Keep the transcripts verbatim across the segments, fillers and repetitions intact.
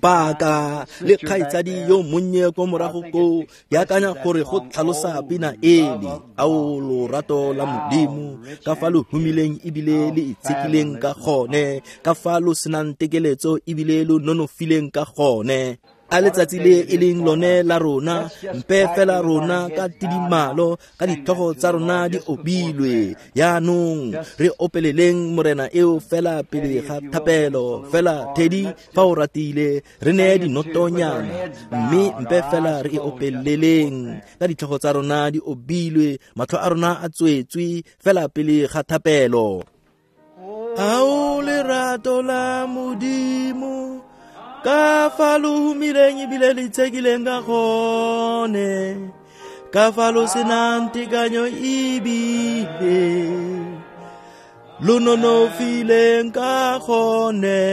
Paka le kgaitsadi yo monnye ko morago koo, ke akanya gore go tlhalosa pina ele, ao lorato la Modimo, ka fa lo humileng ebile le itshekileng ka gone, ka fa lo senang tekeletso ebile lo nonofileng ka gone. A letsatsi le e leng lone la rona, mpe fela rona ka tidimalo, ka ditlhogo tsa rona di obilwe. Yaanong re opeleleng Morena eo fela pele ga thapelo, fela Teddy fa o ratile, re neye dinotonyana, mme mpe fela re e opeleleng ka ditlhogo tsa rona di obilwe, matlho a rona a tswetswe fela pele ga thapelo. Ao lerato la Modimo, ka fa lo humileng ebile le itshekileng ka gone, ka fa lo senang tekanyo ebile lo nonofileng ka gone,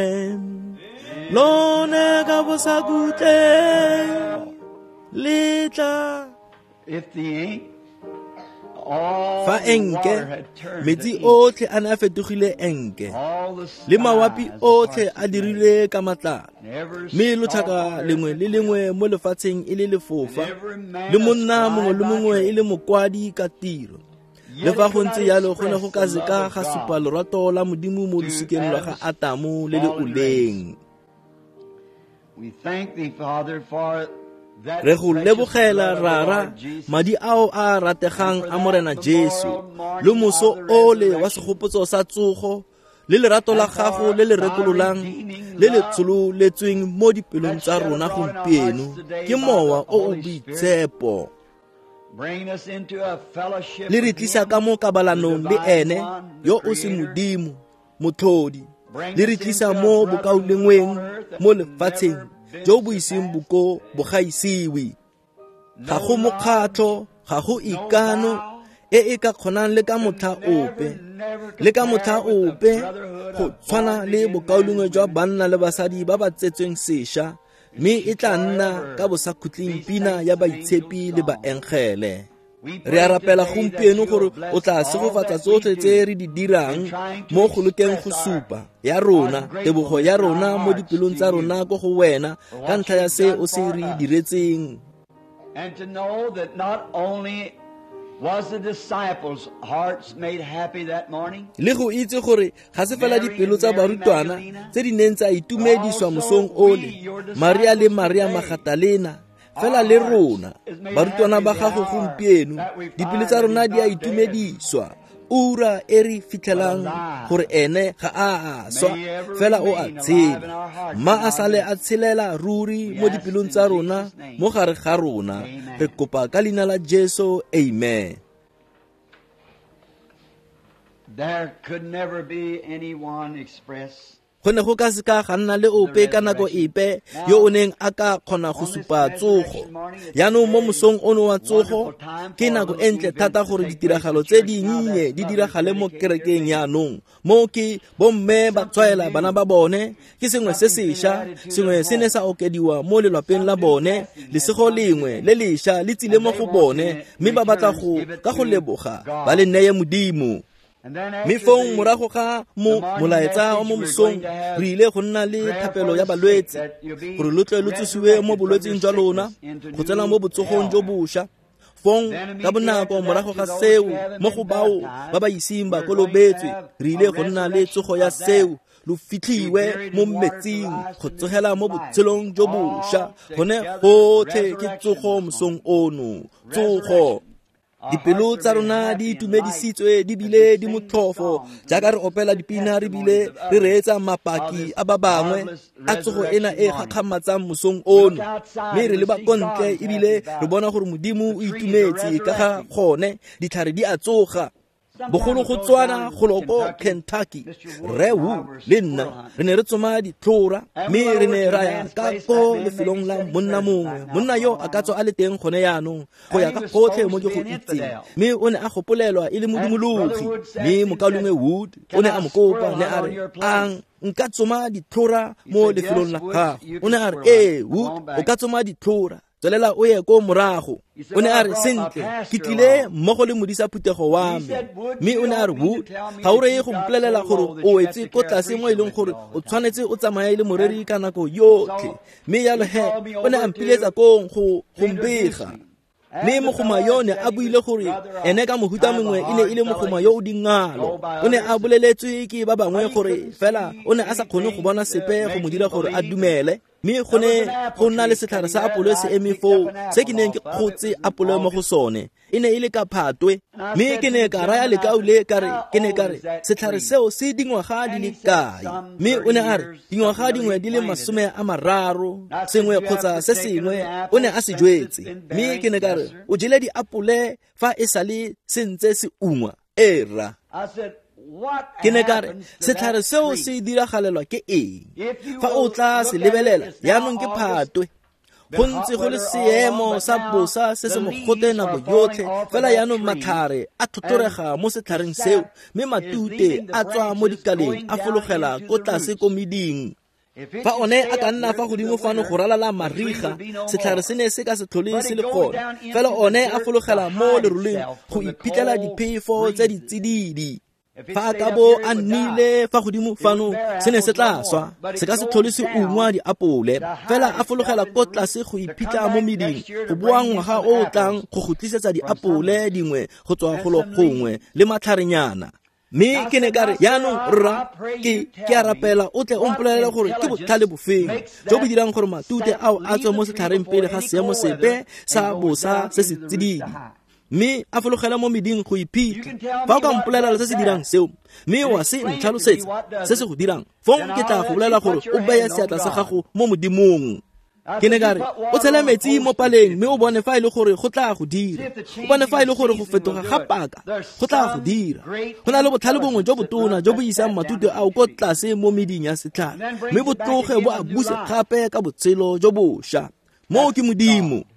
lone ka bosakhutleng le tla. If the ink, all Fa the enke, water had turned metsi to ink, otlhe a ne a fetogile enke, all the le mawapi skies otlhe parted a dirile ka matlalo, Every mme stalk lotlhaka on earth lengwe le lengwe mo lefatsheng e le lefofa, and every man le monna a mongwe le scribe by mongwe e trade. le mokwadi ka tiro. Yet Le fa it go could ntse not jalo, go ne go express ka the se ka love of ga God supa lorato la Modimo mo to losikeng lwa ga Adam's Atamo le le fallen oleng. race. We thank thee, Father, for that Re go precious lebogela, blood of the Rara, Lord Jesus, madi ao a rategang and for a Morena that Jesu, memorial morning le moso of the ole wa resurrection, segopotso sa tsogo, le lerato la and for gago le le thy rekololang, redeeming le le love tshololetsweng mo dipelong that tsa shed rona abroad in our gompieno, hearts today ke by mowa the o o Holy Spirit. boitshepo. Bring us into a fellowship Le re with tlisa him, ka mo the kabalanong le divine ene, one, the yo o se Creator. Modimo, Motlhodi. Bring Le re us tlisa into a mo brotherhood on bokaulengweng earth that mo never lefatsheng been jo bo iseng surpassed. bo ko bo gaisiwe. Ga No go love, mokgatlho, ga go no ikano vow e e ka kgonang le ka could motlha never, ope, never le ka motlha compare with the ope brotherhood go of tshwana born le again men bokaulengwe and jwa women. banna le basadi ba ba tsetsweng sešwa, mme e tla nna ka Forever bosakhutleng be pina saints ya and angels' baitshepi le song. baengele. We Re a pray rapela today that gompieno you'll gore o bless tla all segofatsa that we tsotlhe tse do re di in dirang trying to mo go lekeng go express our, supa ya our rona, tebogo gratefulness ya in our rona mo hearts dipelong to tsa you rona ko go wena for ka what ntlha ya you've se done o se for re us. diretseng. And to know that not only was the disciples' hearts made happy that morning, Le go itse gore ga se fela Mary dipelo and tsa Mary barutwana Magdalena, tse di neng tsa but itumediswa also mosong we, ole, your Maria le disciples Maria today, Magdalena, fela our le hearts rona is made barutwana happy ba the gago hour gompieno, that we dipelo find tsa that rona he's di a not dead, itumediswa ura e re but fitlhelang alive. gore ene ga a a swa, May he ever fela o a remain alive in tshela. our hearts Mma and a our sale a midst. tshelela ruri We mo ask dipelong in tsa rona, Jesus' name. mo gare ga rona. Amen. Re kopa ka leina la Jesu, amen. There could never be anyone express Go ne go ka se ka ga nna le the ope ka nako resurrection. epe yo o Now, neng a ka kgona go on this supa tsogo. resurrection morning, it's a Yaanong mo very mosong ono wa tsogo, wonderful time ke for a nako little e ntle event thata to gore take place in ditiragalo the tse church now dinnye that di mothers diragale mo dedicate their kerekeng babies. yaanong. Mo ke bomme ba Something tshwaela bana new, ba bone, ke sengwe se something's been sešwa, added to their sengwe se ne home. sa okediwa mo lelwapeng la Some new bone, blessing has lesego come to lengwe them. le lešwa le tsile And mo they go want to bone, in mme ba batla return go give it ka go to leboga ba le God. neye Modimo. And then Mme after fong the, morago ga the mo morning molaetsa wa message, mo we're mosong, going to have re ile go nna le prayer thapelo for ya the sick balwetse, that you'll be gore lo tle lo tsosiwe mo resurrected from your bolwetseng jwa lona, sickness into go tsena mo new botsogong jo health. bošwa. Fong Then ka immediately bonako after that, morago to ga those who seo, haven't mo been go bao ba baptized, ba iseng ba we're going to kolobetswe, have re a ile go nna le resurrection tsogo ya of that. seo, lo To be fitlhiwe buried mo in water to metsing, rise go to new tsogela mo life. botshelong jo bošwa. All Gone together, gotlhe ke resurrection tsogo this mosong morning. ono, tsogo. Resurrection. Our Dipelo hearts are tsa made rona di happy and light itumedisitswe di as we bile di sing the motlhofo, songs and jaaka re listen to opela the dipina re testimonies bile of re others reetsa of mapaki this a ba bangwe marvelous a tsogo ena resurrection e morning. gakgamatsang mosong We look ono. outside Mme and re we leba see ko ntle God's happy ebile re about it. bona gore Modimo The o trees are itumetse ka ga resurrecting. gone, ditlhare di a tsoga. Some time Bogolo go ago tswana down in go lo ko Kentucky, Kentucky, Mister Wood Rre and I Wu were le nna squirrel hunting. re ne re tsoma ditlhora, And we mme went re over ne to ra a ya man's ka place. ko That man may be lefelong la sitting monna present mongwe. right now, Monna for yo all a I ka tswa know. a le teng gone yaanong, go And ya he ka was gotlhe supposed mo to ke be go an itseng, infidel. mme o ne a gopolelwa e le And Brother modumologi. Wood Mme asked him, said, mokaulengwe Wood o Can ne I a mo kopa, squirrel ne hunt a on re, your place? Ang nka tsoma ditlhora He mo said, lefelong Yes, la Woods, gago. you O ne can a re, squirrel hunt. Ee, Come Wood, on o back. ka tsoma ditlhora. Tswelela o ye ko morago. O ne a re, sentle, ke tlile mmogo le modisa phuthego wa me. Mme o ne a re, Wood, ga o reye go mpolelela gore o wetse ko tlase mo e leng gore o tshwanetse o tsamaye le moreri ka nako yotlhe. Mme jalo he, o ne a mpiletsa kong go go mbega. Mme mogoma yo ne a buile gore ene ka mohuta mongwe e ne e le mogoma yo o dingalo. O ne a boleletswe ke ba bangwe gore fela o ne a sa kgone go bona sepe go mo dira gore a dumele. Mme go ne go nna le setlhare sa apole se eme foo se ke neng ke kgotse apole mo go sone. E ne e le ka phatwe. Mme ke ne ka raya lekau le ka re, ke ne ka re, setlhare seo se dingwaga di le kae? Mme o ne a re, dingwaga dingwe di le masome a mararo, sengwe kgotsa se sengwe, o ne a se jwetse. Mme ke ne ka re, o jele diapole fa e sale se ntse se ungwa. Ee, rra. Ke ne ka re, setlhare seo se diragalelwa ke eng? Fa o tla se lebelela, jaanong ke phatwe. Go ntse go le seemo sa bosa se se mogote nako yotlhe, fela jaanong matlhare a tlhotlhorega mo setlhareng seo, mme matute a tswa mo dikaleng a fologela ko tlase ko meding. Fa one a ka nna fa godimo fano go ralala mariga, setlhare se ne se ka se tlhole se le gone, fela one a fologela mo leroleng go iphitlhela diphefo tse di tsididi. Fa a ka bo a nnile fa godimo fano, se ne se tla swa, se ka se tlhole se ungwa diapole, fela a fologela ko tlase go iphitlha mo meding, go boa ngwaga o o tlang go go tlisetsa diapole dingwe go tswa golo gongwe le matlharenyana. Mme ke ne ka re, jaanong rra, ke ke a rapela o tle o mpolelele gore ke botlhale bofeng jo bo dirang gore matute ao a tswe mo setlhareng pele ga seemo sepe sa bosa se se tsididi, mme a fologela mo meding go iphitlha. Fa o ka mpolelela se se dirang seo, mme wa se ntlhalosetsa se se go dirang, fong ke tla go bolela gore o beye seatla sa gago mo Modimong. Ke ne ka re, o tshele metsi mo paleng mme o bone fa e le gore go tla go dira. O bone fa e le gore go fetoga ga paka go tla go dira. Go na le botlhale bongwe jo botona jo bo isang matute ao ko tlase mo meding ya setlhare, mme bo tloge bo a buse gape ka botshelo jo bošwa. Moo ke Modimo.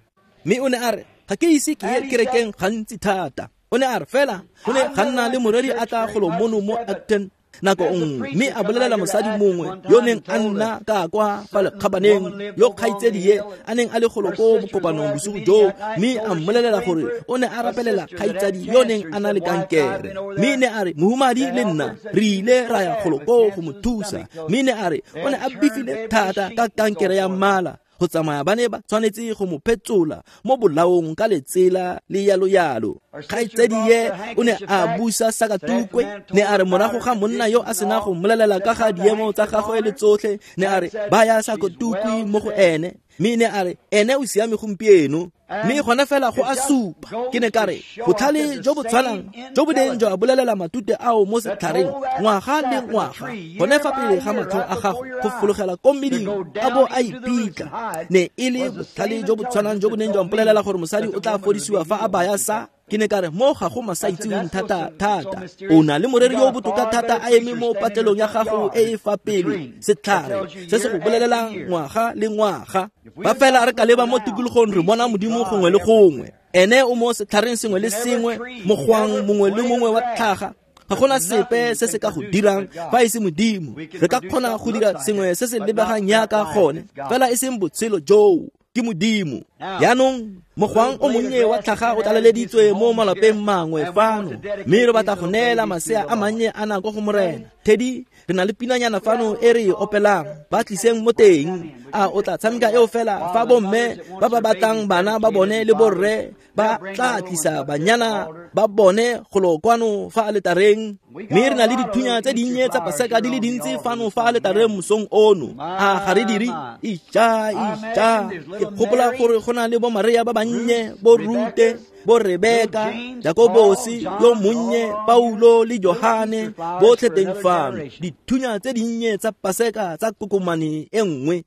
Mme o ne a re, ga ke ise ke ye kerekeng gantsi thata. O ne a re, fela go ne ga nna le moreri a tla golo mono mo Acton nako nngwe, mme a bolelela mosadi mongwe yo neng a nna ka kwa fa lekgabaneng, yo kgaitsedie a neng a le golo ko bokopanong bosigo joo, mme a mmolelela gore o ne a rapelela kgaitsadi yo neng a na le kankere. Mme ne a re, mohumadi le nna re ile ra ya golo koo go mo thusa. Mme ne a re o ne a bifile thata ka kankere ya mmala, go tsamaya ba ne ba tshwanetse go mo phetsola mo bolaong ka letsela le yalo yalo. Kgaitsedie o ne a busa sakatukwe, ne a re morago ga monna yo a sena go mmolelela ka ga diemo tsa gagwe le tsotlhe, ne a re baya sakatukwe mo go ene, mme ne a re ene o siame gompieno. Mme gona fela go a supa. Ke ne ka re, botlhale jo bo tshwanang jo bo neng jwa bolelela matute ao mo setlhareng ngwaga le ngwaga, gone fa pele ga matlho a gago go fologela ko meding a bo a ipitla, ne e le botlhale jo bo tshwanang jo bo neng jwa mpolelela gore mosadi o tla fodisiwa fa a baya sa. Ke ne ka re, mo ga go masaitseweng thata thata. O na le moreri yo o botoka thata a eme mo patlelong ya gago e e fa pele, setlhare se se go bolelelang ngwaga le ngwaga. Ba fela re ka leba mo tikologong re bona Modimo gongwe le gongwe. Ene o mo setlhareng sengwe le sengwe, mogwang mongwe le mongwe wa tlhaga. Ga gona sepe se se ka go dirang fa e se Modimo. Re ka kgona go dira sengwe se se lebegang jaaka gone, fela e seng botshelo joo. Ke Modimo. Jaanong mogwang o monnye wa tlhaga o tlaleleditswe mo malapeng mangwe fano, mme re batla go neela masea a mannye a nako go Morena. Teddy, re na le pinanyana fano e re e opelang, ba tliseng mo teng. A o tla tshameka eo fela fa bomme ba ba batlang bana ba bone le borre ba tla tlisa banyana ba bone golo kwano fa aletareng. Mme re na le dithunya tse dinnye tsa Paseka di le dintsi fano fa aletareng mosong ono. A ga re dire? Ija, ija. Ke gopola gore go na le bo Maria ba bannye, bo Rute, bo Rebeka, Jakobosi yo monnye, Paulo le Johane, botlhe teng fano. Dithunya tse dinnye tsa Paseka tsa kokomane e nngwe.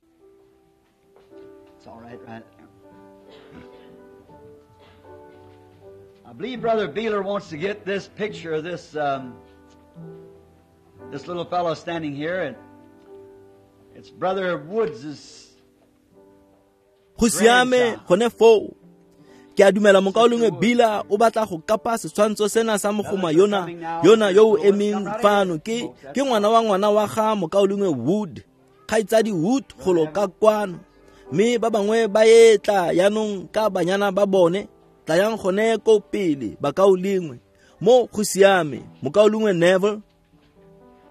I believe Brother Beeler wants to get this picture of this um, this little fellow standing here, and it's Brother Woods' Go siame gone foo. Ke a dumela mokaulengwe Bila o batla go kapa setshwantsho sena sa mogoma yona yona yo o emeng fano ke ke ngwana wa ngwana wa ga mokaulengwe Wood, kgaitsadi Wood golo ka kwano. Mme ba bangwe ba etla yaanong ka banyana ba bone. Tlayang gone ko pele bakaulengwe. Mo go siame, mokaulengwe Neville.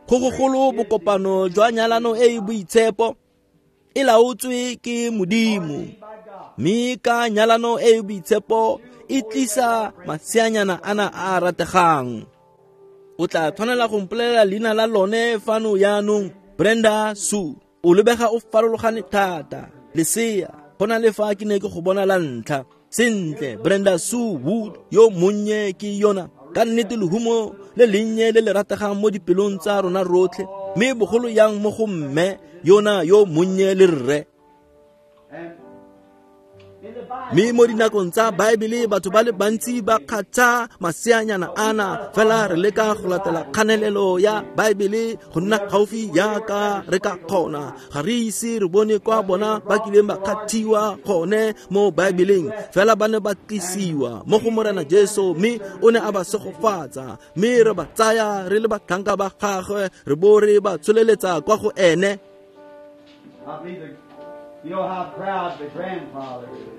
Go gogolo bokopano jwa nyalano e e boitshepo e laotswe ke Modimo. Mme ka nyalano e e boitshepo e tlisa maseanyana ana a a rategang. O tla tshwanela go mpolelela leina la lone fano yaanong, Brenda Sue. O lebega o farologane thata. Lesea, go na le fa ke ne ke go bona la ntlha. Sentle, Brenda Sue Wood yo monnye ke yona. Ka nnete lehumo le lennye le le rategang mo dipelong tsa rona rotlhe, mme bogolo yang mo go mme yona yo monnye le rre. Mme mo dinakong tsa Baebele batho ba le bantsi ba kgatha maseanyana ana, fela re leka go latela kganelelo ya Baebele go nna gaufi jaaka re ka kgona. Ga re ise re bone kwa bona ba kileng ba kgathiwa gone mo Baebeleng, fela ba ne ba tlisiwa mo go Morena Jesu, mme o ne a ba segofatsa, mme re ba tsaya re le batlhanka ba gagwe, re bo re ba tsholeletsa kwa go ene. You know how proud the grandfather is.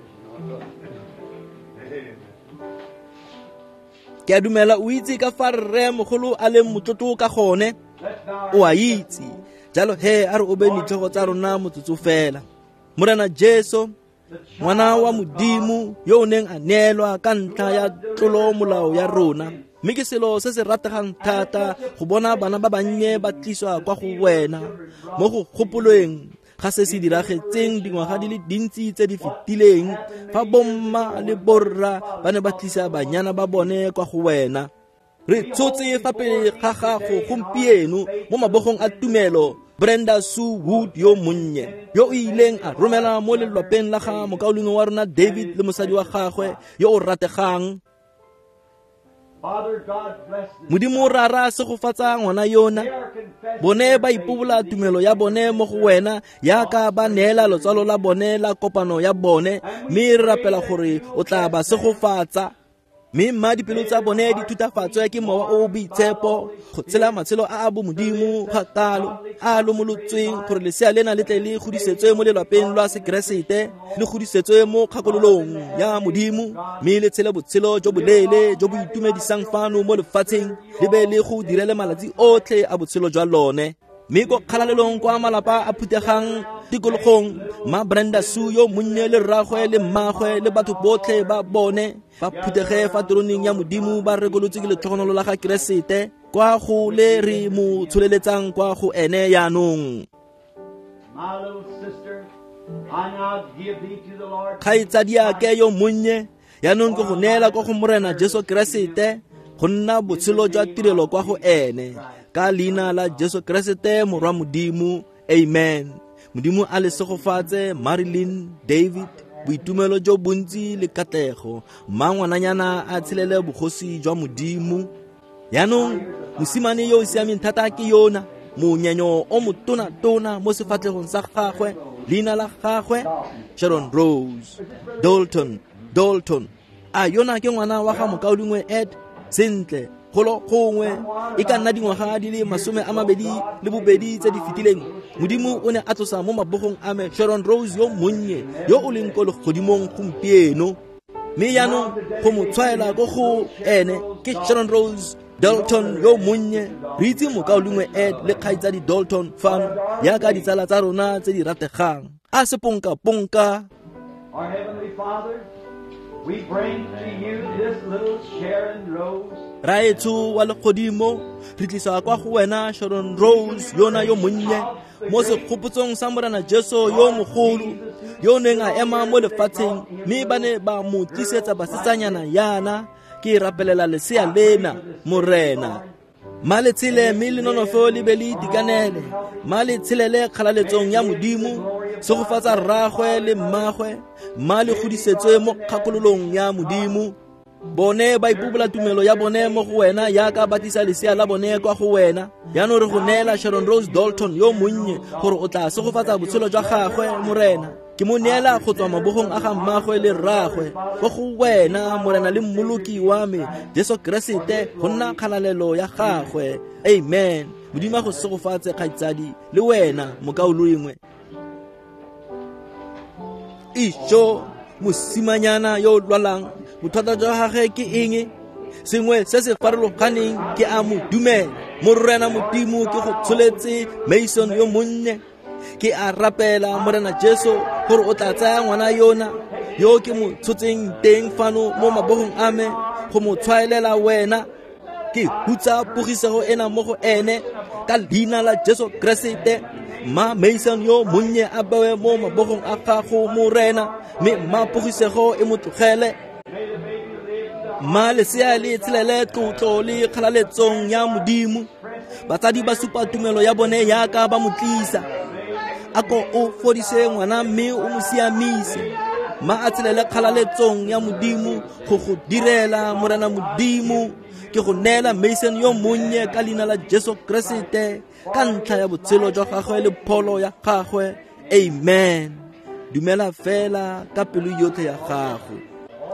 Ke a dumela o itse ka fa rre mogolo a leng motlotlo ka gone. O a itse. Jalo he a re obeng ditlhogo tsa rona motsotso fela. Morena Jesu, ngwana wa Modimo yo o neng a neelwa ka ntlha ya tlolomolao ya rona, mme ke selo se se rategang thata go bona bana ba bannye ba tliswa kwa go wena mo go gopolweng ga se se diragetseng dingwaga di le dintsi tse di fetileng, fa bomma le borra ba ne ba tlisa banyana ba bone kwa go wena. Re tshotse fa pele ga gago gompieno mo mabogong a tumelo Brenda Sue Wood yo monnye, yo o ileng a romela mo lelwapeng la ga mokaulengwe wa rona David le mosadi wa gagwe yo o rategang. Modimo Rara segofatsa ngwana yona. Bone ba ipobola tumelo ya bone mo go wena yaka ba neela lotsalo la bone la kopano ya bone, mme re rapela gore o tla ba segofatsa. Mme mma dipelo tsa bone di thutafatswe ke Mowa o o Boitshepo go tshela matshelo a a bomodimo ga kalo a a lomolotsweng, gore lesea lena le tle le godisetswe mo lelwapeng lwa Sekeresete, le godisetswe mo kgakololong ya Modimo, mme le tshele botshelo jo boleele jo bo itumedisang fano mo lefatsheng, le be le go direle malatsi otlhe a botshelo jwa lone. Mme ko kgalalelong kwa malapa a phutegang tikologong, ma Brenda Sue yo monnye le rragwe le mmagwe le batho botlhe ba bone ba phuthege fa teroneng ya Modimo ba rekolotse ke letlhogonolo la ga Keresete kwa go le re mo tsholeletsang kwa go ene yaanong. Kgaitsadiake yo monnye, yaanong ke go neela kwa go Morena Jesu Keresete go nna botshelo jwa tirelo kwa go ene, ka leina la Jesu Keresete morwa Modimo, amen. Modimo a le segofatse Marilyn David, boitumelo jo bontsi le katlego. Mma ngwananyana a tshelele bogosi jwa Modimo. Yaanong mosimane yo o siameng thata ke yona, monyenyo o motona-tona mo sefatlhegong sa gagwe, leina la gagwe Sharon Rose Dalton. Dalton a yona ke ngwana wa ga mokaulengwe Ed. Sentle, golo gongwe e ka nna dingwaga di le masome a mabedi le bobedi tse di fetileng, Modimo o ne a tlosa mo mabogong a me Sharon Rose yo monnye yo o leng ko legodimong gompieno. Mme yaanong go mo tshwaela ko go ene ke Sharon Rose Dalton yo monnye. Re itse mokaulengwe Ed le kgaitsadi Dalton fano yaka ditsala tsa rona tse di rategang. A se ponka-ponka. Our Heavenly Father, we bring to you this little Sharon Rose. Raetsho wa legodimo, re tlisa kwa go wena Sharon Rose yona yo monnye mo segopotsong sa Morena Jesu yo mogolo, yo neng a ema mo lefatsheng, mme ba ne ba mo tlisetsa basetsanyana yana. Ke rapelela lesea lena, Morena. Ma le tshele mme le nonofo le be le itekanele. Ma le tshelele kgalaletsong ya Modimo, segofatsa rragwe le mmagwe, ma le godisetswe mo kgakololong ya Modimo. Bone ba ipobola tumelo ya bone mo go wena yaka ba tlisa lesea la bone kwa go wena. Yaanong re go neela Sharon Rose Dalton yo monnye gore o tla segofatsa botshelo jwa gagwe, Morena. Ke mo neela go tswa mabogong a ga mmagwe le rragwe kwa go wena, Morena le mmoloki wa me Jesu Keresete, go nna kgalalelo ya gagwe. Amen. Modimo a go segofatse kgaitsadi le wena mokaulengwe. Ijo mosimanyana yo o lwalang, bothata jwa gagwe ke eng? Sengwe se se farologaneng ke a mo dumela. Morena Modimo, ke go tsholetse Mason yo monnye. Ke a rapela Morena Jesu gore o tla tsaya ngwana yona yo ke mo tshotseng teng fano mo mabogong a me go mo tshwaelela wena. Ke hutsa pogisego ena mo go ene ka leina la Jesu Keresete. Ma Mason yo monnye a bewe mo mabogong a gago Morena, mme ma pogisego e mo tlogele. Ma lesea le tshelele tlotlo le kgalaletsong ya Modimo. Batsadi ba supa tumelo ya bone yaka ba mo tlisa. A ko o fodise ngwana mme o mo siamise. Ma a tshelele kgalaletsong ya Modimo go go direla Morena Modimo. Ke go neela Mason yo monnye ka leina la Jesu Keresete, ka ntlha ya botshelo jwa gagwe le pholo ya gagwe. Amen. Dumela fela ka pelo yotlhe ya gago.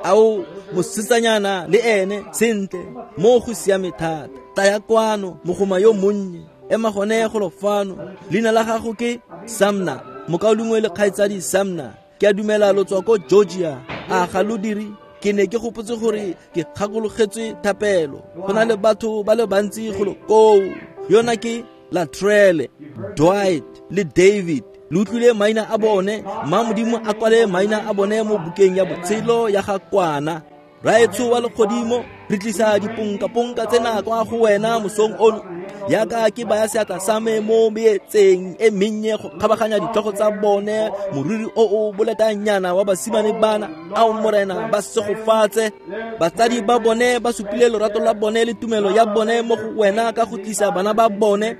Ao mosetsanyana le ene sentle mo go siame thata. Taya kwano mogoma yo monnye, ema gone golo fano. Leina la gago ke Samna, mokaulengwe le kgaitsadi Samna. Ke a dumela lo tswa ko Georgia. A ga lo dire? Ke ne ke gopotse gore ke gakologetswe thapelo. Go na le batho ba le bantsi golo koo. Yona ke Latrelle, Dwight le David. Le utlwile maina a bone. Ma Modimo a kwale maina a bone mo bukeng ya botshelo ya ga kwana. Raetsho wa legodimo, re tlisa diponkaponka tsena kwa go wena mosong ono. Yaka ke baya seatla sa me mo meetseng e mennye go kgabaganya ditlhogo tsa bone, moriri o o boletanyana wa basimane bana. Ao Morena, ba segofatse. Batsadi ba bone ba supile lorato la bone le tumelo ya bone mo go wena ka go tlisa bana ba bone.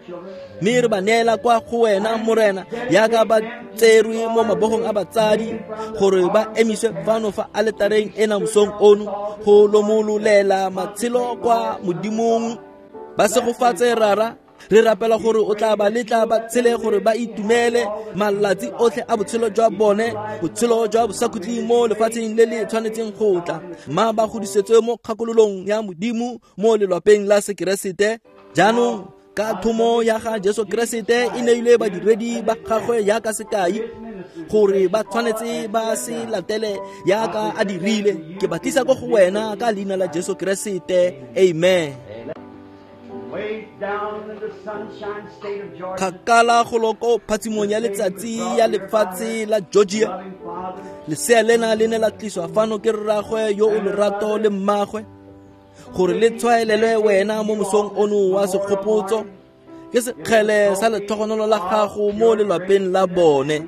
Mme re ba neela kwa go wena Morena, yaka ba tserwe mo mabogong a batsadi gore ba emiswe fano fa aletareng ena mosong ono go lomololela matshelo kwa Modimong. Ba segofatse Rara, re rapela gore o tla ba letla ba tshele gore ba itumele malatsi otlhe a botshelo jwa bone, botshelo jwa bosakhutleng mo lefatsheng le le tshwanetseng go tla. Ma ba godisetswe mo kgakololong ya Modimo mo lelwapeng la Sekeresete. Jaanong ka thomo ya ga Jesu Keresete e neilwe badiredi ba gagwe yaka sekai gore ba tshwanetse ba se latele yaka a dirile. Ke ba tlisa ko go wena ka leina la Jesu Keresete. Amen. Kgakala golo ko phatsimong ya letsatsi ya lefatshe la Georgia, lesea lena le ne la tliswa fano ke rragwe yo o lerato le mmagwe gore le tshwaelelwe wena mo mosong ono wa segopotso. Ke sekgele sa letlhogonolo la gago mo lelwapeng la bone.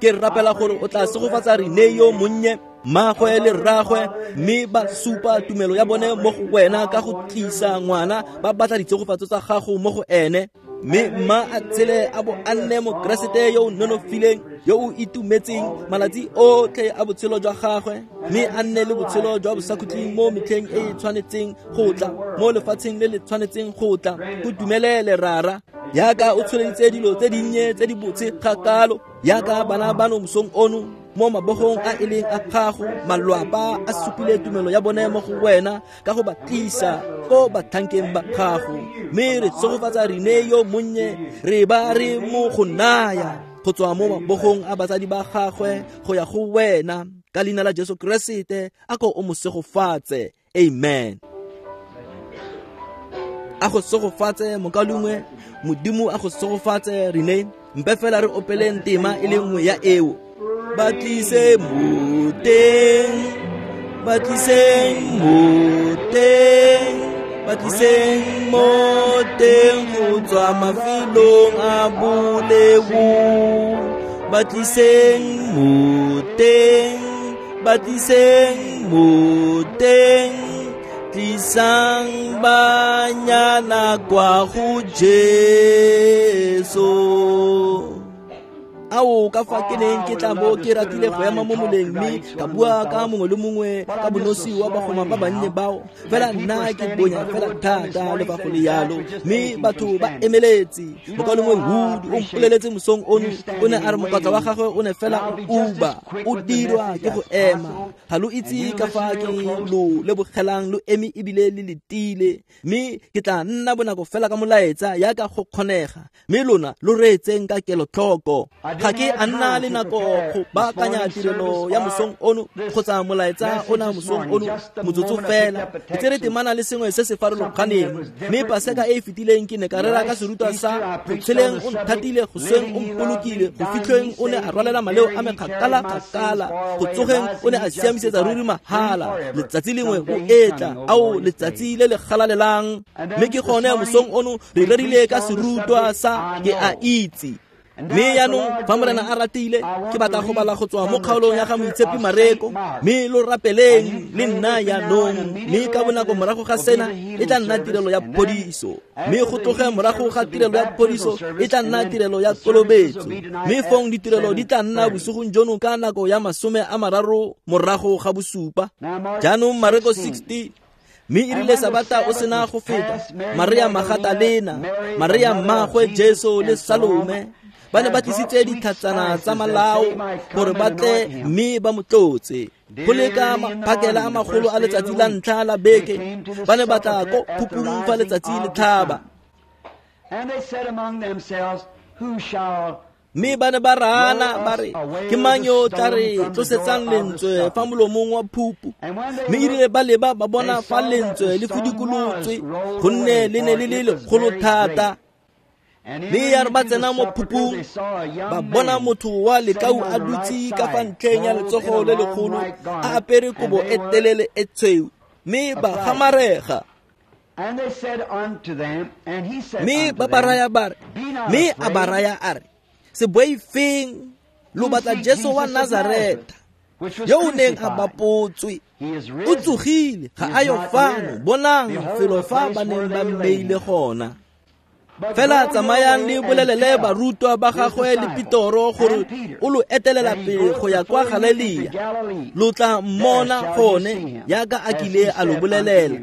Ke rapela gore o tla segofatsa Rene yo monnye, mmagwe le rragwe, mme ba supa tumelo ya bone mo go wena ka go tlisa ngwana ba batla ditshegofatso tsa gago mo go ene. Mme mma a tshele a bo a nne Mokeresete yo o nonofileng, yo o itumetseng malatsi otlhe a botshelo jwa gagwe, mme a nne le botshelo jwa bosakhutleng mo metlheng e e tshwanetseng go tla, mo lefatsheng le le tshwanetseng go tla. Go dumelele Rara, yaka o tsholeditse dilo tse dinnye tse di botse kgakalo, yaka bana bano mosong ono mo mabogong a e leng a gago. Malwapa a supile tumelo ya bone mo go wena ka go ba tlisa ko batlhankeng ba gago. Mme re tshegofatsa Rene yo monnye, re ba re mo go naya go tswa mo mabogong a batsadi ba gagwe go ya go wena ka leina la Jesu Keresete. A ko o mo segofatse. Amen. A go segofatse mokaulengwe. Modimo a go segofatse Rene. Mpe fela re opeleng tema e le nngwe ya eo. Ba tlise mo teng, ba tliseng mo teng, ba tliseng mo teng go tswa mafelong a boleu. Ba tliseng mo teng, ba tliseng mo teng, tlisang banyana kwa go Jesu. Ao ka fa ke neng ke tla bo ke ratile go ema mo moleng mme ka bua ka mongwe le mongwe ka bonosi wa bagoma ba bannye bao. Fela nna ke bonya fela thata le fa go le yalo, mme batho ba emeletse. Mokaulengwe Wood o mpoleletse mosong ono, o ne a re mokatla wa gagwe o ne fela o uba, o dirwa ke go ema. Ga lo itse ka fa ke lo lebogelang lo eme ebile le letile, mme ke tla nna bonako fela ka molaetsa yaka go kgonega, mme lona lo reetseng ka kelotlhoko. Ga ke a nna le nako go baakanya tirelo ya mosong ono kgotsa molaetsa ona mosong ono motsotso fela. Ke tsere temana le sengwe se se farologaneng, mme Paseka e e fetileng ke ne ka rera ka serutwa sa go tsheleng o nthatile, go sweng o mpolokile, go fitlhweng o ne a rwalela maleo a me kgakala kgakala, go tsogeng o ne a siamisetsa ruri mahala, letsatsi lengwe o etla, ao letsatsi le le galalelang. Mme ke gone mosong ono re rerile ka serutwa sa ke a itse. Mme jaanong fa Morena a ratile, ke batla go bala go tswa mo kgaolong ya ga Moitshepi Mareko, mme lo rapeleng le nna jaanong. Mme ka bonako morago ga sena e tla nna tirelo ya phodiso, mme go tloge morago ga tirelo ya phodiso e tla nna tirelo ya kolobetso, mme fong ditirelo di tla nna bosigong jono ka nako ya masome a mararo morago ga bosupa. Jaanong Mareko sixteen. Mme e rile Sabata o sena go feta, Maria Magatalena, Maria mmaagwe Jesu le Salome ba ne ba tlisitse ditlhatsana tsa malao gore ba tle mme ba mo tlotse. Go le ka maphakela a magolo a letsatsi la ntlha la beke, ba ne ba tla ko phupung fa letsatsi le tlhaba. Mme ba ne ba raana ba re, ke mang yo o tla re tlosetsang lentswe fa molomong wa phupu? Mme e rile ba leba ba bona fa lentswe le fudikolotswe, gonne le ne le le legolo thata. Mme ya re ba tsena mo phupung, ba bona motho wa lekau a dutse ka fa ntlheng ya letsogo le legolo, a apere kobo e telele e tshweu, mme ba gamarega. Mme ba ba raya ba re, mme a ba raya a re, se boifeng, lo batla Jesu wa Nazareta, yo o neng a bapotswe. O tsogile, ga a yo fano, bonang felo fa ba neng ba mmeile gona. Fela tsamayang le bolelele barutwa ba gagwe le Petoro gore o lo etelela pele go ya kwa Galilea, lo tla mmona gone jaaka a kile a lo bolelela.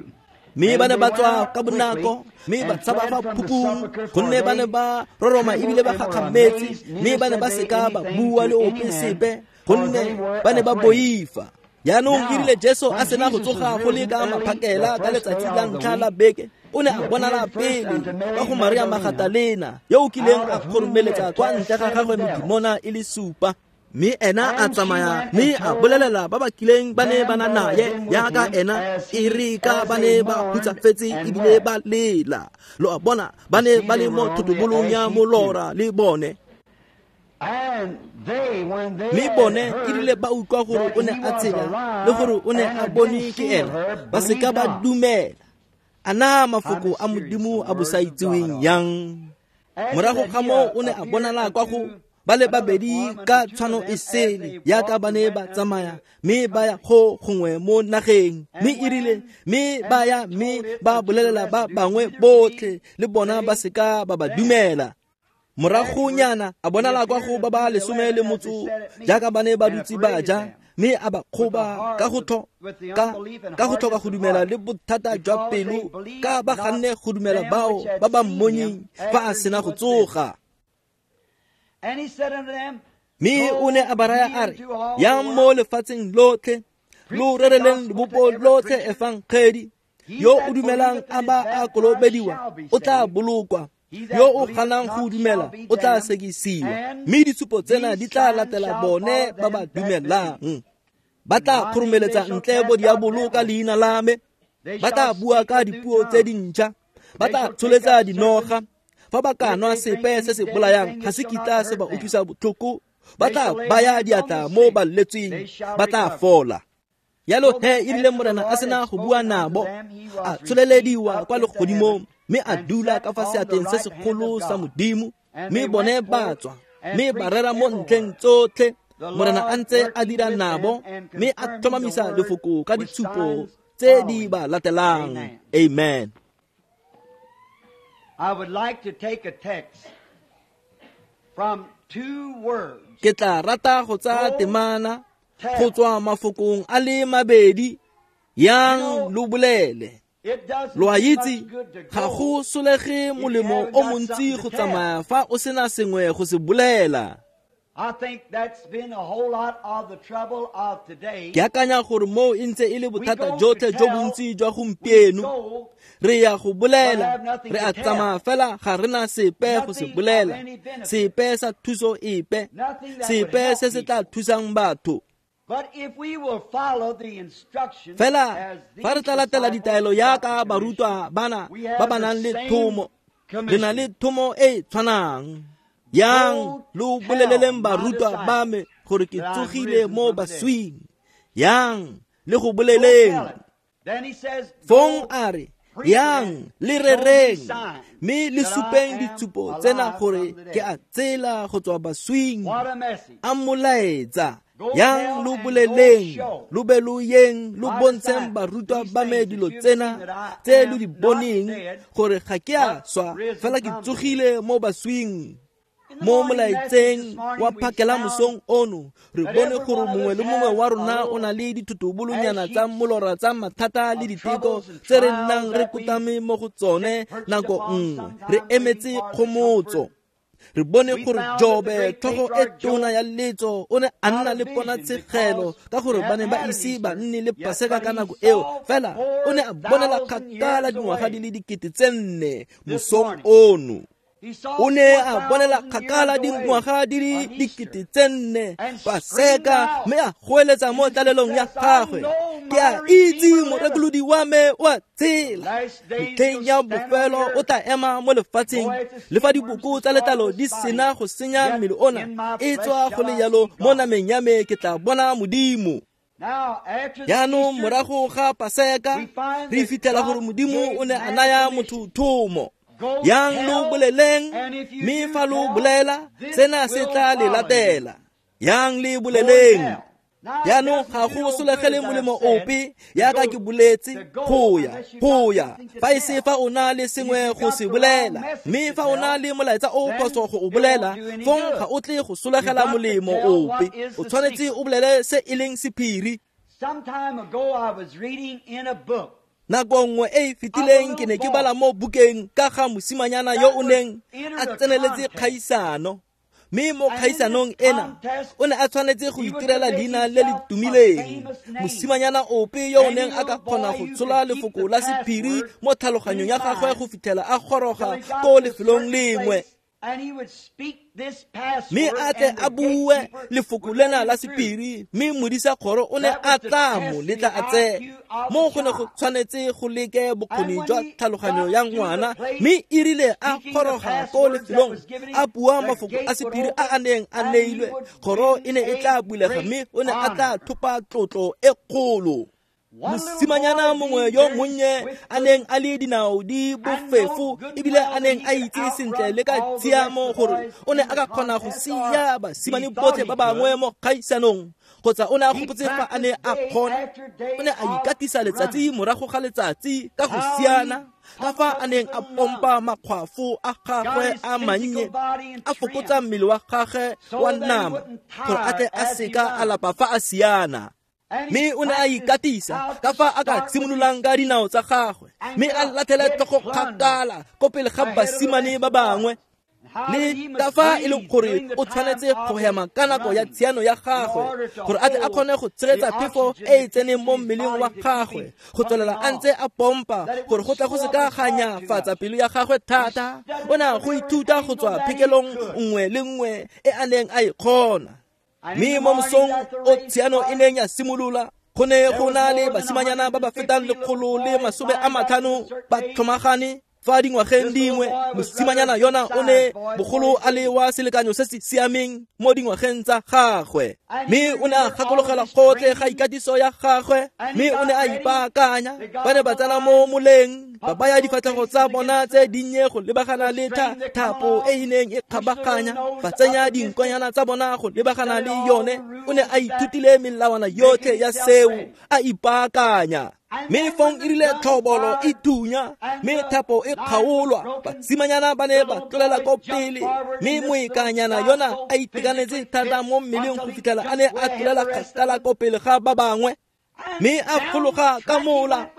Mme ba ne ba tswa ka bonako, mme ba tshaba fa phupung, gonne ba ne ba roroma ebile ba gakgametse, mme ba ne ba seka ba bua le ope sepe, gonne ba ne ba boifa. Jaanong e rile Jesu a sena go tsoga go le ka maphakela ka letsatsi la ntlha la beke, o ne a bonala pele ka go Maria Magatalena, yo o kileng a kgoromeletsa kwa ntle ga gagwe medimona e le supa. Mme ena a tsamaya mme a bolelela ba ba kileng ba ne ba na naye jaaka ena, e re ka ba ne ba hutsafetse ebile ba lela. Lo a bona, ba ne ba le mo thotobolong ya molora le bone. Mme bone e rile ba utlwa gore o ne a tshela le gore o ne a bone ke ena, ba seka ba dumela. A na mafoko a Modimo a bosaitseweng yang? Morago ga moo o ne a bonala kwa go ba le babedi ka tshwano e sele, jaaka ba ne ba tsamaya mme ba ya go gongwe mo nageng. Mme e rile mme ba ya mme ba bolelela ba bangwe botlhe, le bona ba seka ba ba dumela. Moragonyana a bonala kwa go ba ba lesome le motso, jaaka ba ne ba dutse ba ja, mme a ba kgoba ka go tho ka ka go tlhoka go dumela le bothata jwa pelo, ka ba ganne go dumela bao ba ba mmonyeng fa a sena go tsoga. Mme o ne a ba raya a re, yang mo lefatsheng lotlhe, lo rereleng lebopo lotlhe efangedi. Yo o dumelang a ba a kolobediwa o tla bolokwa, yo o ganang go dumela o tla sekisiwa. Mme ditshupo tsena di tla latela bone ba ba dumelang. Ba tla kgoromeletsa ntle bo diabolo ka leina la me, ba tla bua ka dipuo tse dintšha, ba tla tsholetsa dinoga. Fa ba ka nwa sepe se se bolayang, ga se kitla se ba utlwisa botlhoko, ba tla baya diatla mo balwetseng, ba tla fola. Jalo he e rile Morena a sena go bua nabo, a tsholelediwa kwa legodimong, mme a dula ka fa seatleng se segolo sa Modimo. Mme bone ba tswa, mme ba rera mo ntlheng tsotlhe, Morena a ntse a dira nabo, mme a tlhomamisa lefoko ka ditshupo tse di ba latelang. Amen. I would like to take a text from two words. Ke tla rata go tsaya temana go tswa mafokong a le mabedi, yang lo bolele. Lo a itse, ga go solege molemo o montsi go tsamaya fa o sena sengwe go se bolela. Ke akanya gore moo e ntse e le bothata jotlhe jo bontsi jwa gompieno. Re ya go bolela, re a tsamaya fela ga re na sepe go se bolela, sepe sa thuso epe, sepe se se tla thusang batho. Fela fa re tla latela ditaelo yaka barutwa bana ba ba nang le thomo, re na le thomo e e tshwanang. Yang lo boleleleng barutwa ba me gore ke tsogile mo baswing. Yang le go boleleng. Fong a re, yang le rereng, mme le supeng ditshupo tsena gore ke a tsela go tswa baswing. A molaetsa. Yang lo boleleng, lo be lo yeng, lo bontsheng barutwa ba me dilo tsena tse lo di boneng, gore ga ke a swa, fela ke tsogile mo baswing. Mo molaetseng wa phakela mosong ono, re bone gore mongwe le mongwe wa rona o na le dithutobolonyana tsa molora tsa mathata le diteko tse re nnang re kotame mo go tsone nako nngwe, re emetse kgomotso. Re bone gore Jobe, tlhogo e tona ya letso, o ne a nna le ponatshegelo ka gore ba ne ba ise ba nne le Paseka ka nako eo, fela o ne a bonela kgakala dingwaga di le dikete tse nne mosong ono. O ne a bonela kgakala dingwaga di le dikete tse nne Paseka, mme a goeletsa mo tlalelong ya gagwe, ke a itse morekolodi wa me o a tshela. Metlheng ya bofelo o tla ema mo lefatsheng, le fa diboko tsa letlalo di sena go senya mmele ona, e tswa go le jalo mo nameng ya me ke tla bona Modimo. Jaanong morago ga Paseka re fitlhela gore Modimo o ne a naya motho thomo. Yang lo boleleng, mme fa lo bolela, sena se tla le latela. Yang le boleleng. Jaanong ga go solegele molemo ope yaka ke boletse go ya, go ya, fa e se fa o na le sengwe go se bolela, mme fa o na le molaetsa o phoso go o bolela, fong ga o tle go solegela molemo ope. O tshwanetse o bolele se e leng sephiri. Nako nngwe e e fetileng ke ne ke bala mo bukeng ka ga mosimanyana yo o neng a tseneletse kgaisano, mme mo kgaisanong ena o ne a tshwanetse go itirela leina le le tumileng. Mosimanyana ope yo o neng a ka kgona go tshola lefoko la sephiri mo tlhaloganyong ya gagwe go fitlhela a goroga ko lefelong lengwe, mme a tle a bue lefoko lena la sephiri, mme modisa kgoro o ne a tla mo letla a tsena. Mo go ne go tshwanetse go leke bokgoni jwa tlhaloganyo ya ngwana, mme e rile a goroga ko lefelong a bua mafoko a sephiri a a neng a neilwe, kgoro e ne e tla bulega, mme o ne a tla thopa tlotlo e kgolo. Mosimanyana mongwe yo monnye a neng a le dinao di bofefo ebile a neng a itse sentle le ka tshiamo gore o ne a ka kgona go sia basimane botlhe ba bangwe mo kgaisanong, kgotsa o ne a gopotse fa a ne a kgona. O ne a ikatisa letsatsi morago ga letsatsi ka go siana, ka fa a neng a pompa makgwafo a gagwe a mannye, a fokotsa mmele wa gagwe wa nama gore a tle a seka a lapa fa a siana. Mme o ne a ikatisa ka fa a ka simololang ka dinao tsa gagwe, mme a latlhela tlhogo kgakala ko pele ga basimane ba bangwe, le ka fa e leng gore o tshwanetse go hema ka nako ya tshiano ya gagwe gore a tle a kgone go tshegetsa phefo e e tseneng mo mmeleng wa gagwe, go tswelela a ntse a pompa gore go tla go se ka ga nyafatsa pelo ya gagwe thata. O ne a go ithuta go tswa phekelong nngwe le nngwe e a neng a e kgona. Mme mo mosong o tshiano e neng ya simolola, go ne go na le basimanyana ba ba fetang lekgolo le masome a matlhano ba tlhomagane fa dingwageng dingwe. Mosimanyana yona o ne bogolo a le wa selekanyo se se siameng mo dingwageng tsa gagwe, mme o ne a gakologela gotlhe ga ikatiso ya gagwe, mme o ne a ipaakanya. Ba ne ba tsena mo moleng, ba baya difatlhego tsa bona tse dinnye go lebagana le thapo e e neng e kgabaganya, ba tsenya dinkonyana tsa bona go lebagana le yone. O ne a ithutile melawana yotlhe ya seo, a ipaakanya. Mme fong e rile tlhobolo e thunya, mme thapo e kgaolwa, basimanyana ba ne ba tlolela ko pele, mme moekanyana yona a itekanetse thata mo mmeleng go fitlhela a ne a tlolela kgakala ko pele ga ba bangwe, mme a fologa ka mola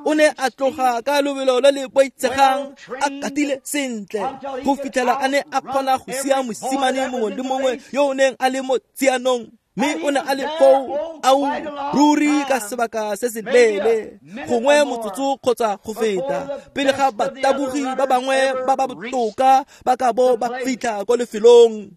O ne a tloga ka lobelo le le boitshegang, a katile sentle, go fitlhela a ne a kgona go sia mosimane mongwe le mongwe yo o neng a le mo tsianong. Mme o ne a le foo, ao ruri ka sebaka se se leele, gongwe motsotso kgotsa go feta, pele ga batabogi ba bangwe ba ba botoka ba ka bo ba fitlha ko lefelong.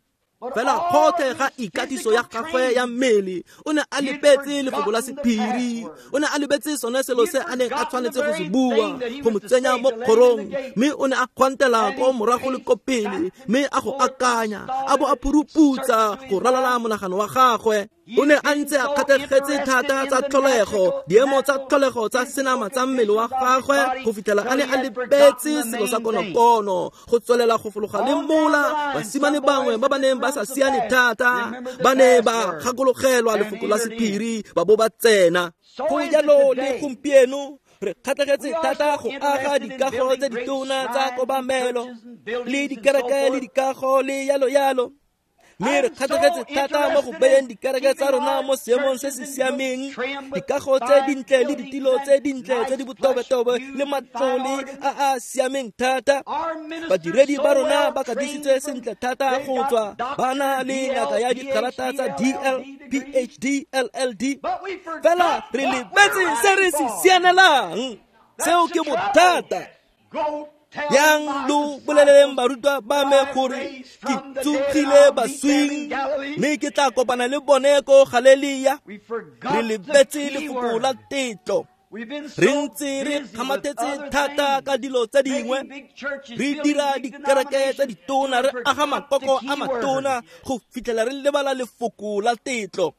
Fela gotlhe ga ikatiso ya gagwe ya mmele, o ne a lebetse lefoko la sephiri, o ne a lebetse sone selo se a neng a tshwanetse go se bua go mo tsenya mo kgorong, mme o ne a gwantela ko morago le ko pele, mme a go akanya, a bo a phuruputsa go ralala monagano wa gagwe. O ne a ntse a kgatlhegetse thata tsa tlholego, diemo tsa tlholego tsa senama tsa mmele wa gagwe, go fitlhela a ne a lebetse selo sa konokono. Go tswelela go fologa le mola, basimane bangwe ba ba neng ba sa siane thata ba ne ba gakologelwa lefoko la sephiri, ba bo ba tsena. Go jalo le gompieno, re kgatlhegetse thata go aga dikago tse ditona tsa kobamelo le dikereke le dikago le yalo yalo. Mme re kgatlhegetse thata mo go beyeng dikereke tsa rona mo seemong se se siameng, dikago tse dintle le ditilo tse dintle tse di botobetobe le matlole a a siameng thata. Badiredi ba rona ba katisitswe sentle thata go tswa ba na le ngaka ya dikarata tsa D L, P H D, L L D. Fela re lebetse se re se sianelang. Seo ke bothata. Yang lo boleleleng barutwa ba me gore ke tsogile baswing, mme ke tla kopana le bone ko Galelia. Re lebetse lefoko la tetlo. Re ntse re kgamathetse thata ka dilo tse dingwe, re dira dikereke tse ditona, re aga makoko a matona go fitlhela re lebala lefoko la tetlo.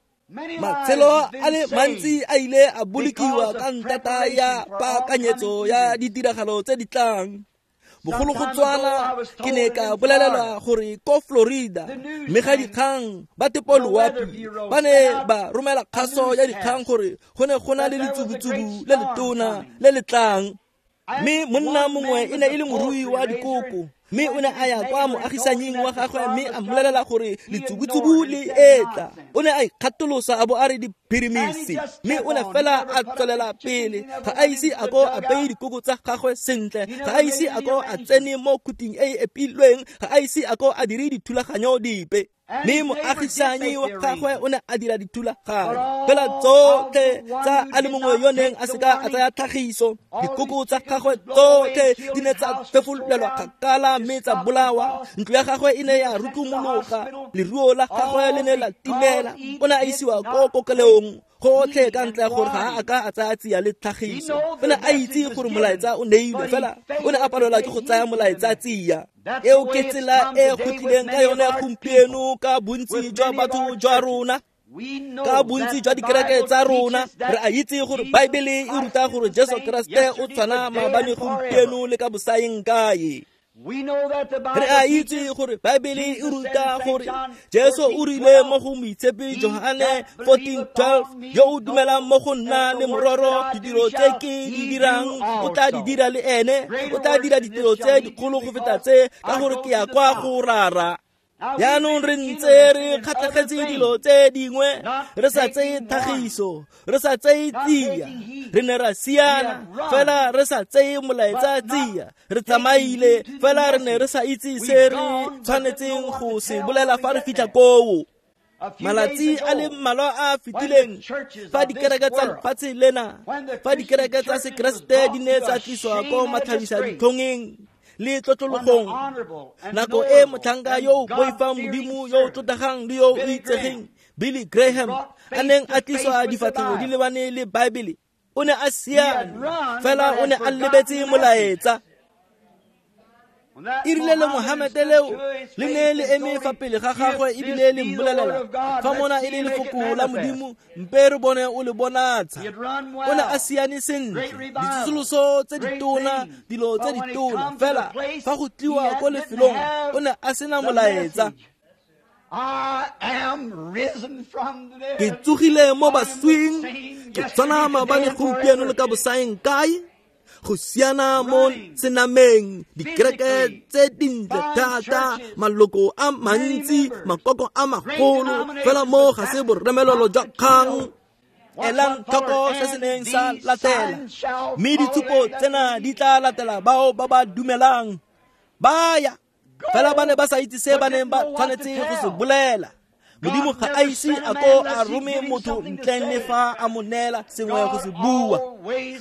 Matshelo a le mantsi a ile a bolokiwa ka ntata ya paakanyetso ya ditiragalo tse di tlang. Bogologolotshwana ke ne ka bolelelwa gore ko Florida mme ga dikgang ba tepo loapi ba ne ba romela kgaso ya dikgang gore go ne go na le letsubutsubu le letona le le tlang. Mme monna mongwe e ne e le morui wa dikoko, mme o ne a ya kwa moagisanying wa gagwe mme a mmolelela gore letsubutsubu le etla. O ne a ikgatolosa a bo a re diphirimisi, mme o ne fela a tswelela pele. Ga a ise a ko a beye dikoko tsa gagwe sentle, ga a ise a ko a tsene mo khuting e e epilweng, ga a ise a ko a dire dithulaganyo dipe. Mme moagisanyi wa gagwe o ne a dira dithulaganyo, fela tsotlhe tsa a le mongwe yo neng a seka a tsaya tlhagiso. Dikoko tsa gagwe tsotlhe di ne tsa fefolelwa kgakala mme tsa bolawa. Ntlo ya gagwe e ne ya rutlumologa, leruo la gagwe le ne la timela. O ne a isiwa ko kokelong gotlhe ka ntle ya gore ga a ka a tsaya tsia le tlhagiso. O ne a itse gore molaetsa o neilwe, fela o ne a palelwa ke go tsaya molaetsa tsia. Eo ke tsela e go tlileng ka yone gompieno ka bontsi jwa batho jwa rona, ka bontsi jwa dikereke tsa rona. Re a itse gore Baebele e ruta gore Jesu Kriste o tshwana maabane, gompieno le ka bosaeng kae. Re a itse gore Baebele e ruta gore Jesu o rile mo go Moitshepi Johane fourteen twelve, yo o dumelang mo go nna le mororo ditiro tse ke di dirang o tla di dira le ene, o tla dira ditiro tse dikgolo go feta tse, ka gore ke ya kwa go Rara. Jaanong re ntse re kgatlhegetse dilo tse dingwe, re sa tseye tlhagiso, re sa tseye tsia. Re ne ra siana, fela re sa tseye molaetsa tsia. Re tsamaile, fela re ne re sa itse se re tshwanetseng go se bolela fa re fitlha koo. Malatsi a le mmalwa a fetileng, fa dikereke tsa lefatshe lena, fa dikereke tsa Sekeresete di ne tsa tliswa ko matlhabisa ditlhongeng le tlotlologong, nako e motlhanka yo o boifang Modimo yo o tlotlegang le yo o itsegeng Billy Graham a neng a tliswa difatlhego di lebane le Baebele, o ne a siame, fela o ne a lebetse molaetsa. E rile le Mohamete leo le ne le eme fa pele ga gagwe ebile le mmolelela, fa mona e le lefoko la Modimo, mpe re bone o le bonatsha. O ne a siane sentle, ditsosoloso tse ditona, dilo tse ditona, fela fa go tliwa ko lefelong o ne a sena molaetsa. Ke tsogile mo baswing, ke tshwana maabane, gompieno le ka bosaeng kae. Go siana mo senameng, dikereke tse dintle thata, maloko a mantsi, makoko a magolo, fela mo ga se boremelelo jwa kgang. Elang tlhoko se se neng sa latela. Mme ditshupo tsena di tla latela bao ba ba dumelang. Ba ya fela ba ne ba sa itse se ba neng ba tshwanetse go se bolela. Modimo ga a ise a ko a rome motho ntleng le fa a mo neela sengwe go se bua.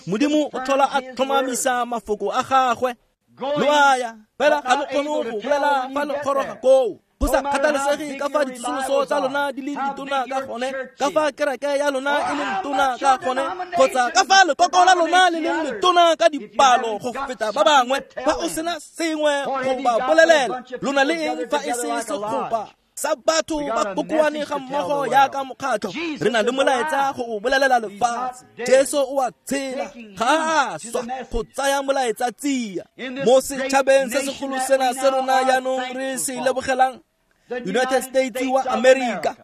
Modimo o tlhola a tlhomamisa mafoko a gagwe. Lo a ya fela ga lo kgone go bolela fa lo goroga koo. Go sa kgathalesege ka fa ditsosoloso tsa lona di le ditona ka gone, ka fa kereke ya lona e leng tona ka gone, kgotsa ka fa lekoko la lona le leng letona ka dipalo go feta ba bangwe, fa o sena sengwe go ba bolelela, lona le eng fa e se segopa sa batho ba kokoane ga mmogo jaaka mokgatlho. Re na le molaetsa go o bolelela lefatshe. Jesu o a tshela, ga a swa go tsaya molaetsa tsia. Mo setšhabeng se segolo sena se rona jaanong re se lebogelang, United States wa America,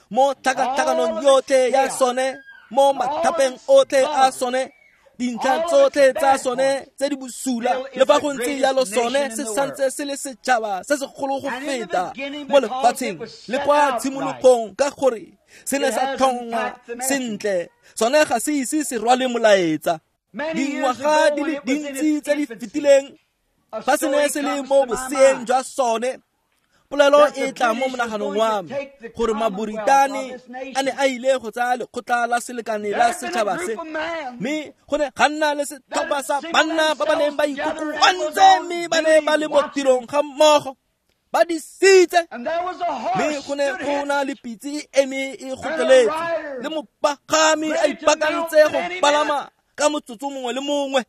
mo tlhakatlhakanong yotlhe ya sone, mo mathapeng otlhe a sone, dintlha tsotlhe tsa sone tse di bosula, le fa go ntse jalo sone se santse se le setšhaba se segolo go feta mo lefatsheng le kwa tshimologong, ka gore se ne sa tlhongwa sentle. Sone ga se ise se rwale molaetsa. Dingwaga di le dintsi tse di fetileng, fa se ne se le mo boseeng jwa sone, polelo e tla mo monaganong wa me gore Maboritane a ne a ile go tsaya lekgotla la selekane la setšhaba se, mme go ne ga nna le setlhopha sa banna ba ba neng ba ikokoantse mme ba ne ba le mo tirong ga mmogo ba disitse, mme go ne go na le pitse e eme e gotleletse le mopagami a ipaakantse go palama ka motsotso mongwe le mongwe.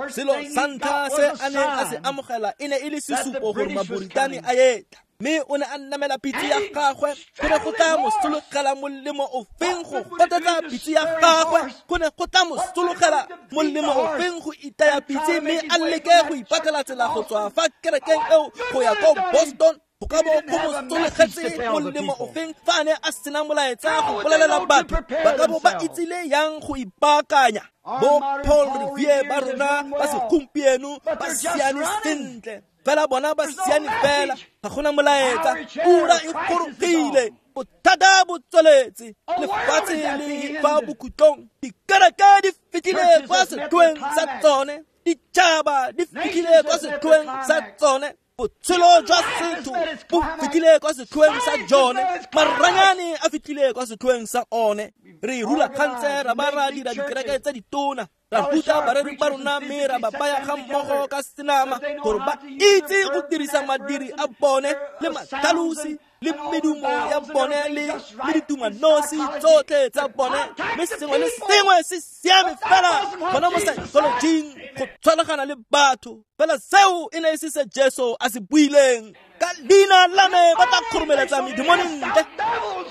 Selo sa ntlha se a neng a se amogela e ne e le sesupo gore Maboritane a etla, mme o ne a namela pitse ya gagwe. Go ne go tla mo sologela molemo ofeng go gotetsa pitse ya gagwe? Go ne go tla mo sologela molemo ofeng go itaya pitse mme a leke go ipatlela tsela go tswa fa kerekeng eo go ya ko Boston? Go ka bo go mo sologetse molemo ofeng fa a ne a sena molaetsa go bolelela batho? Ba ka bo ba itsile yang go ipaakanya? Bo Paul Revere ba rona ba segompieno ba siane sentle, fela bona ba siane fela, ga gona molaetsa. Ura e gorogile, bothata bo tsweletse, lefatshe le fa bokhutlong, dikereke di fitlhile kwa setlhoeng sa tsone, ditšhaba di fitlhile kwa setlhoeng sa tsone, botshelo jwa setho bo fitlhile kwa setlhoeng sa jone, maranyane a fitlhile kwa setlhoeng sa one. Re rulagantse ra ba ra dira dikereke tse ditona, ra ruta bareri ba rona mme ra ba baya ga mmogo ka senama gore ba itse go dirisa madiri a bone le matlhalosi le medumo ya bone le le ditumanosi tsotlhe tsa bone, mme sengwe le sengwe se siame fela gona mo psychologing go tshwaragana le batho. Fela seo e ne e se se Jesu a se buileng. Ka leina la me ba tla kgoromeletsa medimone ntle,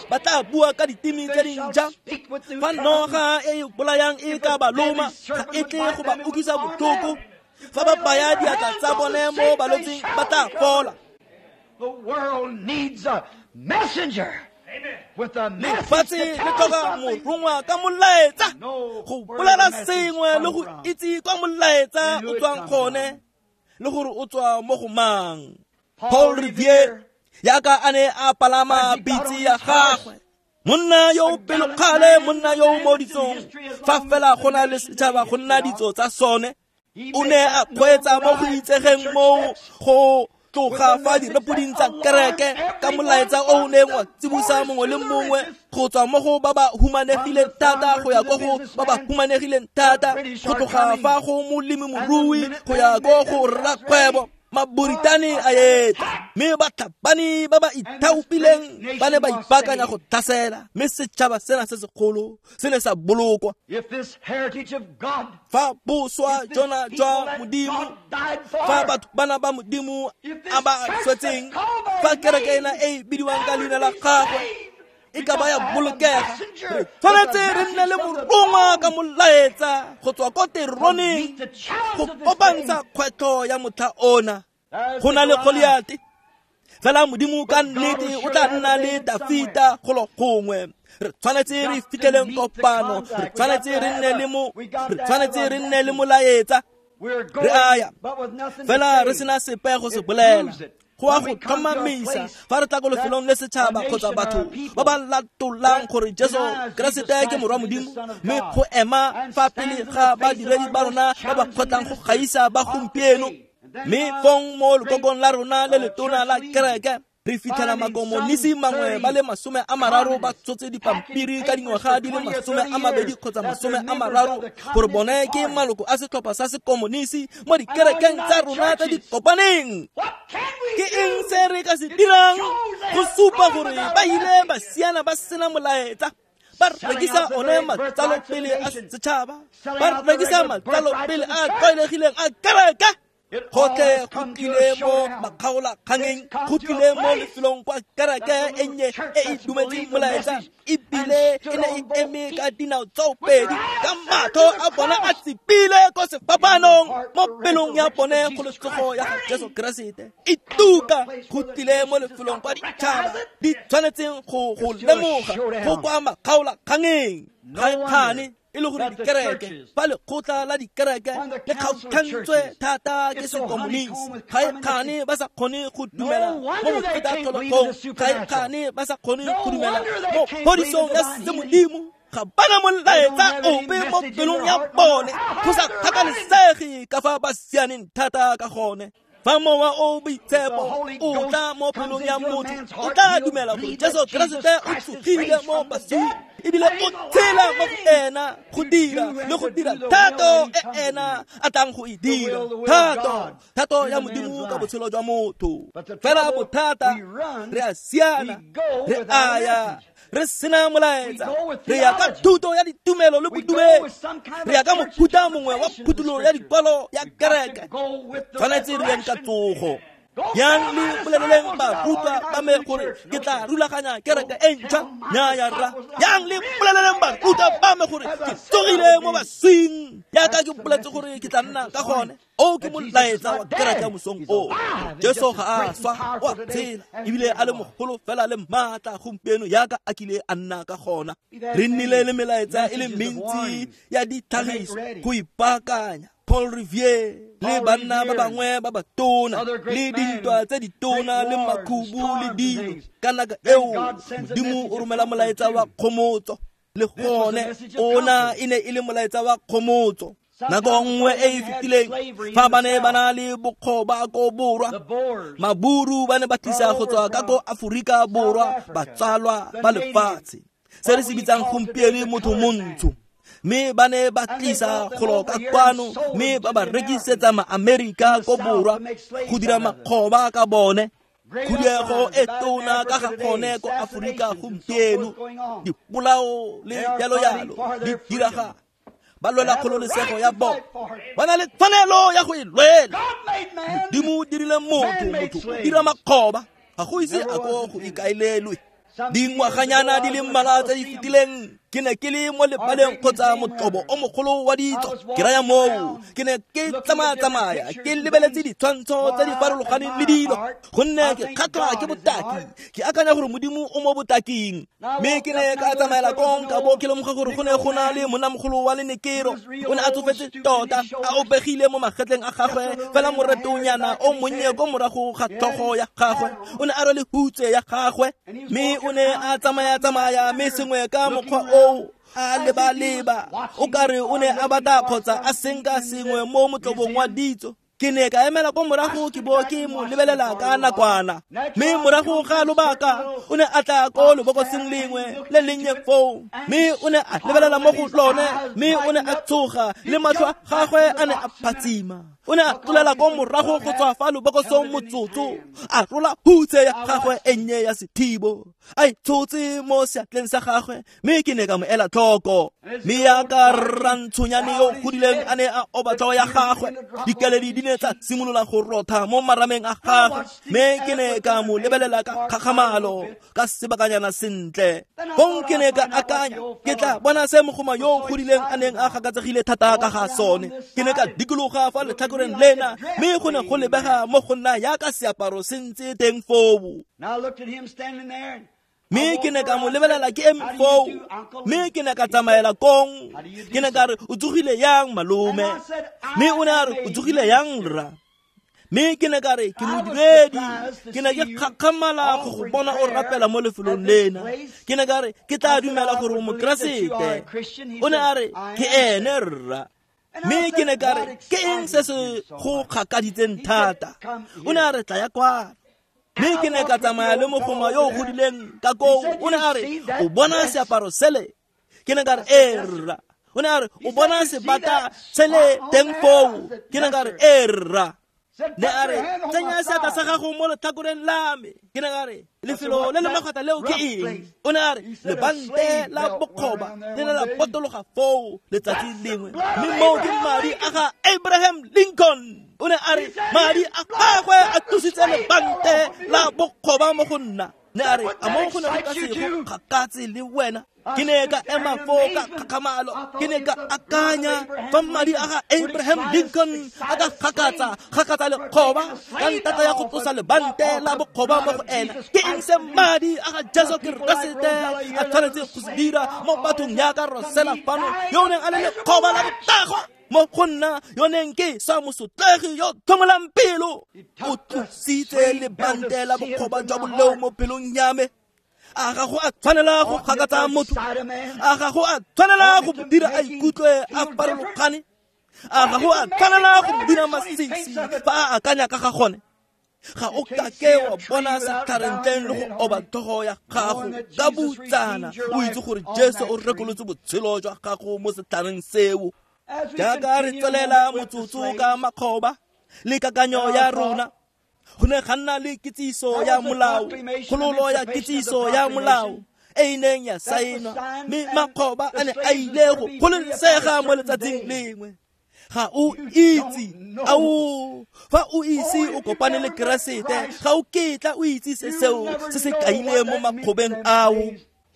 ba tla bua ka ditimi tse dintšha. Fa noga e e bolayang e ka ba loma, ga e tle go ba utlwisa botlhoko. Fa ba baya diatla tsa bone mo balwetsing, ba tla fola. The world needs a messenger with a Lefatshe message to le tell tlhoka something. morongwa ka molaetsa go bolela sengwe le go itse kwa molaetsa o tswang gone le gore o tswa mo go mang. Paul Revere yaka a ne a palama pitse ya gagwe, monna yo o pelokgale, monna yo o mo ditsong, fa fela go na le setšhaba go nna ditso tsa sone, o ne a kgweetsa mo go itsegeng moo go tloga fa direpoding tsa kereke ka molaetsa o o neng wa tsibosa mongwe le mongwe go tswa mo go ba ba humanegileng thata go ya ko go ba ba humanegileng thata, go tloga fa go molemirui go ya ko go rrakgwebo. Maboritane a etla, mme batlhabani ba ba ithaopileng ba ne ba ipaakanya go tlhasela, mme setšhaba sena se segolo se ne sa bolokwa. If this heritage of God, Fa boswa if this jona people jwa that Modimo, God died fa for, batho bana ba Modimo if this a ba church swetseng, that's called by fa his kereke name ena e e bidiwang ka leina la be gagwe saved, e ka ba ya we gotta have a bolokega, messenger re with a tshwanetse re nne le message from the morongwa ka throne molaetsa go tswa ko to teroneng meet the challenge go of this kopantsha day. kgwetlho ya motlha ona. There's Go the na le Goliath. Goliate, fela Modimo ka But God will nnete o surely tla have nna a le David Dafita golo gongwe. Re tshwanetse re Got to fitlheleng meet the kopano, re contact. We got tshwanetse to re have nne a- le mo we got re to have tshwanetse a re nne le message. molaetsa. We're Re a ya going, but with nothing to fela re say. sena sepe go se It bolela. proves it. Go a go tlhomamisa fa re tla ko lefelong le setšhaba kgotsa batho ba ba latolang gore Jesu Keresete ke morwa Modimo, mme go ema fa pele ga badiredi ba rona ba ba kgotlang go gaisa ba gompieno. Mme fong mo lekokong la rona le letona la kereke re fitlhela makomonisi mangwe ba le masome a mararo ba tshotse dipampiri ka dingwaga di le masome a mabedi kgotsa masome a mararo gore bone ke maloko a setlhopha sa sekomonisi mo dikerekeng tsa rona tse di kopaneng. Ke eng se re ka se dirang go supa gore ba ile ba siana ba sena molaetsa? Ba rekisa one matsalo pele a setšhaba, ba rekisa matsalo pele a tlwaelegileng a kereke. Gotlhe go tlile mo makgaolakgangeng, go tlile mo lefelong kwa kereke e nnye e e dumetseng molaetsa, ebile e ne e eme ka dinao tsoopedi ka matlho a bona a tsepile ko sefapanong mo pelong ya bone go le tsogo ya ga Jesu Keresete. E tuka go tlile mo lefelong kwa ditšhaba di tshwanetseng go go lemoga go kwa makgaolakgangeng. Ga e kgane e le gore dikereke fa lekgotla la dikereke le kgaogantswe thata ke sekomonisi, ga e kgane ba sa kgone go dumela mo bofetatlholegong, ga e kgane ba sa kgone go dumela mo phodisong ya semodimo. Ga bana molaetsa ope mo pelong ya bone, go sa kgathalesege ka fa ba sianeng thata ka gone. Fa mowa o boitshepo o tla mo pelong ya motho, o tla dumela gore Jesu Keresete o tsogile mo baswing, ebile o tshela mo go ena go dira le go dira thato e ena a tlang go e dira, thato thato ya Modimo ka botshelo jwa motho. Fela bothata, re a siana, re a ya re sena molaetsa, re ya ka thuto ya ditumelo le bodumedi, re ya ka mofuta mongwe wa phuthulo ya dikwalo ya kereke. Tshwanetse re yeng ka tsogo. Yang le boleleleng barutwa ba me gore ke tla rulaganya kereke e ntšha? Nnyaya rra. Yang le boleleleng barutwa ba me gore ke tsogile mo baswing, jaaka ke boletse gore ke tla nna ka gone. O ke molaetsa wa kereke ya mosong o. Jesu ga a swa, o a tshela, ebile a le mogolo fela le maatla gompieno jaaka a kile a nna ka gona. Re nnile le melaetsa e le mentsi ya ditlhagiso go ipaakanya. Paul Revere le banna ba bangwe ba batona le dintwa tse ditona le makhubu le dilo. Ka nako eo Modimo o romela molaetsa wa kgomotso, le gone ona e ne e le molaetsa wa kgomotso. Nako nngwe e e fetileng fa ba ne ba na le bokgoba ko borwa, maburu ba ne ba tlisa go tswa ka ko Aforika Borwa batsalwa ba lefatshe, se re se bitsang gompieno motho montsho. Mme ba ne ba tlisa golo ka kwano, mme ba ba rekisetsa ma-Amerika ko borwa go dira makgoba ka bone. Khuduego e tona ka ga gone ko Aforika gompieno, dipolao le jalo-jalo di diragala. Ba lwela kgololesego ya bona, ba na le tshwanelo ya go e lwela. Modimo o dirile motho, motho o dira makgoba, ga go ise a ko go ikaelelwe. Dingwaganyana di le mmalwa tse di fetileng ke ne ke le mo lebaleng kgotsa motlobo o mogolo wa ditso, ke raya moo ke ne ke tsamaya-tsamaya ke lebeletse ditshwantsho tse di farologaneng le dilo, gonne ke kgatlhwa ke botaki, ke akanya gore Modimo o mo botaking. Mme ke ne ka tsamaela kong ka bo ke lemoga gore go ne go na le monnamogolo wa lenekero, o ne a tsofetse tota, a opegile mo magetleng a gagwe fela moretonyana o monnye ko morago ga tlhogo ya gagwe, o ne a rwele hutse ya gagwe, mme o ne a tsamaya-tsamaya mme sengwe ka mokgwa o a leba-leba o kare o ne a batla kgotsa a senka sengwe mo motlobong wa ditso. Ke ne ka emela ko morago ke bo ke mo lebelela ka nakwana, mme morago ga lobaka o ne a tla ko lebokoseng lengwe le lennye foo, mme o ne a lebelela mo go lone, mme o ne a tsoga le matlho a gagwe a ne a phatsima. O ne a tlolela ko morago go tswa fa lebokosong motsotso, a rola hutse ya gagwe e nnye ya sethibo, a e tshotse mo seatleng sa gagwe, mme ke ne ka mo ela tlhoko. Mme yaka rrantshonyane yo godileng a ne a oba tlhogo ya gagwe, dikeledi di ne tsa simolola go rotha mo marameng a gagwe, mme ke ne ka mo lebelela ka kgakgamalo ka sebakanyana sentle. Fong ke ne ka akanya, ke tla bona se mogoma yo godileng a neng a gakatsegile thata ka ga sone. Ke ne ka dikologa fa letlhakoreng lena, mme go ne go lebega mo go nna yaka seaparo se ntse teng foo. Mme ke ne ka mo lebelela ke eme foo, mme ke ne ka tsamaela kong. Ke ne ka re, o tsogile yang malome? Mme o ne a re, o tsogile yang rra? Mme ke ne ka re ke modiredi, ke ne ke kgakgamala go go bona o rapela mo lefelong lena. Ke ne ka re ke tla dumela gore o mokeresete. O ne a re ke ene rra. Mme ke ne ka re ke eng se se go kgakaditseng thata? O ne a re tla ya kwano. Mme ke ne ka tsamaya le mogoma yo o godileng ka koo. O ne a re o bona seaparo sele? Ke ne ka re ee rra. O ne a re o bona sebata sele teng foo? Ke ne ka re ee rra. Ne a re tsenya seatla sa gago mo letlhakoreng la me. Ke ne ka re lefelo le le magwata leo ke eng? O ne a re lebante la bokgoba le ne la potologa foo letsatsi lengwe, mme moo ke madi a ga Abraham Lincoln. O ne a re madi a gagwe a tlositse lebante la bokgoba mo go nna. Ne a re a mo go ne go ka se go kgakatse le wena? Ke ne ka ema foo ka kgakgamalo. Ke ne ka akanya fa madi a ga Abraham Lincoln a ka kgakatsa kgakatsa lekgoba ka ntata ya go tlosa lebante la bokgoba mo go ena. Ke eng se madi a ga Jesu Keresete a tshwanetse go se dira mo bathong yaka Rosela fano, yo o neng a le lekgoba la botagwa mo go nna, yo neng ke sa mosotlegi yo tlhomolang pelo? O tlositse lebante la bokgoba jwa boleo mo pelong ya me. A ga go a tshwanela go kgakatsa motho? A ga go a tshwanela go dira a ikutlwe a farologane? A ga go a tshwanela go dira masisi fa a akanya ka ga gone? Ga o kake wa bona setlhare ntleng le go oba tlhogo ya gago ka botsana o itse gore Jesu o rekolotse botshelo jwa gago mo setlhareng seo. Jaaka re tswelela motsotso ka makgoba le kakanyo ya rona, go ne ga nna le kitsiso ya molao, kgololo ya kitsiso ya molao e e neng ya saenwa, mme makgoba a ne a ile go gololesega mo letsatsing lengwe. Ga o itse, ao fa o ise o kopane le Keresete, ga o ketla o itse se seo se se kaileng mo makgobeng ao.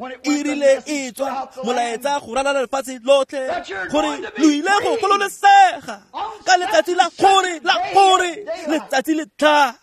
E rile e tswa molaetsa go ralala lefatshe lotlhe gore lo ile go gololesega ka letsatsi la gore la gore letsatsi le tla,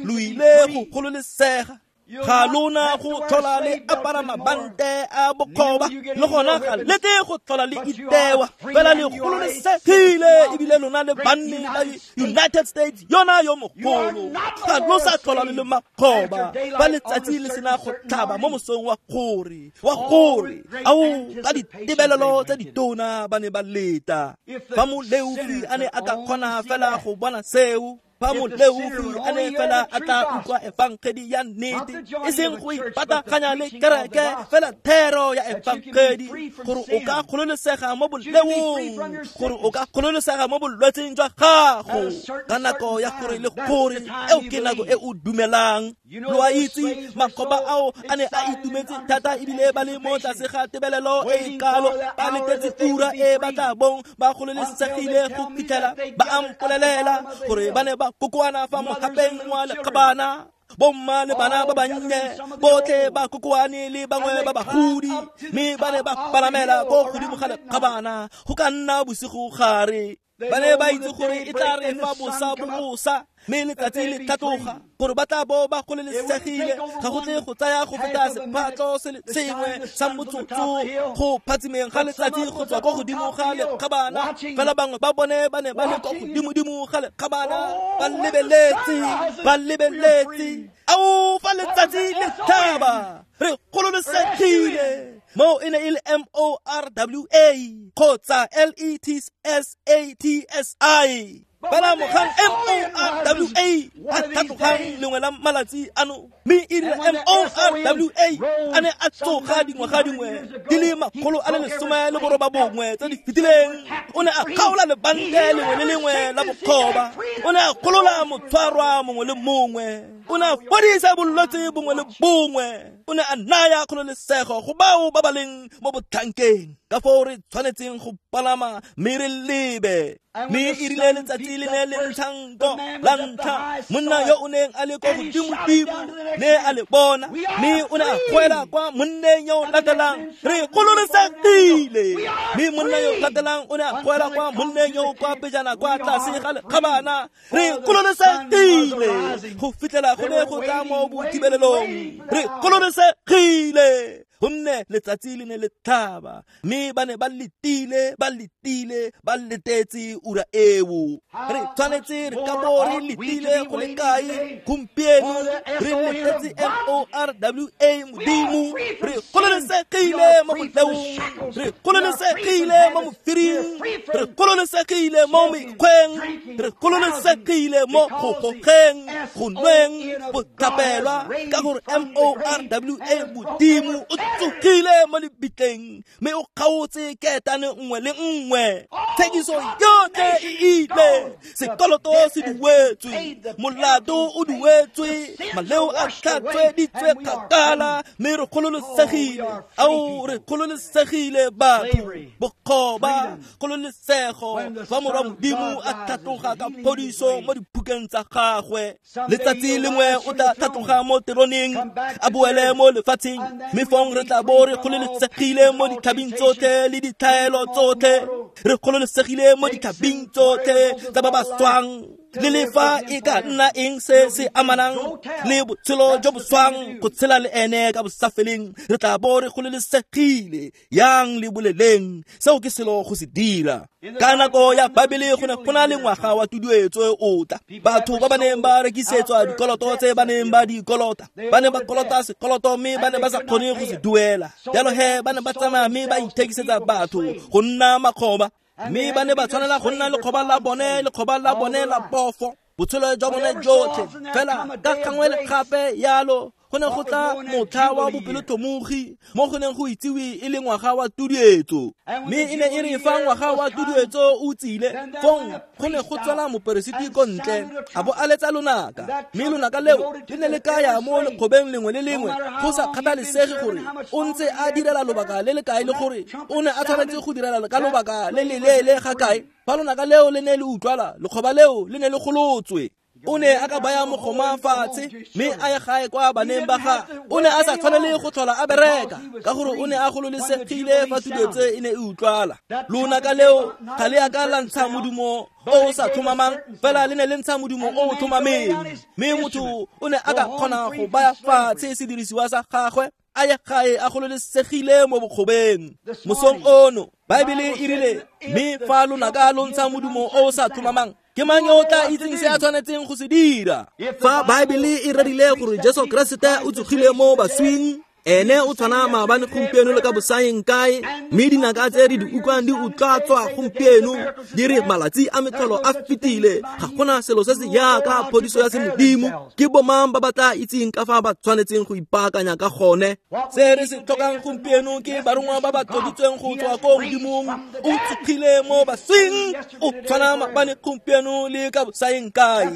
lo ile go gololesega. Ga lona go tlhola le apara mabante a bokgoba, le gona ga lete go tlhola le itewa, fela le gololesegile ebile lona le banni la United States yona yo mogolo. Ga lo sa tlhola le le makgoba fa letsatsi le sena go tlhaba mo mosong wa gore wa gore ao ka ditebelelo tse ditona ba ne ba leta. Fa moleofi a ne a ka kgona fela go bona seo, fa moleofi a ne fela a tla utlwa efangedi ya nnete, e seng go ipataganya le kereke, fela thero ya efangedi, gore o ka gololesega mo boleong, gore o ka gololesega mo bolwetseng jwa gago ka nako ya gore le gore eo ke nako e o dumelang. Lo a itse makgoba ao a ne a itumetse thata ebile ba le mo tlase ga tebelelo e kalo, ba letetse ura e ba tla bong ba gololesegile go fitlhela ba a mpolelela gore ba ne ba kokoana fa mogapeng wa lekgabana, bomma le bana ba bannye botlhe ba kokoane le bangwe ba bagodi, mme ba ne ba palamela ko godimo ga lekgabana go ka nna bosigo gare. Ba ne ba itse gore e tla re fa bosa bosa mme letsatsi le tlhatloga gore ba tla bo ba gololesegile. Ga go tle go tsaya go feta sephatlo se le sengwe sa motsotso go phatsimeng ga letsatsi go tswa ko godimo ga lekgabana, fela bangwe ba bone ba ne ba le ko godimodimo ga lekgabana ba lebeletse, ba lebeletse. Ao fa letsatsi le tlhaba re gololesegile. Mo e ne e le M O R W A kgotsa L E T S A T S I. Fela mogang M O R W A a tlhatlogang lengwe la malatsi ano, mme e rile M O R W A a ne a tsoga dingwaga dingwe di le makgolo a le lesome le boroba bongwe tse di fetileng. O ne a kgaola lebante lengwe le lengwe la bokgoba, o ne a golola motshwarwa mongwe le mongwe, o ne a fodisa bolwetse bongwe le bongwe, o ne a naya kgololesego go bao ba ba leng mo botlhankeng. Ka foo re tshwanetseng go palama mme re lebe. Mme e rile letsatsi le ne le ntšha nko la ntlha, monna yo o neng a le ko godimodimo ne a le bona, mme o ne a goela kwa monneng yo o latelang, re gololesegile. Mme monna yo o latelang o ne a goela kwa monneng yo o kwa pejana kwa tlase ga lekgabana, re gololesegile. Go fitlhela go ne go tla mo bothibelelong, re gololesegile. gonne letsatsi le ne le tlhaba, mme ba ne ba letile, ba letile, ba letetse ura eo. Re tshwanetse re ka bo re letile go le kae gompieno? Re letetse M O R W A Modimo. Re gololesegile mo boleong, re gololesegile mo mofiring, re gololesegile mo mekgweng, re gololesegile mo go gogeng, go nweng, botlhapelwa, ka gore M O R W A Modimo o tsogile mo lebitleng, mme o kgaotse ketane nngwe le nngwe. Thekiso yotlhe e ile, sekoloto se duetswe, molato o duetswe, maleo a tlhatsweditswe kgakala, mme re gololesegile. Ao, re gololesegile batho, bokgoba, kgololesego, fa Morwa Modimo a tlhatloga ka phodiso mo diphukeng tsa gagwe. Letsatsi lengwe o tla tlhatloga mo teroneng, a boele mo lefatsheng, mme fong re tla bo re gololesegile mo ditlhabing tsotlhe le ditlhaelo tsotlhe. Re gololesegile mo ditlhabing tsotlhe tsa ba ba swang, le le fa e ka nna eng se se amanang le botshelo jo bo swang, go tshela le ene ka bosafeleng. Re tla bo re gololesegile. Yang le boleleng, seo ke selo go se dira. Ka nako ya Babele go ne go na le ngwaga wa tuduetso o tla. Batho ba ba neng ba rekisetswa dikoloto tse ba neng ba di kolota, ba ne ba kolota sekoloto mme ba ne ba sa kgone go se duela. Jalo he ba ne ba tsamaya mme ba ithekisetsa batho go nna makgoba, mme ba ne ba tshwanela go nna lekgoba la bone, lekgoba la bone la pofo, botshelo jwa bone jotlhe. Fela ka gangwe le gape yalo go ne go tla motlha wa bopelotlhomogi, mo go neng go itsiwe e le ngwaga wa tuduetso. Mme e ne e re fa ngwaga wa tuduetso o tsile, fong go ne go tswela moperesiti ko ntle, a bo a letsa lonaka, mme lonaka leo le ne le kaya mo lekgobeng lengwe le lengwe, go sa kgathalesege gore o ntse a direla lobaka le le kae le gore o ne a tshwanetse go direla ka lobaka le le leele ga kae. Fa lonaka leo le ne le utlwala, lekgoba leo le ne le golotswe. O ne a ka baya mogoma fatshe mme a ye gae kwa baneng ba gagwe. O ne a sa tshwanele go tlhola a bereka, ka gore o ne a gololesegile fa tuduetso e ne e utlwala. Lonaka leo ga le a ka la ntsha modumo o o sa tlhomamang, fela le ne le ntsha modumo o o tlhomameng, mme motho o ne a ka kgona go baya fatshe sedirisiwa sa gagwe, a ye gae a gololesegile mo bokgobeng. Mosong ono Baebele e rile, mme fa lonaka lo ntsha modumo o o sa tlhomamang, ke mang yo o tla itseng se a tshwanetseng go se dira? Fa Baebele e rerile gore Jesu Keresete o tsogile mo baswing, ene o tshwana maabane, gompieno le ka bosaeng kae, mme dinaka tse re di utlwang di utlwatswa gompieno di re malatsi a metlholo a fetile, ga gona selo se se jaaka phodiso ya semodimo. Ke bomang ba ba tla itseng ka fa ba tshwanetseng go ipaakanya ka gone? Se re se tlhokang gompieno ke barongwa ba ba tloditsweng go tswa ko Modimong. O tsogile mo baswing, o tshwana maabane, gompieno le ka bosaeng kae.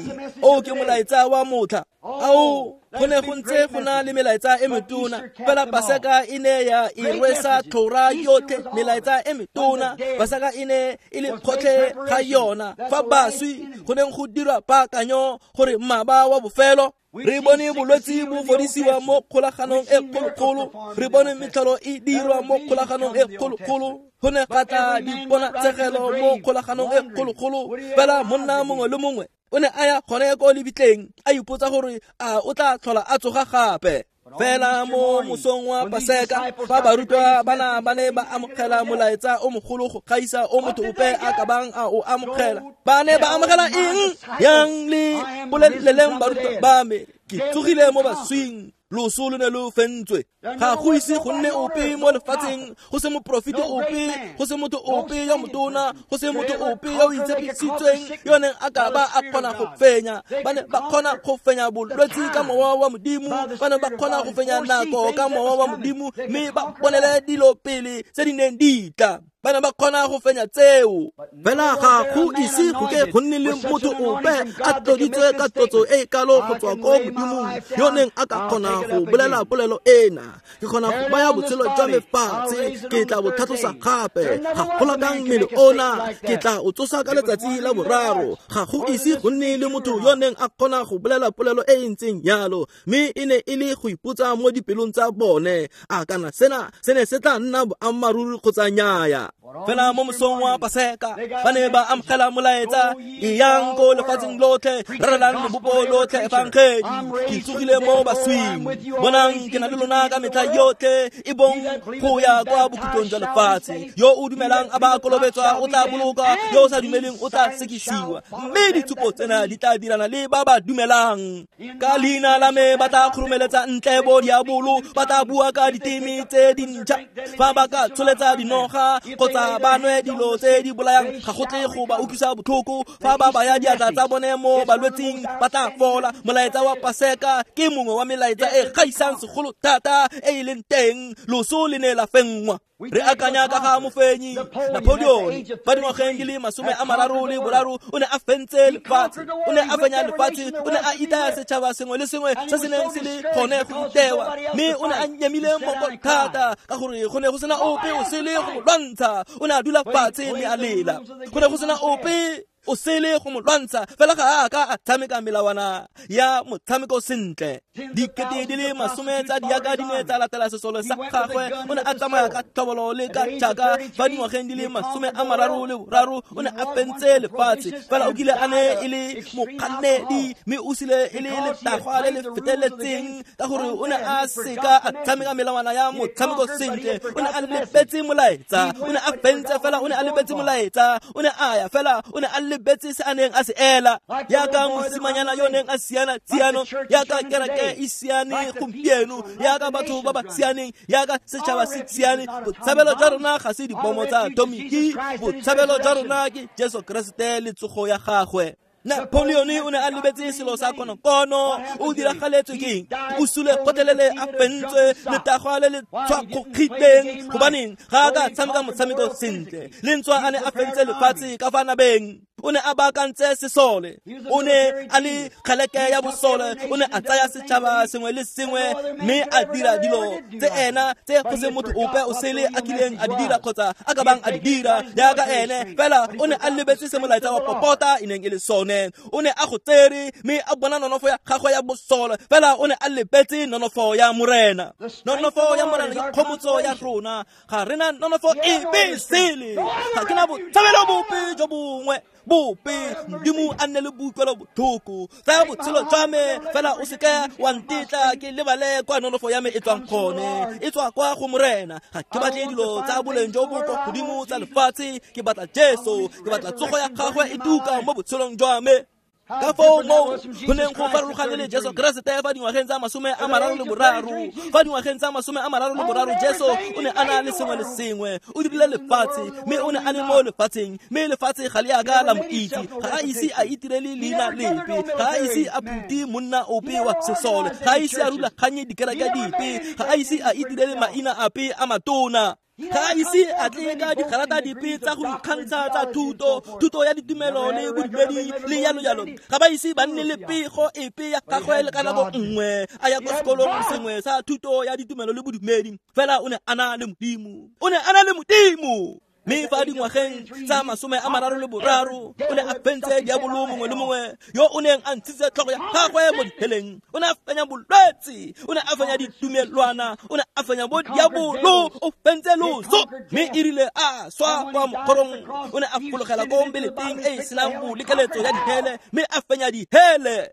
O ke molaetsa wa motlha. Ao, go ne go ntse go na le melaetsa e metona, fela Paseka e ne ya e rwesa tlhora yotlhe. Melaetsa e metona, Paseka e ne e le kgotlhe ga yona. Fa baswi go neng go dirwa paakanyo gore mmaba wa bofelo. Re bone bolwetse bo fodisiwa mo kgolaganong e kgolokgolo, re bone metlholo e dirwa mo kgolaganong e kgolokgolo, go ne ga tla diponatsegelo mo kgolaganong e kgolokgolo. Fela monna mongwe le mongwe o ne a ya gone ko lebitleng, a ipotsa gore a o tla tlhola a tsoga gape. Fela mo mosong wa Paseka, fa barutwa bana ba ne ba amogela molaetsa o mogolo go gaisa o motho ope a ka bang a o amogela, ba ne ba amogela eng? Yang le boleleleng barutwa ba me, ke tsogile mo baswing, loso lo ne lo fentswe. Ga go ise go nne ope mo lefatsheng, go se moprofeti ope, go se motho ope yo motona, go se motho ope yo o itshepisitsweng yo neng a ka ba a kgona go fenya. Ba ne ba kgona go fenya bolwetse ka mowa wa Modimo, ba ne ba kgona go fenya nako ka mowa wa Modimo, mme ba bonele dilo pele tse di neng di tla. Ba ne ba kgona go fenya tseo. Fela ga go ise go ke go nne le motho ope a tloditswe ka tlotso e e kalo go tswa ko Modimong yo neng a ka kgona go bolela polelo ena. Ke kgona go baya botshelo jwa me fatshe, ke tla bo tlhatlosa gape. Ga golakang mmele ona, ke tla o tsosa ka letsatsi la boraro. Ga go ise go nne le motho yo neng a kgona go bolela polelo e e ntseng yalo, mme e ne e le go ipotsa mo dipelong tsa bone, a kana sena se ne se tla nna boammaaruri kgotsa nnyaya. Fela mo mosong wa Paseka ba ne ba amogela molaetsa, eyang ko lefatsheng lotlhe, rerelang lebopo lotlhe efangedi, ke tsogile mo baswing, bonang ke na le lona ka metlha yotlhe, e bong go ya kwa bokhutlong jwa lefatshe. Yo o dumelang a ba kolobetswa o tla boloka, yo o sa dumeleng o tla sekisiwa. Mme ditshupo tsena di tla dirana le ba ba dumelang. Ka leina la me ba tla khurumeletsa ntle bo diabolo, ba tla bua ka diteme tse dintšha, fa ba ka tsholetsa dinoga kgotsa ba nwe dilo tse di bolayang ga go tle go ba utlwisa botlhoko, fa ba baya diatla tsa bone mo balwetsing ba tla fola. Molaetsa wa Paseka ke mongwe wa melaetsa e gaisang segolo thata e e leng teng. Loso le ne la fenngwa. Re akanya ka ga mofenyi Napoleon fa dingwageng di le masome a mararo le boraro, o ne a fentse lefatshe, o ne a fenya lefatshe, o ne a itaya setšhaba sengwe le sengwe se se neng se le gone go itewa, mme o ne a nyemile moko thata ka gore go ne go sena ope o sele go mo lwantsha. O ne a dula fatshe mme a lela, go ne go sena ope o sele go mo lwantsha. Fela ga a ka a tshameka melawana ya motshameko sentle. Dikete di le masome tsa diaka di ne tsa latela sesole sa gagwe. O ne a tsamaya ka tlhobolo le ka tšhaka. Fa dingwageng di le masome a mararo le boraro, o ne a fentse lefatshe. Fela o kile a ne e le mokgannedi, mme o sile e le letagwa le le feteletseng ka gore o ne a seka a tshameka melawana ya motshameko sentle. O ne a lebetse molaetsa, o ne a fentse fela o ne a lebetse molaetsa, o ne a ya fela o ne a lebetse se a neng a se ela. Yaka mosimanyana yo neng a siana tsiano, yaka kereke e siane gompieno, yaka batho ba ba sianeng, yaka setšhaba se siane. Botshabelo jwa rona ga se dibomo tsa atomiki, botshabelo jwa rona ke Jesu Keresete le tsogo ya gagwe. Napoleon o ne a lebetse selo sa konokono. O diragaletswe ke eng? O sule gotlhelele a fentswe, letagwa le le tshwakgogileng. Gobaneng ga a ka tshameka motshameko sentle? Le ntswa a ne a fentse lefatshe ka fa nabeng, o ne a baakantse sesole, o ne a le kgeleke ya bosole, o ne a tsaya setšhaba sengwe le sengwe mme a dira dilo tse ena tse go se motho ope o sele a kileng a di dira kgotsa a ka bang a di dira jaaka ene. Fela o ne a lebetse se molaetsa wa popota e neng e le sone. O ne a go tsere mme a bona nonofo ya gagwe ya bosole, fela o ne a lebetse nonofo ya Morena. Nonofo ya Morena ke kgomotso ya rona. Ga rena nonofo epe sele, ga ke na botshabelo bope jo bongwe bope. Modimo a nne le boikuelo botlhoko, tsaya botshelo jwa me, fela o seke wa ntetla ke lebale kwa nonofo ya me e tswang gone. E tswa kwa go Morena. Ga ke batle dilo tsa boleng jo bo kwa godimo tsa lefatshe, ke batla Jesu, ke batla tsogo ya gagwe e tuka mo botshelong jwa me. Ka foo moo go neng go farologane le Jesu Keresete fa dingwageng tsa masome a mararo le boraro. Fa dingwageng tsa masome a mararo le boraro, Jesu o ne a na le sengwe le sengwe. O dirile lefatshe, mme o ne a le mo lefatsheng, mme lefatshe ga le a ka la mo itse. Ga a ise a itirele leina lepe, ga a ise a phute monna ope wa sesole, ga a ise a rulaganye dikereke dipe, ga a ise a itirele maina ape a matona. Ga a ise a tle ka digarata dipe tsa go ikgantsha tsa thuto, thuto ya ditumelo le bodumedi le jalo jalo. Ga ba ise ba nne le pego epe ya gagwe le ka nako nngwe a ya kwa sekolong sengwe sa thuto ya ditumelo le bodumedi. Fela o ne a na le Modimo, o ne a na le Modimo. Mme fa dingwageng tsa masome a mararo le boraro, o ne a fentse diabolo mongwe le mongwe yo o neng a ntshitse tlhogo ya gagwe mo diheleng. O ne a fenya bolwetse, o ne a fenya ditumelwana, o ne a fenya bo diabolo, o fentse loso. Mme e rile a swa kwa mokgorong, o ne a fologela ko mbeleteng e e senang bolekeletso ya dihele, mme a fenya dihele.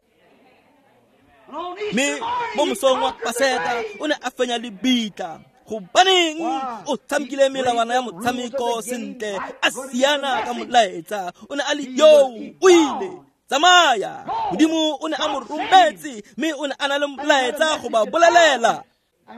Mme mo mosong wa Paseka o ne a fenya lebitla. Gobaneng o tshamekile melawana ya motshameko sentle, a siana ka molaetsa. O ne a le yo o ile tsamaya. Modimo o ne a mo rometse, mme o ne a na le molaetsa go ba bolelela.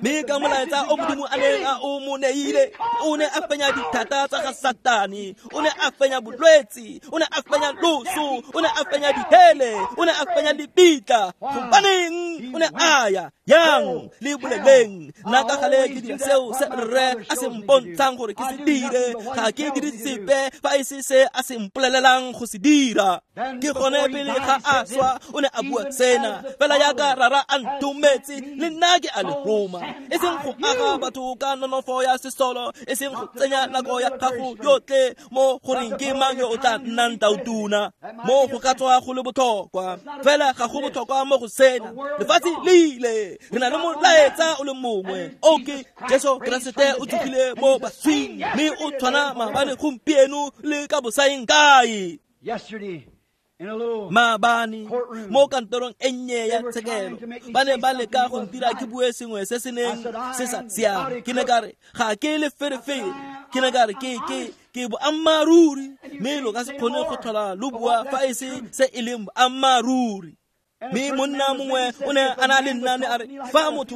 Mme ka molaetsa o Modimo a neng a o mo neile, o ne a fenya dithata tsa ga Satane, o ne a fenya bolwetse, o ne a fenya loso, o ne a fenya dihele, o ne a fenya lebitla. Gobaneng o ne a ya yang le boleleng? Nna ka gale ke dira seo se rre a se mpontshang gore ke se dire. Ga ke dire sepe fa e se se a se mpolelelang go se dira. Ke gone pele ga a swa o ne a bua sena, fela yaka rara a ntometse, le nna ke a le roma. E seng go aga batho ka nonofo ya sesolo, e seng go tsenya nako ya gago yotlhe mo goreng ke mang yo o tla nnang tautona. Mo go ka tswa go le botlhokwa, fela ga go botlhokwa mo go sena. Lefatshe le ile, re na le molaetsa o le mongwe. O ke Jesu Keresete o tsogile mo baswing, mme o tshwana maabane, gompieno le ka bosaeng kae. Yesterday, in a little Maabane mo kantorong e nnye ya tshekelo, ba ne ba leka go ntira ke bue sengwe se se neng se sa siama. Ke ne ka re ga ke leferefere, ke ne ka re ke ke ke boammaaruri, mme lo ka se kgone go tlhola lo bua fa e se se e leng boammaaruri. Mme monna mongwe o ne a na le nna, ne a re fa motho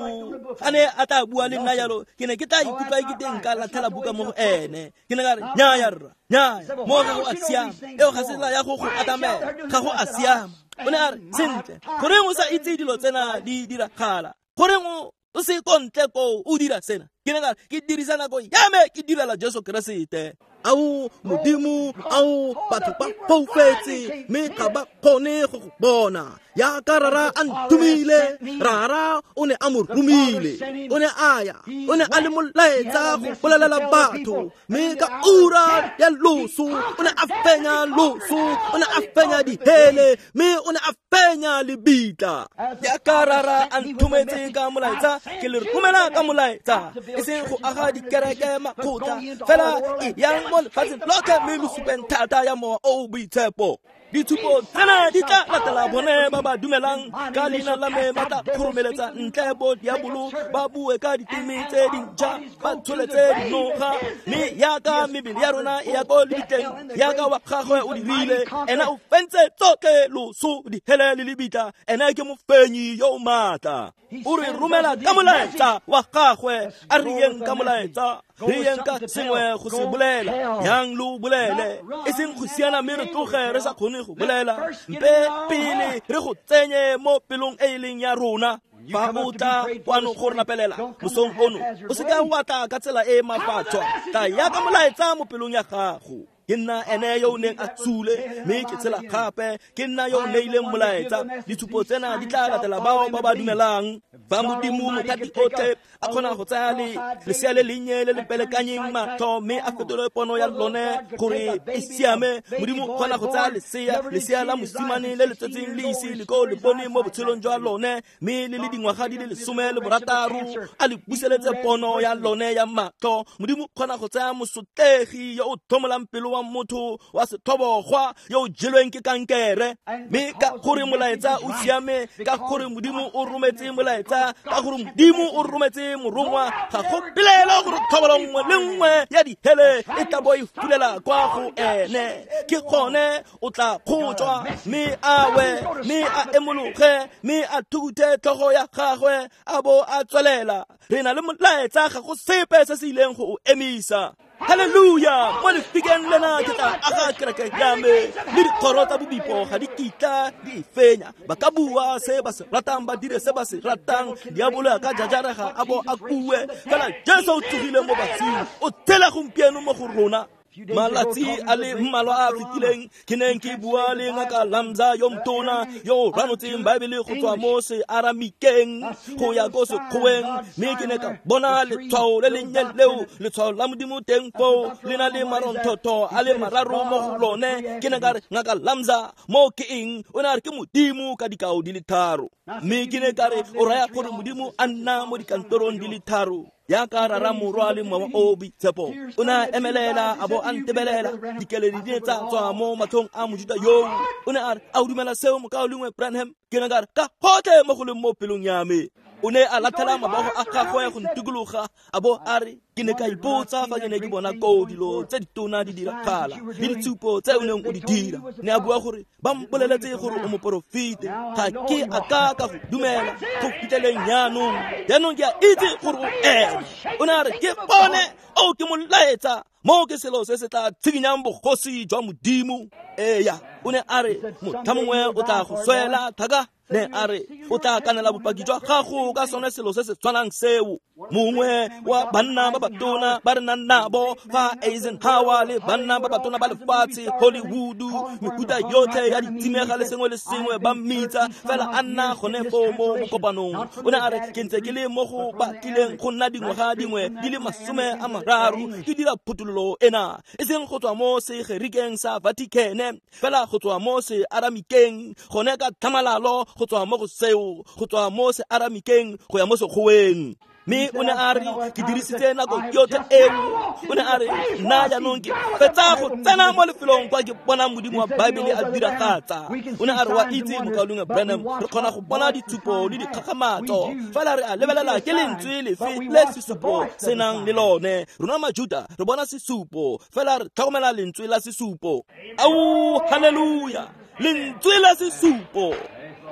a ne a tla bua le nna jalo, ke ne ke tla ikutlwa ke teng ka latlhela buka mo go ene. Ke ne ka re nnyaya rra, nnyaya, mo ga go a siama, eo ga se tsela ya go go atamela, ga go a siama. O ne a re sentle, goreng o sa itse dilo tsena di diragala? Goreng o o se ko ntle koo o dira sena? Ke ne ka re ke dirisa nako ya me ke direla Jesu Keresete. Ao Modimo, ao batho ba foufetse, mme ga ba kgone go go bona. Yaka rara a nthomile, rara o ne a mo romile, o ne a ya, o ne a le molaetsa go bolelela batho, mme ka ura ya loso o ne a fenya loso, o ne a fenya dihele, mme o ne a fenya lebitla. Yaka rara a nthometse ka molaetsa, ke le romela ka molaetsa, e seng go aga dikereke makgotla, fela e yang mo lefatsheng lotlhe mme lo supeng thata ya Mowa o o Boitshepo. Ditshupo tsena di tla latela bone ba ba dumelang ka leina la me, ba tla kgoromeletsa ntle bo diabolo, ba bue ka diteme tse dintšha, ba tsholetse dinoga, mme yaka mebele ya rona e ya ko lebitleng, yaka wa gagwe o dirile, ena o fentse tsotlhe loso, dihele le lebitla, ena ke mofenyi yo o maatla. O re romela ka molaetsa wa gagwe, a re yeng ka molaetsa, re yeng ka sengwe go se bolela, yang lo bolele, e seng go siana mme re tloge re sa kgone go bolela. Mpe pele re go tsenye mo pelong e e leng ya rona. Fa o tla kwano go re rapelela mosong ono, o seka wa tla ka tsela e e mafatshwa, tla ya ka molaetsa mo pelong ya gago. Ke nna ene yo o neng a sule, mme ke tshela gape, ke nna yo o neileng molaetsa. Ditshupo tsena di tla latela bao ba ba dumelang. Fa Modimo mothati otlhe a kgona go tsaya le lesea le lennye le le pelekanyeng matlho, mme a fetole pono ya lone gore e siame, Modimo o kgona go tsaya lesea, lesea la mosimane le le tsetseng le ise le ko le bone mo botshelong jwa lone, mme le le dingwaga di le lesome le borataro, a le buseletse pono ya lone ya matlho. Modimo o kgona go tsaya mosotlegi yo o tlhomolang pelo wa motho wa sethobogwa yo o jelweng ke kankere, mme ka gore molaetsa o siame, ka gore Modimo o rometse molaetsa, ka gore Modimo o rometse morongwa, ga go pelaelo gore thobolo nngwe le nngwe ya dihele e tla bo e fulela kwa go ene. Ke gone o tla kgotswa, mme a we, mme a emologe, mme a thukuthe tlhogo ya gagwe, a bo a tswelela. Re na le molaetsa, ga go sepe se se ileng go o emisa. Hallelujah! Mo lefikeng lena ke tla aga kereke ya me, le dikgoro tsa bobipo ga di kitla di e fenya. Ba ka bua se ba se ratang, ba dire se ba se ratang, diabolo a ka jajarega a bo a kue, fela Jesu o tsogile mo baswing, o tshela gompieno mo go rona. Malatsi a le mmalwa a fetileng ke neng ke bua le ngaka Lamza yo motona yo o ranotseng Baebele go tswa mo searamikeng go ya ko sekgoweng, mme ke ne ka bona letshwao le lennye leo, letshwao la Modimo teng foo, le na le maronthotho a le mararo mo go lone. Ke ne ka re, ngaka Lamza, mo ke eng? O ne a re ke Modimo ka dikao di le tharo. Mme ke ne ka re, o raya gore Modimo a nna mo dikantorong di le tharo, yaka rara Morwa le Mowa o o Boitshepo. O ne a emelela a bo a ntebelela, dikeledi di ne tsa tswa mo matlhong a Mojuta yoo. O ne a re, a o dumela seo mokaulengwe Branham? Ke ne ka re, ka gotlhe mo go leng mo pelong ya me. O ne a latlhela mabogo a gagwe go ntikologa, a bo a re, ke ne ka ipotsa fa ke ne ke bona koo dilo tse ditona di diragala le ditshupo tse o neng o di dira. Ne a bua gore ba mpoleletse gore o moporofete, ga ke a ka ka go dumela go fitlheleng jaanong. Jaanong ke a itse gore o ene. O ne a re, ke bone o ke molaetsa, mo ke selo se se tla tshikinyang bogosi jwa Modimo. Eya, o ne a re, motlha mongwe o tla go swela thaka. Ne a re, o tla kanela bopaki jwa gago ka sone selo se se tshwanang seo. Mongwe wa banna ba batona ba re nang nabo fa Eisenhower le banna ba batona ba lefatshe Hollywood mehuta yotlhe ya ditsimega le sengwe le sengwe ba mmitsa fela a nna gone foo mo mokopanong. O ne a re ke ntse ke le mo go batlileng go nna dingwaga dingwe di le masome a mararo ke dira phuthololo ena, e seng go tswa mo segerikeng sa Vatican, fela go tswa mo se Aramikeng, gone ka tlhamalalo go tswa mo go seo, go tswa mo se Aramikeng go ya mo Sekgoweng. Mme o ne a re ke dirisitse nako yotlhe eo. O ne a re nna jaanong ke fetsa go tsena mo lefelong kwa ke bona Modimo wa Baebele a diragatsa. O ne a re wa itse mokaulengwe Branham, re kgona go bona ditshupo le dikgakgamatso, fela re a lebelela ke lentswe lefe le sesupo se nang le lone. Rona Majuda re bona sesupo, fela re tlhokomela lentswe la sesupo. Au, haleluya, lentswe la sesupo.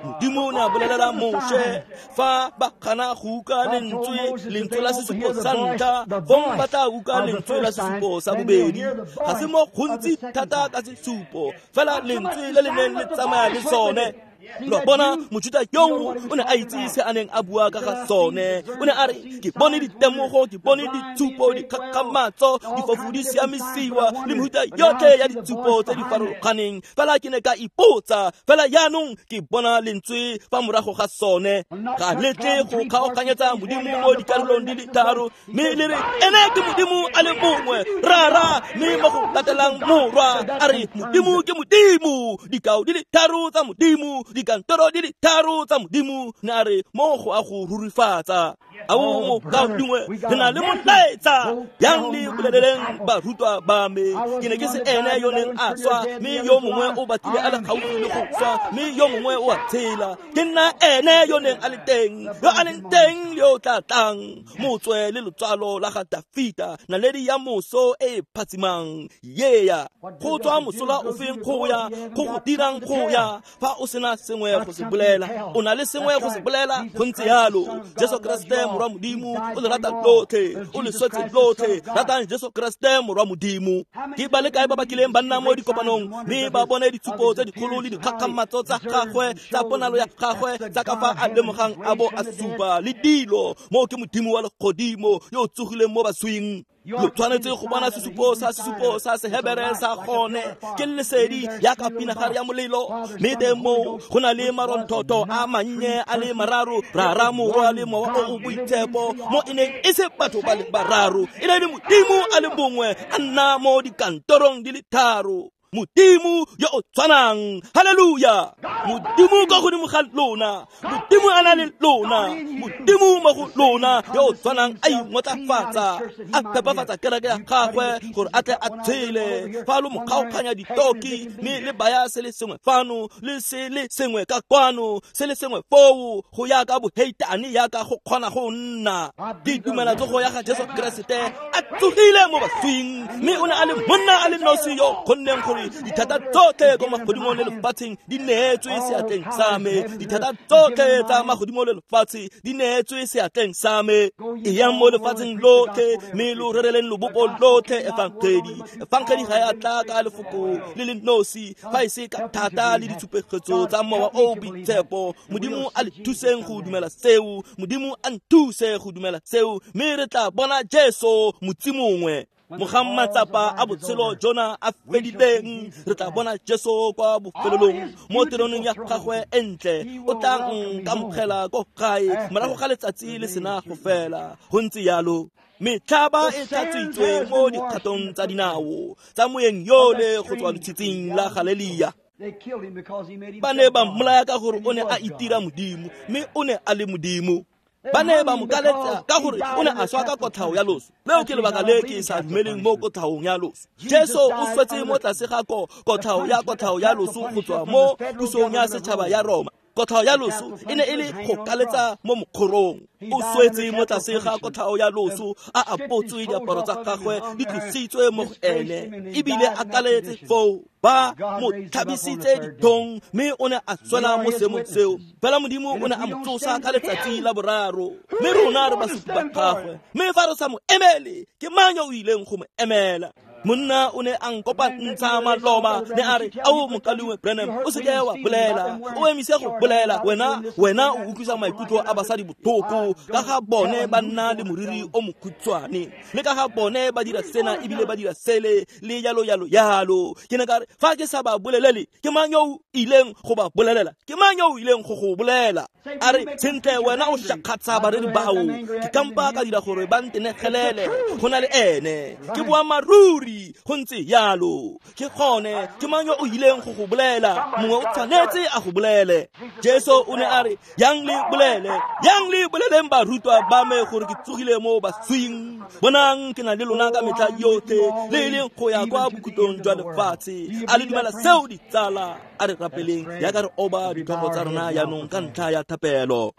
Modimo o ne a bolelela Moshe fa ba gana go utlwa lentswe lentswe la sesupo sa ntlha, fong ba tla utlwa lentswe la sesupo sa bobedi. Ga se mo gontsi thata ka sesupo, fela lentswe le le neng le tsamaya le sone. Lo bona Mojuda yo o ne a itse se a neng a bua ka ga sone. O ne a re ke bone ditemogo, ke bone ditshupo, dikgakgamatso, difofu di siamisiwa le mehuta yotlhe ya ditshupo tse di farologaneng, fela ke ne ka ipotsa, fela jaanong ke bona lentswe fa morago ga sone. Ga letle go kgaoganyetsa Modimo mo dikarolong di le tharo, mme le re ene ke Modimo a le mongwe, Rara, mme mo go latelang Morwa. A re Modimo ke Modimo, dikao di le tharo tsa Modimo, dikantoro di le tharo tsa Modimo. Ne a re mo go a go rurifatsa. Ao mokaulengwe, re na le molaetsa. Yang le boleleleng barutwa ba me, ke ne ke se ene yo neng a swa, mme yo mongwe o batlile a le gaufi le go swa, mme yo mongwe o a tshela. Ke nna ene yo neng a le teng, yo a leng teng le yo tla tlang, motswe le lotswalo la ga Dafita, naledi ya moso e phatsimang. Yeah, go tswa mosola ofeng go ya go go dirang go ya fa o sena sengwe go se bolela, o na le sengwe go se bolela. Go ntse yalo. Jesu Kriste morwa Modimo o le rata lotlhe, o le swetse lotlhe. Ratang Jesu Kriste morwa Modimo. Ke ba le kae ba ba kileng ba nna mo dikopanong mme ba bone ditshupo tse dikgolo le dikgakgamatso tsa gagwe, tsa ponalo ya gagwe, tsa ka fa a lemogang a bo a supa le dilo. Mo ke Modimo wa legodimo yo o tsogileng mo baswing. Lo tshwanetse go bona sesupo sa sesupo sa Sehebere sa gone, ke lesedi ya ka pinagare ya molelo. Mme teng moo go na le maronthoto a mannye a le mararo, Rara, Morwa le Mowa o o Boitshepo, mo e neng e se batho ba le bararo, e ne le Modimo a le mongwe a nna mo dikantorong di le tharo. Modimo yo o tshwanang. Haleluya. Modimo ka godimo ga lona, Modimo a na le lona, Modimo mo go lona yo o tshwanang a ingotlafatsa, a phepafatsa kereke ya gagwe gore a tle a tshele. Fa lo mo kgaoganya ditoki, mme le baya se le sengwe fano le se le sengwe ka kwano, se le sengwe foo, go ya ka boheitane yaka go kgona go nna. Ke dumela tsogo ya ga Jesu Keresete a tsogile mo baswing, mme o ne a le monna a le nosi yo kgonneng gore dithata tsotlhe ko magodimong le lefatsheng di neetswe seatleng sa me. Dithata tsotlhe tsa magodimo le lefatshe di neetswe seatleng sa me. Eyang mo lefatsheng lotlhe, mme lo rereleng lobopo lotlhe efangedi. Efangedi ga ya tla ka lefoko le le nosi, fa e se ka thata le ditshupegetso tsa Mowa o o Boitshepo. Modimo a le thuseng go dumela seo, Modimo a nthuse go dumela seo, mme re tla bona Jesu motsi mongwe. Mogang matsapa a botshelo jona a fedileng, re tla bona Jesu kwa bofelelong mo teroneng ya gagwe e ntle. O tla nkamogela ko gae morago ga letsatsi le sena go fela. Go ntse yalo. Metlhaba e tlhatswitswe mo dikgatong tsa dinao tsa moeng yole go tswa lotshitsing la Galelia. Ba ne ba mmolaya ka gore o ne a itira Modimo, mme o ne a le Modimo. Ba ne ba mo kaletsa ka gore o ne a swa ka kotlhao ya loso. Leo ke lebaka le ke sa dumeleng mo kotlhaong ya loso. Jesu o swetse mo tlase ga kotlhao ya kotlhao ya loso go tswa mo pusong ya setšhaba ya Roma. Kotlhao ya loso e ne e le go kaletsa mo mokgorong. O swetse mo tlase ga kotlhao ya loso, a apotswe diaparo tsa gagwe di tlositswe mo go ene, ebile a kaletse foo. Ba mo tlhabisitse dithong, mme o ne a tswela mo seemong seo. Fela Modimo o ne a mo tsosa ka letsatsi la boraro, mme rona re basupi ba gagwe. Mme fa re sa mo emele, ke mang yo o ileng go mo emela? Monna o ne a nkopantsha maloba ne a re ao mokaulengwe Branham o seke wa bolela o emise go bolela wena wena o utlwisa maikutlo a basadi botlhoko ka ga bone ba nna le moriri o mokhutshwane le ka ga bone ba dira sena ebile ba dira sele le yalo yalo yalo. Ke ne ka re fa ke sa ba bolelele ke mang yo o ileng go ba bolelela ke mang yo o ileng go go bolela? A re sentle wena o shakgatsa bareri bao ke kampa ka dira gore ba ntenegelele go na le ene ke boammaaruri go ntse yalo ke gone ke mang yo o ileng go go bolela mongwe o tshwanetse a go bolele. Jesu o ne a re yang le bolele yang le boleleng barutwa ba me gore ke tsogile mo baswing bonang ke na le lona ka metlha yotlhe le e leng go ya kwa bokhutlong jwa lefatshe. A le dumela seo ditsala? A re rapeleng yaka re oba ditlhogo tsa rona jaanong ka ntlha ya thapelo.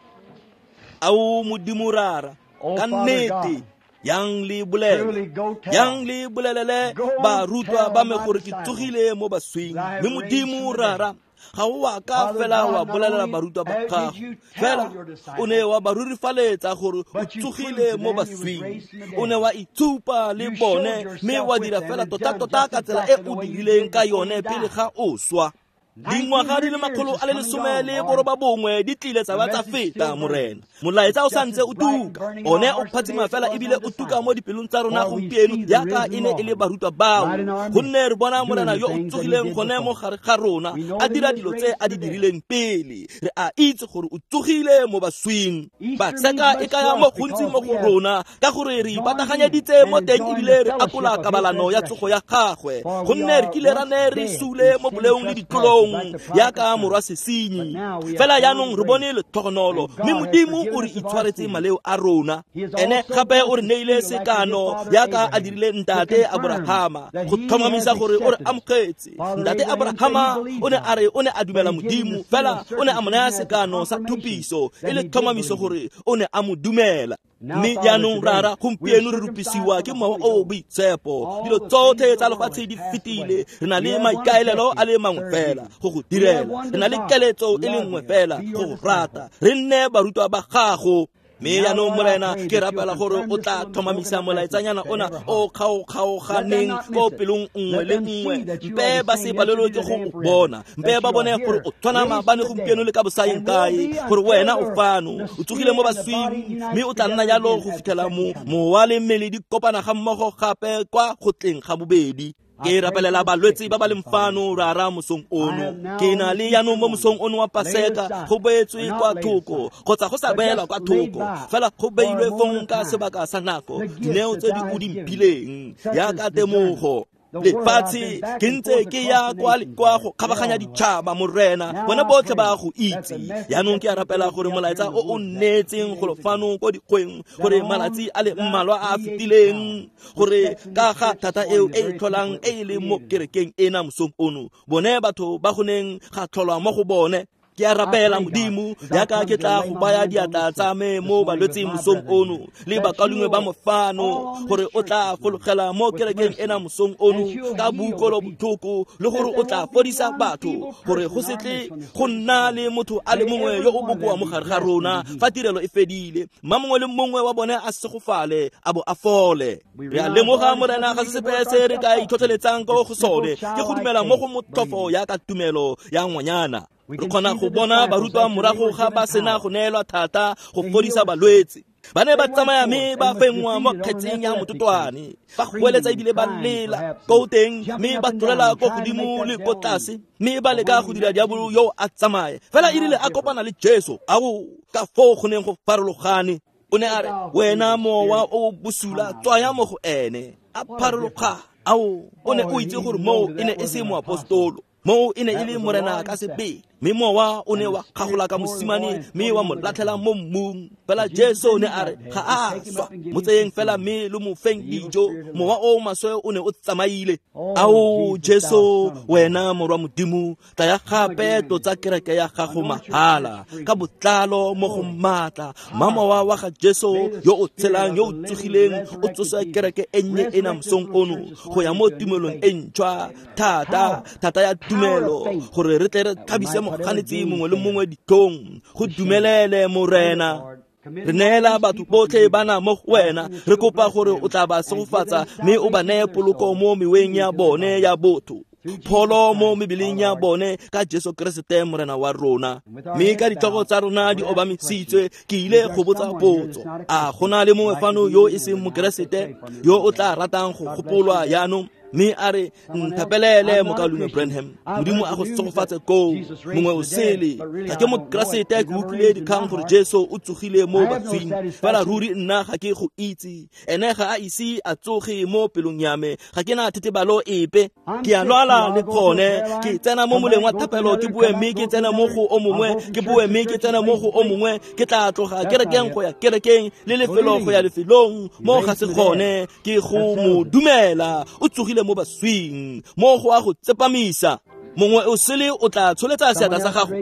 Ao Modimo Rara ka nnete yang le bolele yang le bolelele barutwa ba me gore ke tsogile mo baswing. Mme Modimo Rara ga o a ka fela wa bolelela barutwa ba gago fela o ne wa ba rurifaletsa gore o tsogile mo baswing o ne wa itshupa le bone mme wa dira fela tota-tota ka tsela e o dirileng ka yone pele ga o swa. Dingwaga di le makgolo a le lesome le boroba bongwe di tlile tsa ba tsa feta Morena molaetsa o santse o tuka one o phatsima fela ebile o tuka mo dipelong tsa rona gompieno yaka e ne e le barutwa bao gonne re bona Morena yo o tsogileng gone mo gare ga rona a dira dilo tse a di dirileng pele. Re a itse gore o tsogile mo baswing. Paseka e kaya mo gontsi mo go rona ka gore re ipataganyeditse mo teng ebile re akola kabalano ya tsogo ya gagwe gonne re kile ra ne re sule mo boleong le ditlolong yaka morwa sesenyi fela jaanong re bone letlhogonolo mme Modimo o re itshwaretse maleo a rona ene gape o re neile sekano yaka a dirile ntate Abrahama go tlhomamisa gore o re amogetse. Ntate Abrahama o ne a re o ne a dumela Modimo fela o ne a mo naya sekano sa thupiso e le tlhomamiso gore o ne a mo dumela. Mme jaanong Rara gompieno re rupisiwa ke mowa o o boitshepo dilo tsotlhe tsa lefatshe di fetile re na le maikaelelo a le mangwe fela go go direla re na le keletso e le nngwe fela go go rata re nne barutwa ba gago. Mme jaanong Morena ke rapela gore o tla tlhomamisa molaetsanyana ona o kgaokgaoganeng ko pelong nngwe le nngwe mpe ba se palelwe ke go o bona mpe ba bone gore o tshwana maabane gompieno le ka bosayeng kae gore wena o fano o tsogile mo baswing mme o tla nna jalo go fitlhela mo mowa le mmele di kopana ga mmogo gape kwa go tleng ga bobedi. Ke rapelela balwetse ba ba leng fano Rara mosong ono ke na le jaanong mo mosong ono wa Paseka go beetswe kwa thoko kgotsa go sa beelwa kwa thoko fela go beilwe fong ka sebaka sa nako dineo tse di o di mphileng yaka temogo lefatshe ke ntse ke ya kwa le kwa go kgabaganya ditšhaba Morena bona botlhe ba go itse. Jaanong ke a rapela gore molaetsa o o neetseng golo fano ko dikgweng gore malatsi a le mmalwa a a fetileng gore ka ga thata eo e e tlholang e e leng mo kerekeng ena mosong ono bone batho ba go neng ga tlholwa mo go bone. Ke a rapela Modimo yaka ke tla go baya diatla tsa me mo balwetseng mosong ono le bakaulengwe ba mofano gore o tla fologela mo kerekeng ena mosong ono ka boukolo botlhoko le gore o tla fodisa batho gore go se tle go nna le motho a le mongwe yo o bokoa mo gare ga rona fa tirelo e fedile mma mongwe le mongwe wa bone a segofale a bo a fole. Re a lemoga Morena ga se sepe se re ka itlhotlheletsang ko go sone ke go dumela mo go motlhofo yaka tumelo ya ngwanyana. Re kgona go bona barutwa morago ga ba sena go neelwa thata go fodisa balwetse ba ne ba tsamaya mme ba fenngwa mo kgetseng ya mototwane ba goeletsa ebile ba lela ko teng mme ba tlolela ko godimo le ko tlase mme ba leka go dira diabolo yo a tsamaye fela e rile a kopana le Jesu ao ka foo go neng go farologane o ne a re wena mowa o bosula tswaya mo go ene a pharologa ao o ne o itse gore moo e ne e se moapostolo moo e ne e le Morena ka sebele mme mowa o ne wa kgagola ka mosimane mme wa mo latlhela mo mmung fela Jesu o ne a re ga a swa mo tseyeng fela mme lo mo feng dijo mowa o maswe o ne o tsamaile. Ao Jesu wena morwa Modimo tlaya gape tlotsa kereke ya gago mahala ka botlalo mo go maatla mma mowa wa ga Jesu yo o tshelang yo o tsogileng o tsosa kereke e nnye ena mosong ono go ya mo tumelong e ntšhwa thata thata ya tumelo gore re tle re thabise moganetsi mongwe le mongwe ditlhong go dumelele Morena. Re neela batho botlhe bana mo go wena, re kopa gore o tla ba segofatsa mme o ba neye poloko mo meweng ya bone ya botho, pholo mo mebeleng ya bone ka Jesu Keresete Morena wa rona. Mme ka ditlhogo tsa rona di obamisitswe, ke ile go botsa potso: a go na le mongwe fano yo e seng Mokeresete yo o tla ratang go gopolwa jaanong? Mme a re, nthapelele mokaulengwe Branham, Modimo a go segofatse koo. Mongwe o sele, ga ke Mokeresete, ke utlwile dikgang gore Jesu o tsogile mo baswing, fela ruri nna ga ke go itse. Ene ga a ise a tsoge mo pelong ya me, ga ke na thetebalo epe. Ke a lwala le gone, ke tsena mo moleng wa thapelo ke bue mme ke tsena mo go o mongwe, ke bue mme ke tsena mo go o mongwe, ke tla tloga kerekeng go ya kerekeng le lefelo go ya lefelong. Mo ga se gone, ke go mo dumela o tsogile mo baswing, mo go a go tsepamisa. Mongwe o sele o tla tsholetsa seatla sa gago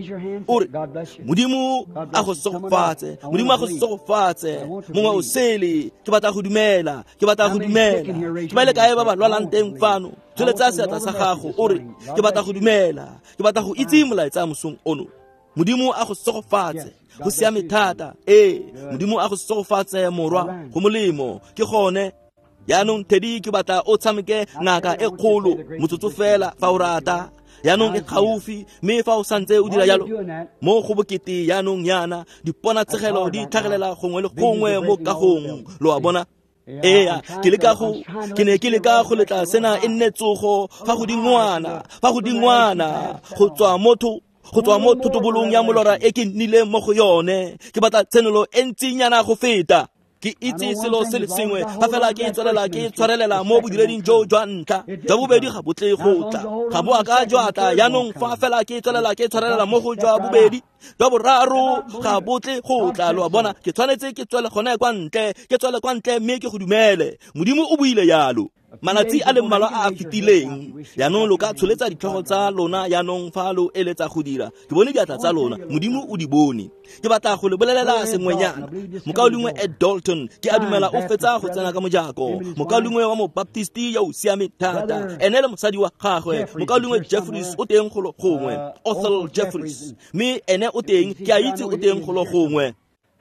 o re, Modimo a go segofatse, Modimo a go segofatse. Mongwe o sele, ke batla go dumela, ke batla go dumela. Ke ba le kae ba ba lwalang teng fano? Tsholetsa seatla sa gago o re, ke batla go dumela, ke batla go itse molaetsa mosong ono. Modimo a go segofatse. Go siame thata. Ee, Modimo a go segofatse morwa, go molemo ke gone. Jaanong Teddy, ke batla o tshameke ngaka e kgolo motsotso fela fa o rata. Jaanong e gaufi, mme fa o santse o dira jalo mo go bokete jaanong yana diponatshegelo di tlhagelela gongwe le gongwe mo kagong, lo a bona. Ee, ke leka go ke ne ke leka go letla sena e nne tsogo fa godingwana, fa godingwana go tswa motho go tswa mo thotobolong ya molora e ke nnileng mo go yone. Ke batla tshenolo e ntsinyana go feta. Ke itse selo se le sengwe, fa fela ke tswelela ke tshwarelela mo bodireding jo jwa ntlha, jwa bobedi ga bo tle go tla, ga bo a ka jwa tla. Jaanong fa fela ke tswelela ke tshwarelela mo go jwa bobedi, jwa boraro ga bo tle go tla, lo a bona. Ke tshwanetse ke tswele gone kwa ntle, ke tswele kwa ntle mme ke go dumele. Modimo o buile jalo malatsi a le mmalwa a a fetileng. Jaanong lo ka tsholetsa ditlhogo tsa lona jaanong fa lo eletsa go dira. Ke bone diatla tsa lona, Modimo o di bone. Ke batla go le bolelela sengwenyana. Mokaulengwe Ed Dalton, ke a dumela o fetsa go tsena ka mojako. Mokaulengwe wa Mobaptisti yo o siame thata, ene le mosadi wa gagwe Mokaulengwe Jeffries o teng golo gongwe, Othel Jeffries, mme ene o teng, ke a itse o teng golo gongwe.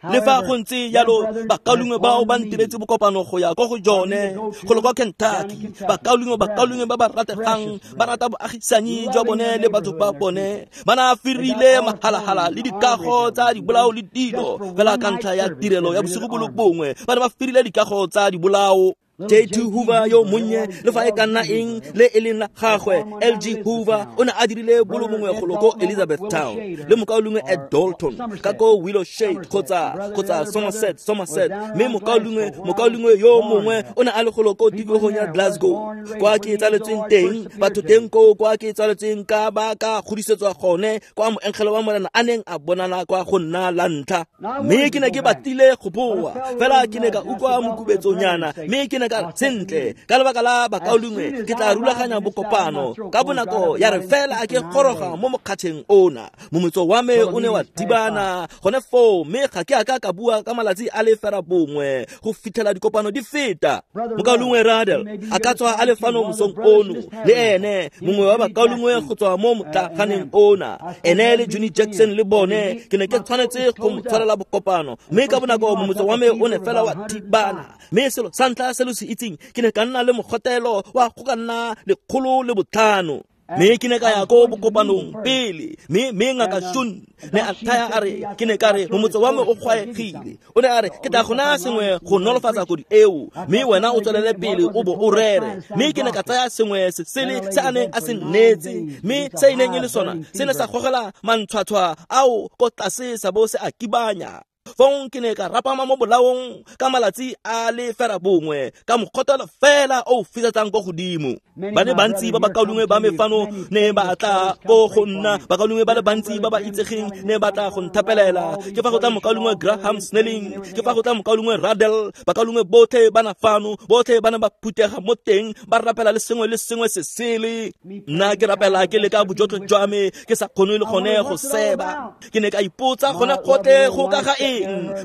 Le fa go ntse jalo, bakaulengwe bao ba ntiretse bokopano go ya ko go jone go le kwa Kentucky. Bakaulengwe bakaulengwe ba ba rategang, ba rata boagisanyi jwa bone le batho ba bone, ba na firile mahalahala le dikago tsa dibolao le dilo fela ka ntlha ya tirelo ya bosigo bo le bongwe. Ba ne ba firile dikago tsa dibolao. J two Hoover yo monnye, le fa e ka nna eng le e leng la gagwe, L G Hoover o ne a dirile bolo mongwe golo ko Elizabethtown, le mokaulengwe Ed Dalton ka ko Willow Shade kgotsa kgotsa Somerset Somerset, mme mokaulengwe mokaulengwe yo mongwe o ne a le golo ko tikologong ya Glasgow kwa ke tsaletsweng teng. Batho teng koo kwa ke tsaletsweng ka ba ka godisetswa gone, kwa moengele wa Morena a neng a bonala kwa go nna la ntlha. Mme ke ne ke batlile go boa, fela ke ne ka utlwa mokubetsonyana, mme ke ne ka sentle ka lebaka la bakaulengwe ke tla rulaganya bokopano ka bonako. Ya re fela ke goroga mo mokgatšheng ona, momotso wa me o ne wa thibana gone foo, mme ga ke a ka ka bua ka malatsi a le fera bongwe go fitlhela dikopano di feta. Mokaulengwe Radel a ka tswa a le fano mosong ono, le ene mongwe wa bakaulengwe go tswa mo motlaganeng ona, ene le Johnny Jackson le bone, ke ne ke tshwanetse go mo tshwarela bokopano, mme ka bonako momotso wa me o ne fela wa thibana. Mme selo sa ntlha se lo se itseng, ke ne ka nna le mogotelo wa go ka nna lekgolo le botlhano. Mme ke ne ka ya ko bokopanong pele, mme mme ngaka Shun ne a thaya a re, ke ne ka re momotso wa me o kgwaegile. O ne a re, ke tla go naya sengwe go nolofatsa kodi eo, mme wena o tswelele pele o bo o rere. Mme ke ne ka tsaya sengwe se sele se a neng a se nnetse, mme se e neng e le sona se ne sa gogela mantshwatshwa ao ko tlase sa bo se a kibanya. Fong ke ne ka rapama mo bolaong ka malatsi a le fera bongwe, ka mokgotelo fela o fisetsang ko godimo. Ba le bantsi ba bakaulengwe ba me fano ne ba tla ko go nna, bakaulengwe ba le bantsi ba ba itsegeng ne ba tla go nthapelela. Ke fa go tla mokaulengwe Graham Snelling, ke fa go tla mokaulengwe Radel, bakaulengwe botlhe ba na fano, botlhe ba ne ba phutega mo teng, ba rapela le sengwe le sengwe se sele. Nna ke rapela ke leka bojotlhe jwa me, ke sa kgone le gone go seba. Ke ne ka ipotsa gone gotlhe go ka ga eng.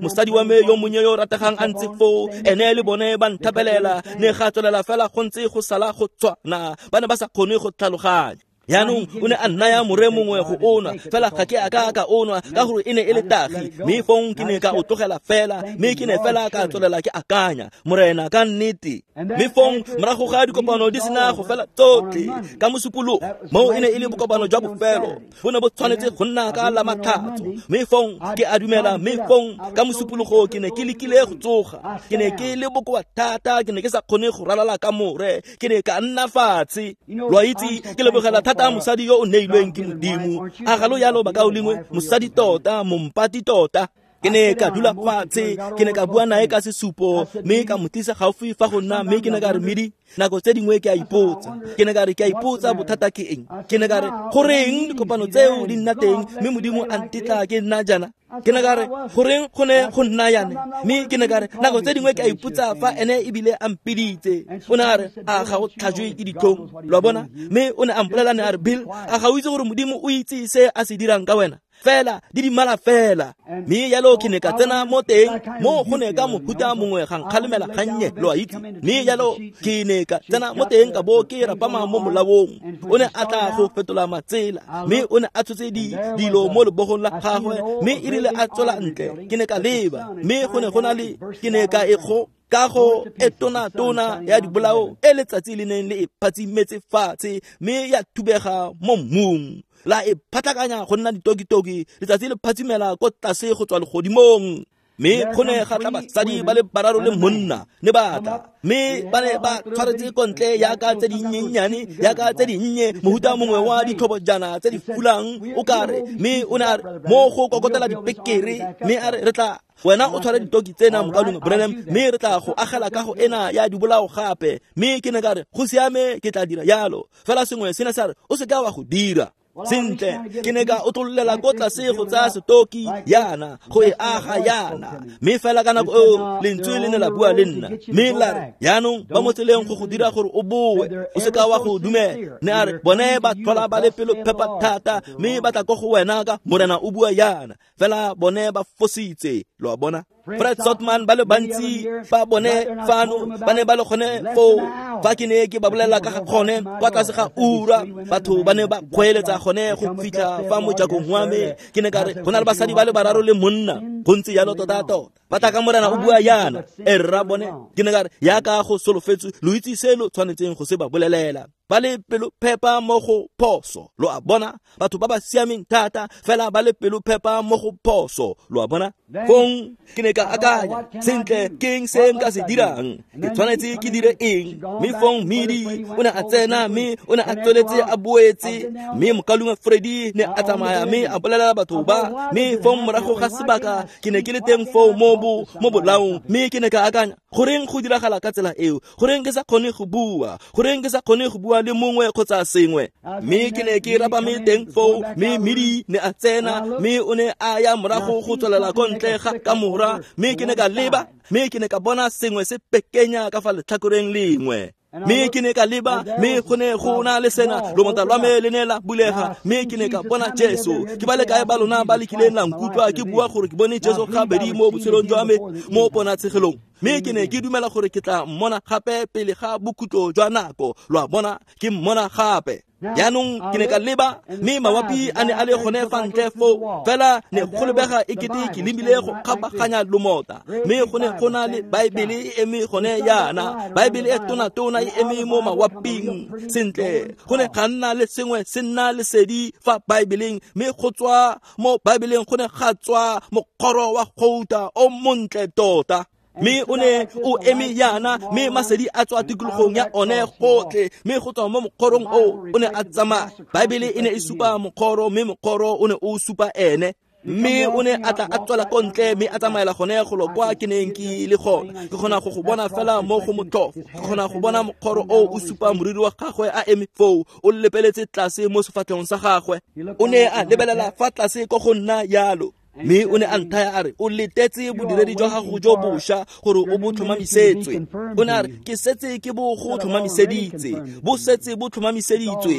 Mosadi wa me yo monnye yo rategang a ntse foo, ene le bone ba nthapelela, ne ga tswelela fela go ntse go sala go tswana, ba ne ba sa kgone go tlhaloganya. Jaanong o ne a nnaya more mongwe go o nwa, fela ga ke a ka ka o nwa ka gore e ne e le tagi, mme fong ke ne ka o tlogela fela, mme ke ne fela ka tswelela ke akanya, Morena ka nnete. Mme fong morago ga dikopano di sena go fela tsotlhe ka Mosupologo, moo e ne e le bokopano jwa bofelo, bo ne bo tshwanetse go nna ka la Matlhatso. Mme fong ke a dumela, mme fong ka Mosupologo ke ne ke lekile go tsoga, ke ne ke le bokoa thata, ke ne ke sa kgone go ralala ka more, ke ne ka nna fatshe. Lo a itse, ke lebogela thata mosadi yo o neilweng ke Modimo. A ga lo yalo bakaulengwe, mosadi tota, mompati tota. Ke ne ka dula fatshe, ke ne ka bua nae ka sesupo, mme ka mo tlisa gaufi fa go nna, mme ke ne ka re, Medi, nako tse dingwe ke a ipotsa. Ke ne ka re, ke a ipotsa bothata ke eng? Ke ne ka re, goreng dikopano tseo di nna teng, mme Modimo a ntetla ke nna jaana? Ke ne ka re, goreng go ne go nna yana? Mme ke ne ka re, nako tse dingwe ke a ipotsa fa ene ebile a mpiditse. O ne a re, a ga o tlhajwe ke ditlhong? Lo a bona? Mme o ne a mpolelela, ne a re, Bill, a ga o itse gore Modimo o itse se a se dirang ka wena? Fela di dimala fela. Mme jalo ke ne ka tsena mo teng, mo go ne ka mohuta mongwe ga nkgalemela gannye, lo a itse. Mme jalo ke ne ka tsena mo teng ka bo ke rapama mo molaong. O ne a tla go fetola matsela, mme o ne a tshotse di dilo mo lebogong la gagwe, mme e rile a tswela ntle, ke ne ka leba, mme go ne go na le, ke ne ka e go kago e tona-tona ya dibolao e letsatsi le neng le e phatsimetse fatshe, mme ya thubega mo mmung, la e phatlakanya go nna ditokitoki, letsatsi le phatsimela ko tlase go tswa legodimong. Mme go ne ga tla basadi ba le bararo le monna ne ba tla, mme ba ne ba tshwaretse ko ntle yaka tse dinyenyane, yaka tse dinnye, mohuta mongwe wa ditlhobojana tse di fulang o kare. Mme o ne a re mo go kokotela dipekere, mme a re, re tla wena o tshware ditoki tsena mokaulengwe Branham, mme re tla go agela kago ena ya dibolao gape. Mme ke ne ka re, go siame, ke tla dira yalo. Fela sengwe se ne sa re, o se ka wa go dira. Sentle, ke ne ka otlololela ko tlase go tsaya setoki yana, go e aga yana. Mme fela ka nako eo lentswe le ne la bua le nna, mme la re, jaanong ba mo tseleng go go dira gore o boe, o se ka wa go dumela. Ne a re, bone ba tlhola ba le pelo phepa thata, mme ba tla ko go wena ka Morena o bua yana, fela bone ba fositse. Lo a bona? Fred Sotman ba le bantsi ba bone fano ba ne ba le gone foo fa ke ne ke ba bolelela ka ga gone kwa tlase ga ura, batho ba ne ba kgweeletsa gone go fitlha fa mojakong wa me. Ke ne ka re, go na le basadi ba le bararo le monna, go ntse jalo tota-tota. Ba tla ka Morena o bua yana, e rra bone. Ke ne ka re, yaka go solofetswe, lo itse se lo tshwanetseng go se ba bolelela. Ba le pelo phepa mo go phoso, lo a bona? Batho ba ba siameng thata, fela ba le pelo phepa mo go phoso, lo a bona? Fong ke ne ka akanya, sentle, ke eng se nka se dirang? Ke tshwanetse ke dire eng? Mme fong Medi o ne a tsena, mme o ne a tsweletse a boetse, mme mokaulengwe Freddy ne a tsamaya mme a bolelela batho ba. Mme fong morago ga sebaka ke ne ke le teng foo mo bo mo bolaong, mme ke ne ka akanya, goreng go diragala ka tsela eo? Goreng ke sa kgone go bua? Goreng ke sa kgone go bua le mongwe kgotsa sengwe? Mme ke ne ke rapame teng foo, mme Medi ne a tsena, mme o ne a ya morago go tswelela ko ntle ga kamora, mme ke ne ka leba, mme ke ne ka bona sengwe se pekenya ka fa letlhakoreng lengwe. Mme ke ne ka leba, mme go ne go na le sena, lomota lwa me le ne la bulega, mme ke ne ka bona Jesu. Ke ba le kae ba lona ba lekileng la nkutlwa ke bua gore ke bone Jesu gabedi mo botshelong jwa me mo ponatshegelong? Mme ke ne ke dumela gore ke tla mmona gape pele ga bokhutlo jwa nako. Lo a bona, ke mmona gape. Jaanong ke ne ka leba, mme mawapi a ne a le gone fa ntle foo, fela ne go lebega e kete ke lebile go kgabaganya lomota, mme go ne go na le Baebele e eme gone yana, Baebele e tona-tona e eme mo mawaping. Sentle, go ne ga nna le sengwe se nna lesedi fa Baebeleng, mme go tswa mo Baebeleng go ne ga tswa mokgoro wa gouta o montle tota. Mme o ne o eme yana, mme masedi a tswa tikologong ya one gotlhe, mme go tswa mo mokgorong o o ne a tsamaya. Baebele e ne e supa mokgoro, mme mokgoro o ne o supa ene. Mme o ne a tla a tswela ko ntle, mme a tsamaela gone golo kwa ke neng ke le gona. Ke kgona go go bona fela mo go motlhofo. Ke kgona go bona mokgoro o o supa moriri wa gagwe a eme foo, o lepeletse tlase mo sefatlhegong sa gagwe. O ne a lebelela fa tlase ko go nna yalo. Mme o ne a nthaya a re, o letetse bodiredi jwa gago jo bošwa gore o bo tlhomamisetswe. O ne a re, ke setse ke bo go tlhomamiseditse, bo setse bo tlhomamiseditswe,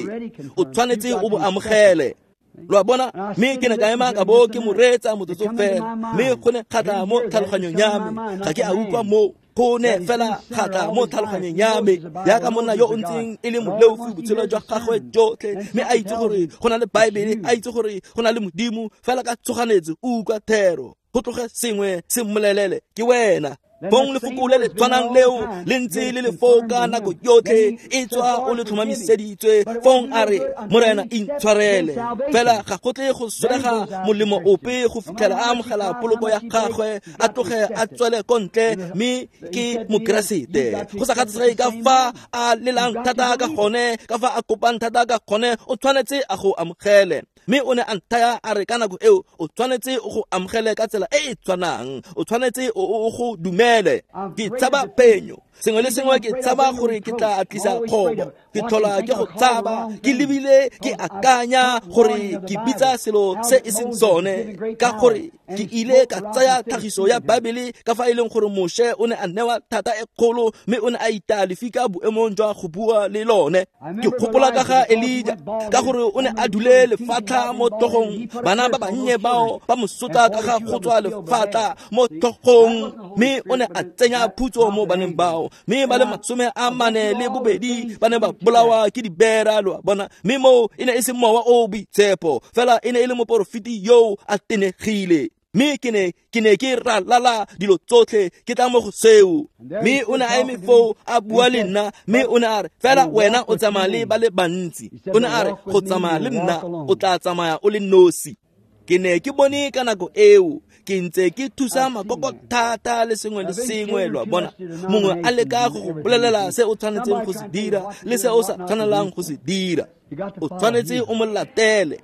o tshwanetse o bo amogele. Lo a bona? Mme ke ne ka ema ka bo ke mo reetsa motsotso fela, mme go ne ga tla mo tlhaloganyong ya me, ga ke a utlwa moo. Go ne fela ga tla mo tlhaloganyong ya me jaaka monna yo o ntseng e le moleofi botshelo jwa gagwe jotlhe, mme a itse gore go na le Baebele, a itse gore go na le Modimo, fela ka tshoganetso o utlwa thero, go tloge sengwe se mmolelele ke wena. Fong lefoko le le tshwanang leo le ntse le le foo ka nako yotlhe, e tswa o le tlhomamiseditswe. Fong a re, Morena intshwarele. Fela ga go tle go solega molemo ope go fitlhela a amogela poloko ya gagwe, a tloge a tswele ko ntle, mme ke Mokeresete. Go sa kgathalesege ka fa a lelang thata ka gone, ka fa a kopang thata ka gone, o tshwanetse a go amogele. Mme o ne a nthaya a re ka nako eo o tshwanetse o go amogele ka tsela e e tshwanang, o tshwanetse o go dumele. Ke tshaba phenyo, sengwe le sengwe ke tshaba gore ke tla tlisa kgobo, ke tlhola ke go tshaba, ke lebile ke akanya gore ke bitsa selo se e seng sone, ka gore ke ile ka tsaya tlhagiso ya Baebele ka fa e leng gore Moshe o ne a newa thata e kgolo, mme o ne a itaya lefika boemong jwa go bua le lone. Ke gopola ka ga Elija, ka gore o ne a dule lefatlha mo tlhogong, bana ba bannye bao ba mo sotla ka ga go tswa lefatlha mo tlhogong, mme o ne a tsenya phutso mo baneng bao, mme ba le masome a mane le bobedi ba ne ba bolawa ke dibera, lo a bona. Mme moo e ne e se mowa o boitshepo, fela e ne e le moporofeti yo a tenegile. Mme ke ne ke ne ke ralala dilo tsotlhe ke tla mo go seo. Mme o ne a eme foo a bua le nna, mme o ne a re, fela wena o tsamaya le ba le bantsi. O ne a re, go tsamaya le nna o tla tsamaya o le nosi. Ke ne ke bone ka nako eo ke ntse ke thusa makoko thata le sengwe le sengwe, lo a bona. Mongwe a leka go go bolelela se o tshwanetseng go se dira le se o sa tshwanelang go se dira, o tshwanetse o mo latele.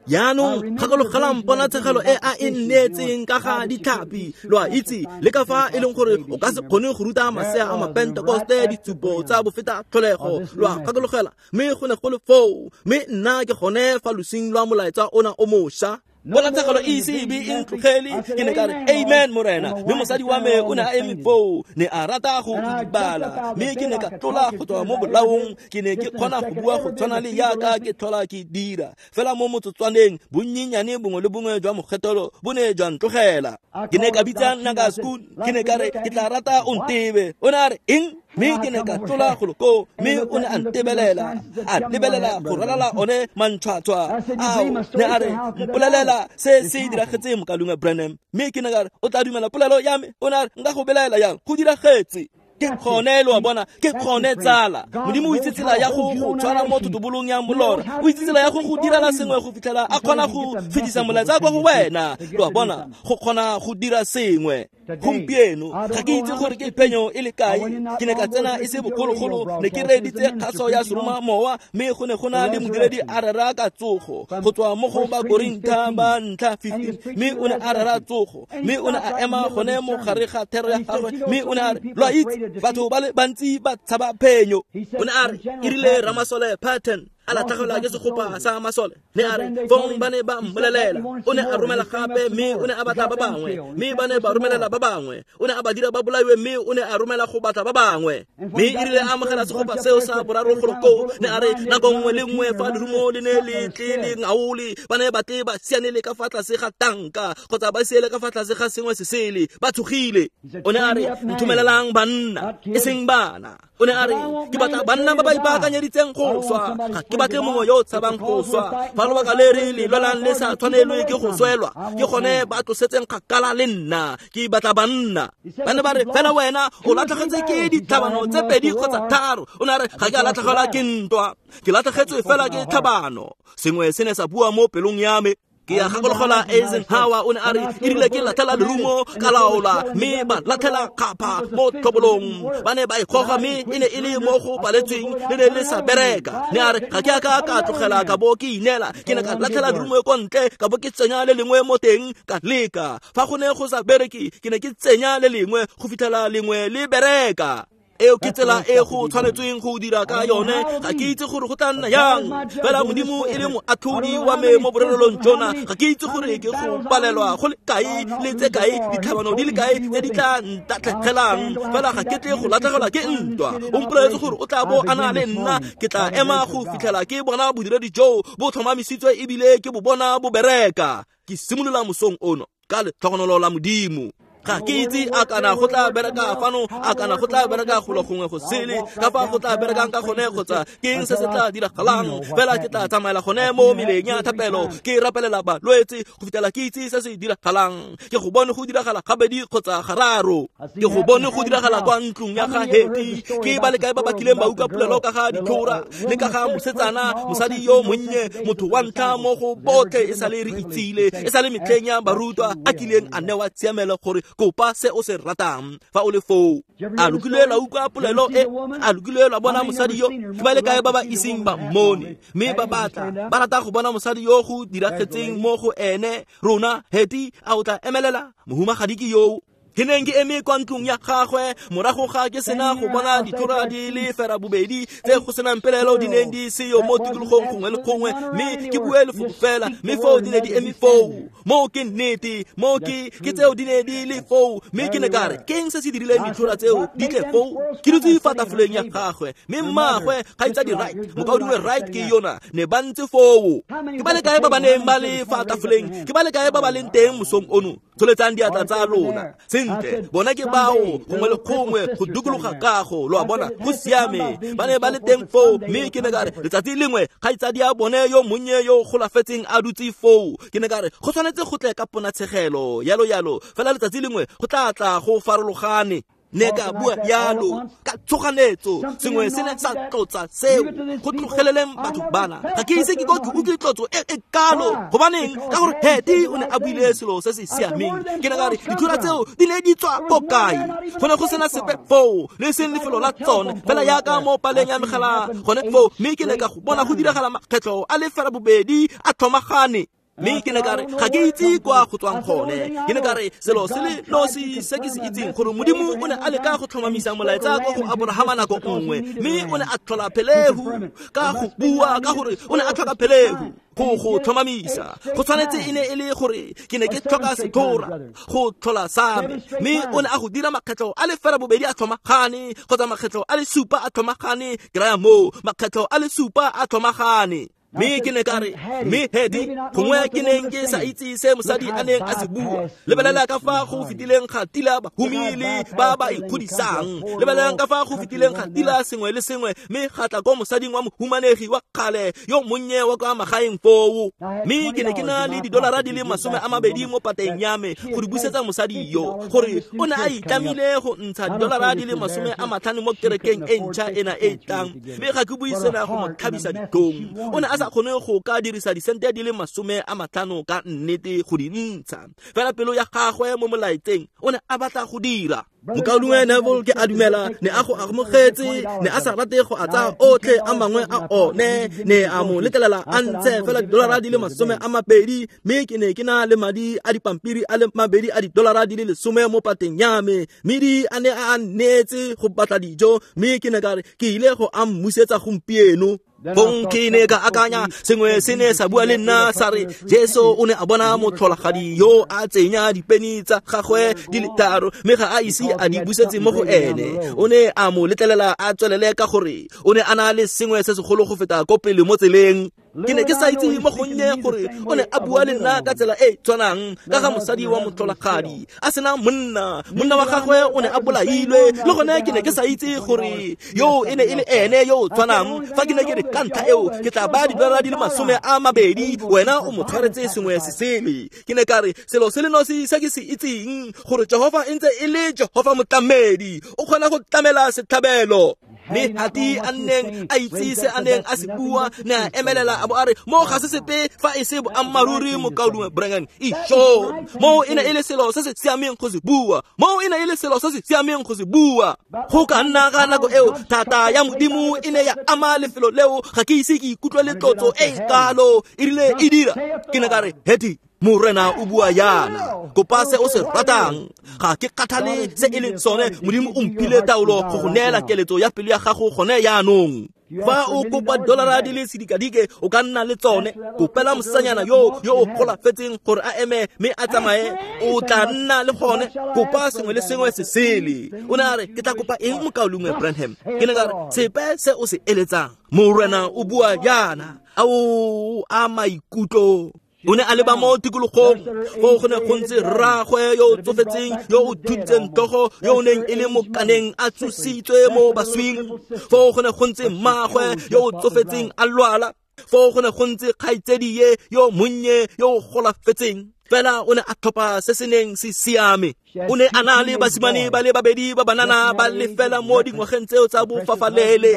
Jaanong gakologelang ponatshegelo e a e nneetseng ka ga ditlhapi, lo a itse, le ka fa e leng gore o ka se kgone go ruta masea a mapentekoste ditsupo tsa bofeta tlholego, lo a gakologela. Mme go ne go le foo, mme nna ke gone fa losing lwa molaetsa ona o mošwa. Ponatshegelo e ise e be e ntlogele, ke ne ka re amen Morena. Mme mosadi wa me o ne a eme foo, ne a rata go idibala, mme ke ne ka tlola go tswa mo bolaong. Ke ne ke kgona go bua go tshwana le yaka ke tlhola ke dira, fela mo motsotswaneng bonnyenyane bongwe le bongwe jwa mokgethelo bo ne jwa ntlogela. Ke ne ka bitsa Ngaka Skoon, ke ne ka re ke tla rata o ntebe. O ne a re eng? Mme ke ne ka tlola golo koo, mme o ne a ntebelela, a lebelela go ralala one mantshwatshwa ao. Ne a re, mpolelela se se diragetseng mokalungwe Branham. Mme ke ne ka re, o tla dumela polelo ya me? O ne a re, nka go belaela yang? Go diragetse. Ke gone, lo a bona, ke gone tsala. Modimo o itse tsela ya go go tshwara mo thotobolong ya molora, o itse tsela ya go go direla sengwe go fitlhela a kgona go fetisa molaetsa kwa go wena, lo a bona, go kgona go dira sengwe. Gompieno ga ke itse gore ke phenyo e le kae. Ke ne ka tsena e se bogologolo, ne ke reeditse kgaso ya seroma mowa, mme go ne go na le modiredi a rera ka tsogo go tswa mo go Bakorintha ba ntlha fifteen, mme o ne a rera tsogo, mme o ne a ema gone mo gare ga thero ya gagwe, mme o ne a re, lo a itse, batho ba le bantsi ba tshaba phenyo. O ne a re, e rile ramasole Patton a latlhegelwa ke segopa sa masole, ne a re fong ba ne ba mmolelela. O ne a romela gape, mme o ne a batla ba bangwe, mme ba ne ba romelela ba bangwe. O ne a ba dira ba bolaiwe, mme o ne a romela go batla ba bangwe. Mme e rile a amogela segopa seo sa boraro golo koo, ne a re nako nngwe le nngwe fa lerumo le ne le tle le ngaole, ba ne ba tle ba sianele ka fa tlase ga tanka kgotsa ba siele ka fa tlase ga sengwe se sele, ba tshogile. O ne a re, nthomelelang banna, e seng bana. O ne a re, ke batla banna ba ba ipaakanyeditseng go swa, ga ke batle mongwe yo o tshabang go swa. Fa lobaka le re le lwelang le sa tshwanelwe ke go swelwa, ke gone ba tlosetseng kgakala le nna. Ke batla banna. Ba ne ba re, fela wena o latlhegetse ke ditlhabano tse pedi kgotsa tharo. O ne a re, ga ke a latlhegelwa ke ntwa, ke latlhegetswe fela ke tlhabano. Sengwe se ne sa bua mo pelong ya me. Ke a gakologelwa Eisenhower o ne a re, e rile ke latlhela lerumo ka laola, mme ba latlhela kgapha mo tlhobolong. Ba ne ba ikgoga, mme e ne e le mo go paletsweng, le ne le sa bereka. Ne a re, ga ke a ka ka tlogela ka bo ke inela, ke ne ka latlhela lerumo ko ntle, ka bo ke tsenya le lengwe mo teng, ka leka. Fa go ne go sa bereke, ke ne ke tsenya le lengwe go fitlhela lengwe le bereka. Eo ke tsela e go tshwanetsweng go dira ka yone. Ga ke itse gore go tla nna yang, fela Modimo e le moatlhodi wa me mo borelelong jona. Ga ke itse gore ke go palelwa go le kae le tse kae, ditlhabano di le kae tse di tla ntatlhegelang, fela ga ke tle go latlhegelwa ke ntwa. O mpoleletse gore o tla bo a na le nna, ke tla ema go fitlhela ke bona bodiredi joo bo tlhomamisitswe ebile ke bo bona bo bereka. Ke simolola mosong ono ka letlhogonolo la Modimo. Ga ke itse a kana go tla bereka fano, a kana go tla bereka golo gongwe go sele, ka fa go tla berekang ka gone kgotsa ke eng se se tla diragalang. Fela ke tla tsamaela gone mo meleng ya thapelo, ke rapelela balwetse go fitlhela ke itse se se diragalang. Ke go bone go diragala gabedi kgotsa gararo, ke go bone go diragala kwa ntlong ya ga Heti. Ke ba le kae ba ba kileng ba utlwa polelo ka ga ditlhora le ka ga mosetsana, mosadi yo monnye, motho wa ntlha mo go botlhe e sa le re itsile, e sa le metlheng ya barutwa a kileng a newa tshiamelo gore kopa se o se ratang fa o le foo. A lokile la utlwa polelo e? A lokile la bona mosadi yo? Ke ba le kae ba ba iseng ba mmone mme ba batla ba rata go bona mosadi yo go diragetseng mo go ene? Rona Heti, a o tla emelela? Mohumagadi ke yo. Ke neng ke eme kwa ntlong ya gagwe morago ga ke sena go bona ditlhora di le fera bobedi tse go senang pelelo di neng di seyo mo tikologong gongwe le gongwe, mme ke bue lefoko fela, mme foo di ne di eme foo. Moo ke nnete, moo ke ke tseo di ne di le foo, mme ke ne ka re ke eng se se dirileng ditlhora tseo di tle foo? Ke dutse fa tafoleng ya gagwe, mme mmaagwe kgaitsadi Wright, mokaulengwe Wright ke yona, ne ba ntse foo. Ke ba le kae ba ba neng ba le fa tafoleng? Ke ba le kae ba ba leng teng mosong ono? Tsholetsang diatla tsa lona. Sentle, bona ke bao gongwe le gongwe go dikologa kago, lo a bona, go siame. Ba ne ba le teng foo, mme ke ne ka re letsatsi lengwe kgaitsadi ya bone yo monnye yo golafetseng a dutse foo. Ke ne ka re go tshwanetse go tle ka ponatshegelo yalo yalo, fela letsatsi lengwe go tla tla go farologane. Ne ka bua yalo ka tshoganetso, sengwe se ne sa tlotsa seo go tlogeleleng batho bana. Ga ke ise ke ko ke utlwe tlotso e e kalo. Gobaneng? Ka gore Heti o ne a buile selo se se siameng. Ke ne ka re ditlhora tseo di ne di tswa ko kae? Go ne go sena sepe foo, le seng lefelo la tsone, fela yaka mo paleng ya megala gone foo. Mme ke ne ka go bona go diragala makgetlho a le fela bobedi a tlhomagane. Mme ke ne ka re ga ke itse kwa go tswang gone. Ke ne ka re selo se le nosi se ke se itseng gore Modimo o ne a leka go tlhomamisa molaetsa ko go Aborahama nako nngwe, mme o ne a tlhola phelehu ka go bua, ka gore o ne a tlhoka phelehu go go tlhomamisa. Go tshwanetse e ne e le gore ke ne ke tlhoka setlhora go tlhola sa me, mme o ne a go dira makgetlho a le fela bobedi a tlhomagane, kgotsa makgetlho a le supa a tlhomagane. Ke raya moo, makgetlho a le supa a tlhomagane. Mme ke ne ka re, mme Hedi, gongwe ke neng ke sa itse se mosadi a neng a se bua. Lebelela ka fa go fetileng ga tila bahumi le ba ba ikgodisang. Lebelelang ka fa go fetileng ga tila sengwe le sengwe, mme ga tla ko mosading wa mohumanegi wa kgale yo monnye wa kwa magaeng foo. Mme ke ne ke na le didolara di le masome a mabedi mo pateng ya me go di busetsa mosadi yo, gore o ne a itlamile go ntsha didolara di le masome a matlhano mo kerekeng e ntšha ena e tlang. Mme ga ke bue sena go mo tlhabisa ditlhong. O ne a sa kgone go ka dirisa disente di le masome a matlhano ka nnete go di ntsha. Fela pelo ya gagwe mo molaetseng o ne a batla go dira. Mokaulengwe Neville ke a dumela ne a go amogetse, ne a sa rate go a tsaya otlhe a mangwe a one, ne a mo letlelela a ntshe fela didolara di le masome a mabedi. Mme ke ne ke na le madi a dipampiri a le mabedi a didolara di le lesome mo pateng ya me, mme di a ne a neetse go batla dijo. Mme ke ne ka re ke ile go a mmusetsa gompieno. Fong ke ne ka akanya sengwe se ne sa bua le nna sa re Jesu o ne a bona motlholagadi yo a tsenya dipeni tsa gagwe di le tharo, mme ga a ise a di busetse mo go ene. O ne a mo letlelela a tswelele ka gore o ne a na le sengwe se segolo go feta ko pele mo tseleng. Ke ne ke sa itse mo gonnye gore o ne a bua le nna ka tsela e tshwanang ka ga mosadi wa motlholagadi a sena monna, monna wa gagwe o ne a bolailwe. Le gone ke ne ke sa itse gore yo e ne e le ene yo o tshwanang. Fa ke ne ke re ka ntlha eo ke tla baya didolara di le masome a mabedi, wena o mo tshwaretse sengwe se sele. Ke ne ka re selo se le nosi se ke se itseng gore Jehofa e ntse e le Jehofa motlamedi, o kgona go tlamela setlhabelo. Mme Hati a nneng a itse se a neng a se bua, ne a emelela a bo a re mo ga se sepe fa e se boammaaruri mokaulengwe Branham. Isho, mo e ne e le selo se se siameng go se bua, mo e ne e le selo se se siameng go se bua. Go ka nna ga nako eo thata ya Modimo e ne ya ama lefelo leo. Ga ke ise ke ikutlwe le tlotso e kalo e rile e dira. Ke ne ka re Heti, Morena o bua yana, kopa se o se ratang. Ga ke kgathale se e leng sone, Modimo o mphile taolo go go neela keletso ya pelo ya gago gone yaanong. Fa o kopa dolara di le sedikadike o ka nna le tsone. Kopela mosetsanyana yo yo o golafetseng gore a eme mme a tsamaye, o tla nna le gone. Kopa sengwe le sengwe se sele. O ne a re ke tla kopa eng mokaulengwe Branham? Ke ne ka re sepe se o se eletsang. Morena o bua yana. Ao a maikutlo. O ne a leba mo tikologong foo go ne go ntse rraagwe yo o tsofetseng yo o thuntseng tlhogo yo o neng e le mokaneng a tsositswe mo baswing. Foo go ne go ntse mmaagwe yo o tsofetseng a lwala. Foo go ne go ntse kgaitsedie yo monnye yo o golafetseng. Fela o ne a tlhopha se se neng se siame. O ne a na le basimane ba le babedi ba banana ba le fela mo dingwageng tseo tsa bofafalele.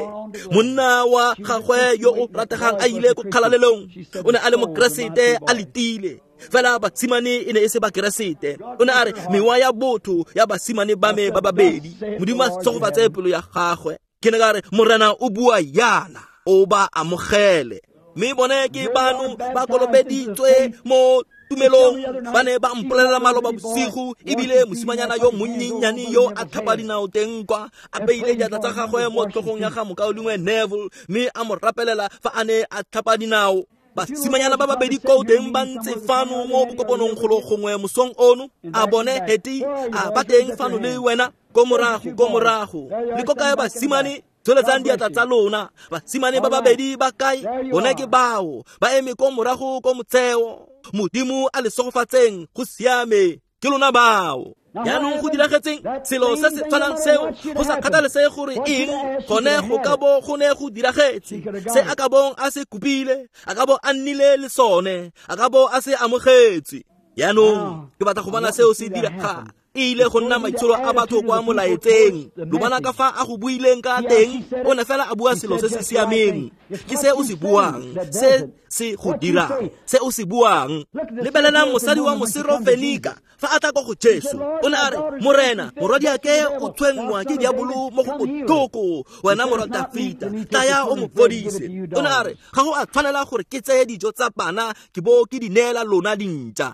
Monna wa gagwe yo o rategang a ile ko kgalalelong. O ne a le mokeresete a letile. Fela basimane e ne e se bakeresete. O ne a re mewa ya botho ya basimane ba me ba babedi. Modimo a tshegofatse pelo ya gagwe. Ke ne ka re Morena o bua yana, o ba amogele. Mme bone ke bano ba kolobeditswe mo tumelong. Ba ne ba mpolelela maloba bosigo, ebile mosimanyana yo monnyenyane yo a tlhapa dinao teng kwa a beile diatla tsa gagwe mo tlhogong ya ga mokaulengwe Neville, mme a mo rapelela fa a ne a tlhapa dinao. Basimanyana ba babedi ko teng ba ntse fano mo bokopanong golo gongwe mosong ono. A bone heti a ba teng fano le wena ko morago ko morago. Le ko kae basimane? Tsholetsang diatla tsa lona. Basimane ba babedi ba kae? Bone ke bao ba eme ko morago ko motsheo. Modimo a le segofatseng, go siame, ke lona bao. Jaanong go diragetseng selo se se tshwanang seo, go sa kgathalesege gore eng gone go ka bo go ne go diragetse. Se a ka bong a se kopile, a ka bo a nnile le sone, a ka bo a se amogetse. Jaanong ke batla go bona seo se diragala. E ile go nna maitsholo a batho kwa molaetseng. Lo bona ka fa a go buileng ka teng, o ne fela a bua selo se se siameng. Ke se o se buang, se se go dirang, se o se buang. Lebelelang mosadi wa Mosirofenika fa a tla ko go Jesu. O ne a re, Morena, morwadiake o tshwenngwa ke diabolo mo go botlhoko, wena morwa Dafita, tlaya o mo fodise. O ne a re, ga go a tshwanela gore ke tseye dijo tsa bana ke bo ke di neela lona dintša.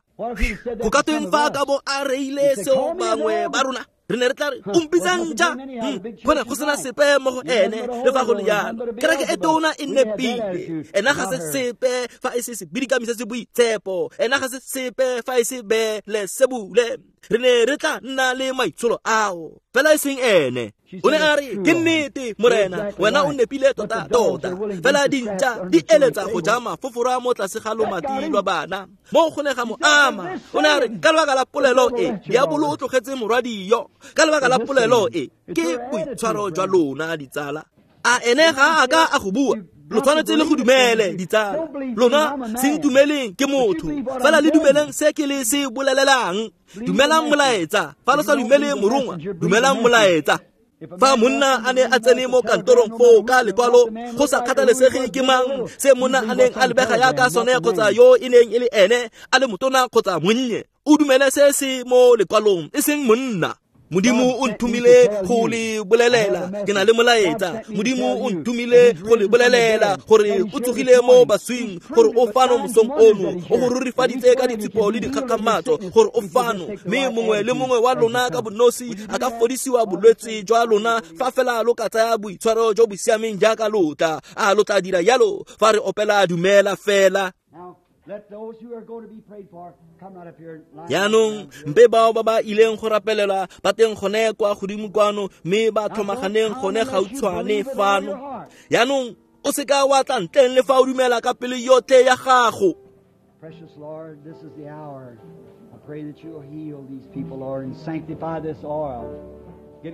Go ka tweng fa a ka bo a reile seo bangwe ba rona? Re ne re tla re o mpitsa ntša. Go ne go sena sepe mo go ene le fa go le jalo. Kereke e tona e nepile. Ena ga se sepe fa e se sebidikami se se boitshepo. Ena ga se sepe fa e se Beelesebule. Re ne re tla nna le maitsholo ao, fela e seng ene. O ne a re, ke nnete Morena, wena o nepile tota tota. Fela dintša di eletsa go ja mafofora mo tlase ga lomati lwa bana. Mo go ne ga mo ama. O ne a re, ka lebaka la polelo e, diabolo o tlogetse morwadi yo. Ka lebaka la polelo e, ke boitshwaro jwa lona ditsala. A ene ga a ka a go bua? Lo tshwanetse le go dumele ditsala. Lona se ntumeleng ke motho, fela le dumeleng se ke le se bolelelang. Dumelang molaetsa. Fa lo sa dumele morongwa, dumelang molaetsa. Fa monna a ne a tsene mo kantorong foo ka lekwalo, go sa kgathalesege ke mang, se monna a neng a lebega yaka sone kgotsa yo e neng e le ene, a le motona kgotsa monnye, o dumele se se mo lekwalong, e seng monna. Modimo o nthomile go le bolelela, ke na le molaetsa. Modimo o nthomile go le bolelela gore o tsogile mo baswing, gore o fano mosong ono, o go rurifaditse ka ditshupo le dikgakgamatso gore o fano. Mme mongwe le mongwe wa lona ka bonosi a ka fodisiwa bolwetse jwa lona fa fela lo ka tsaya boitshwaro jo bo siameng jaaka lotla. A lo tla dira jalo fa re opela dumela fela. Jaanong mpe bao ba ba ileng go rapelela ba teng gone kwa godimo kwano, mme ba tlhomaganeng gone gautshwane fano. Jaanong o seka wa tla ntleng le fa o dumela ka pelo yotlhe ya gago. Precious Lord, this is the hour. I pray that you will heal these people, Lord, and sanctify this oil.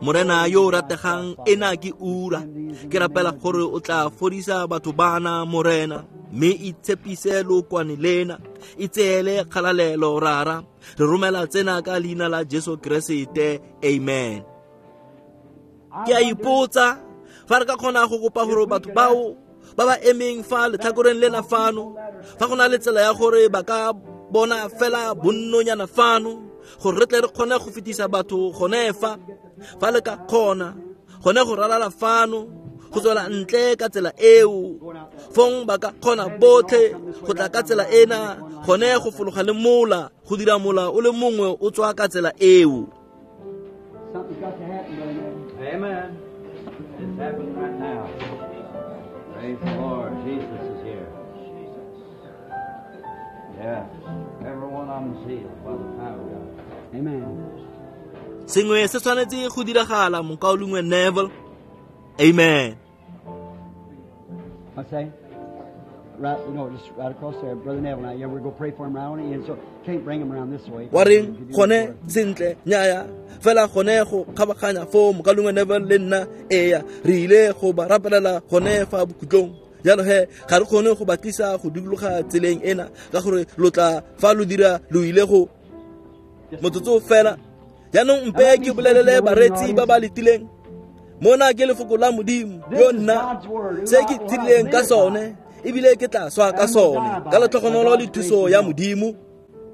Morena yo o rategang, ena ke ura. Ke rapela gore o tla fodisa batho bana, Morena, mme itshepise lokwane lena, itseele kgalalelo rara. Re romela tsena ka leina la Jesu Keresete, amen. Ke a ipotsa fa re ka kgona go kopa gore batho bao ba ba emeng fa letlhakoreng lena fano, fa go na le tsela ya gore ba ka bona fela bonnonyana fano, gore re tle re kgone go fetisa batho gone fa. Fa le ka kgona gone go ralala fano, go tswela ntle ka tsela eo, fong ba ka kgona botlhe go tla ka tsela ena, gone go fologa le mola, go dira mola o le mongwe o tswa ka tsela eo. Something's got to happen, brother. Amen. It's happening right now. Praise the Lord. Jesus is here. Yeah. Every one of them is healed by the power of God. Amen. Sengwe se tshwanetse go diragala, mokaulengwe Neville. Amen. What's that? Right, no, just right across there, Brother Neville. Now, yeah, we're going to pray for him right on the end, so can't bring him around this way. Wa reng gone sentle nyaya fela gone go kgabaganya foo mokalongwe Neville le nna eya re ile go ba rapelela gone fa bokhutlong. Jalo he ga re kgone go ba tlisa go dikologa tseleng ena ka gore lo tla fa lo dira lo ile go motsotso fela. Jaanong mpe ke bolelele bareetsi ba ba letileng mona ke lefoko la Modimo yo nna se ke tshedileng ka sone ebile ke tla swa ka sone ka letlhogonolo le thuso ya Modimo.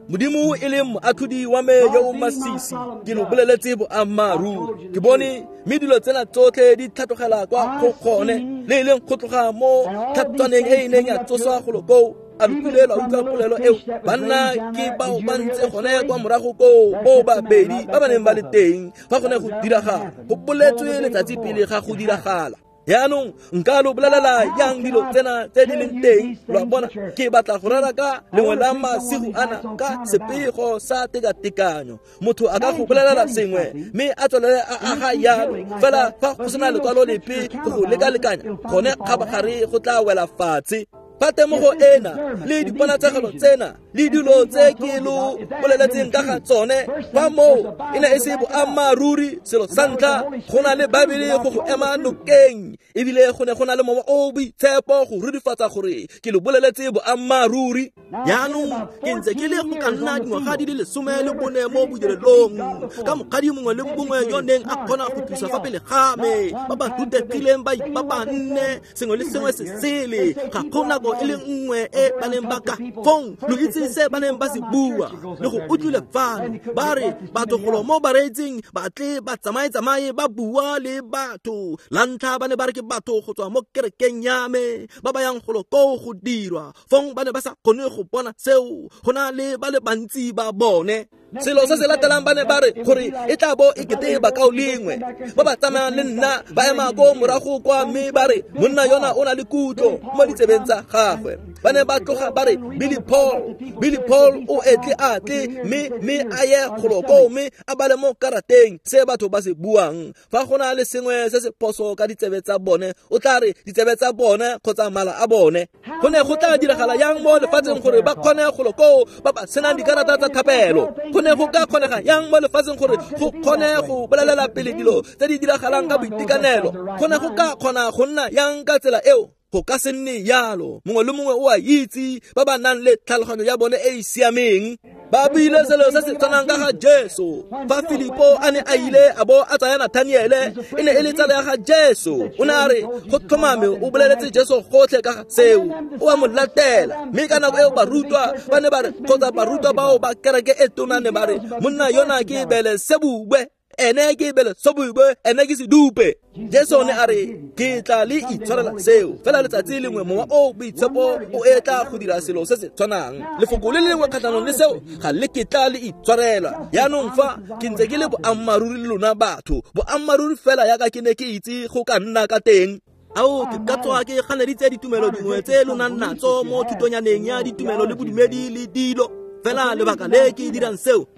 Modimo e leng moatlhodi wa me yo o masisi ke lo boleletse boammaaruri. Ke bone mme dilo tsena tsotlhe di tlhatlogela kwa go gone le e leng go tloga mo tlhatswaneng e e neng ya tsoswa golo koo. A lo kile lwa utlwa polelo eo? Banna ke bao ba ntse gone kwa morago koo bo babedi ba ba neng ba le teng fa gone go diragala. Go boletswe letsatsi pele ga go diragala. Jaanong nka lo bolelela yang dilo tsena tse di leng teng? Lo a bona, ke batla go rera ka lengwe la masigo ana ka sepego sa tekatekanyo. Motho a ka go bolelela sengwe mme a tswelele a aga jalo fela fa go sena lekwalo lepe go go lekalekanya gone kgabagare go tla wela fatshe. Fa temogo ena le diponatshegelo tsena le dilo tse ke lo boleletseng ka ga tsone fa moo e ne e se boammaaruri, selo sa ntlha go na le Baebele go go ema nokeng ebile go ne go na le mowa o boitshepo go rurifatsa gore ke lo boleletse boammaaruri. Jaanong ke ntse ke le go ka nna dingwaga di le lesome le bone mo bodirelong ka mokgadi mongwe le mongwe yo neng a kgona go tlisa fa pele ga me ba ba rutegileng ba ipapanne sengwe le sengwe se sele ga go nako e le nngwe e ba neng ba ka fong lo itse se ba neng ba se bua le go utlwile fano ba re batho golo mo bareetsing ba tle ba tsamaye-tsamaye ba bua le batho. La ntlha ba ne ba re ke batho go tswa mo kerekeng ya me ba ba yang golo koo go dirwa fong ba ne ba sa kgone go bona seo go na le ba le bantsi ba bone. Selo se se latelang ba ne ba re gore e tla bo e kete bakao lengwe ba ba tsamayang le nna ba ema ko morago kwa mme ba re monna yona o na le kutlo mo ditsebeng tsa gagwe. Ba ne ba tloga ba re Billy Paul, Billy Paul o etle a tle mme mme a ye golo koo mme a bale mo karateng se batho ba se buang. Fa go na le sengwe se se phoso ka ditsebe tsa bone o tla re ditsebe tsa bone kgotsa mala a bone. Go ne go tla diragala yang mo lefatsheng gore ba kgone golo koo ba ba senang dikarata tsa thapelo? Go ne go ka kgonega yang mo lefatsheng gore go kgone go bolelela pele dilo tse di diragalang ka boitekanelo? Go ne go ka kgona go nna yang ka tsela eo? Go ka se nne jalo. Mongwe le mongwe o a itse ba ba nang le tlhaloganyo ya bone e e siameng. Ba buile selo se se tshwanang ka ga Jesu. Fa Filipo a ne a ile a bo a tsaya Nathaniele e ne e le tsala ya ga Jesu. O ne a re go tlhomame o boleletse Jesu gotlhe ka ga seo, o a mo latela. Mme ka nako eo barutwa ba ne ba re kgotsa barutwa bao ba kereke e tona ne ba re monna yona ke Belesebube, ene ke Belesebube, ene ke sedupe. Jesu ne a re ke tla le itshwarela seo fela letsatsi lengwe mowa o boitshepo o etla go dira selo se se tshwanang. Lefoko le lengwe kgatlhanong le seo ga le ketla le itshwarela. Jaanong fa ke ntse ke le boammaaruri le lona batho, boammaaruri fela yaka ke ne ke itse go ka nna ka teng. Ao ke ka tswa ke ganeditse ditumelo dingwe tse lo nang natso mo thutonyaneng ya ditumelo le bodumedi le dilo. Fela lebaka le ke dirang seo,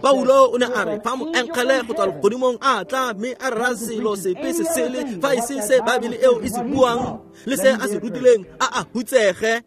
Paulo o ne a re fa moengele go tswa legodimong a tla mme a rera selo sepe se sele fa e se se Baebele eo e se buang le se a se rutileng a a hutsege.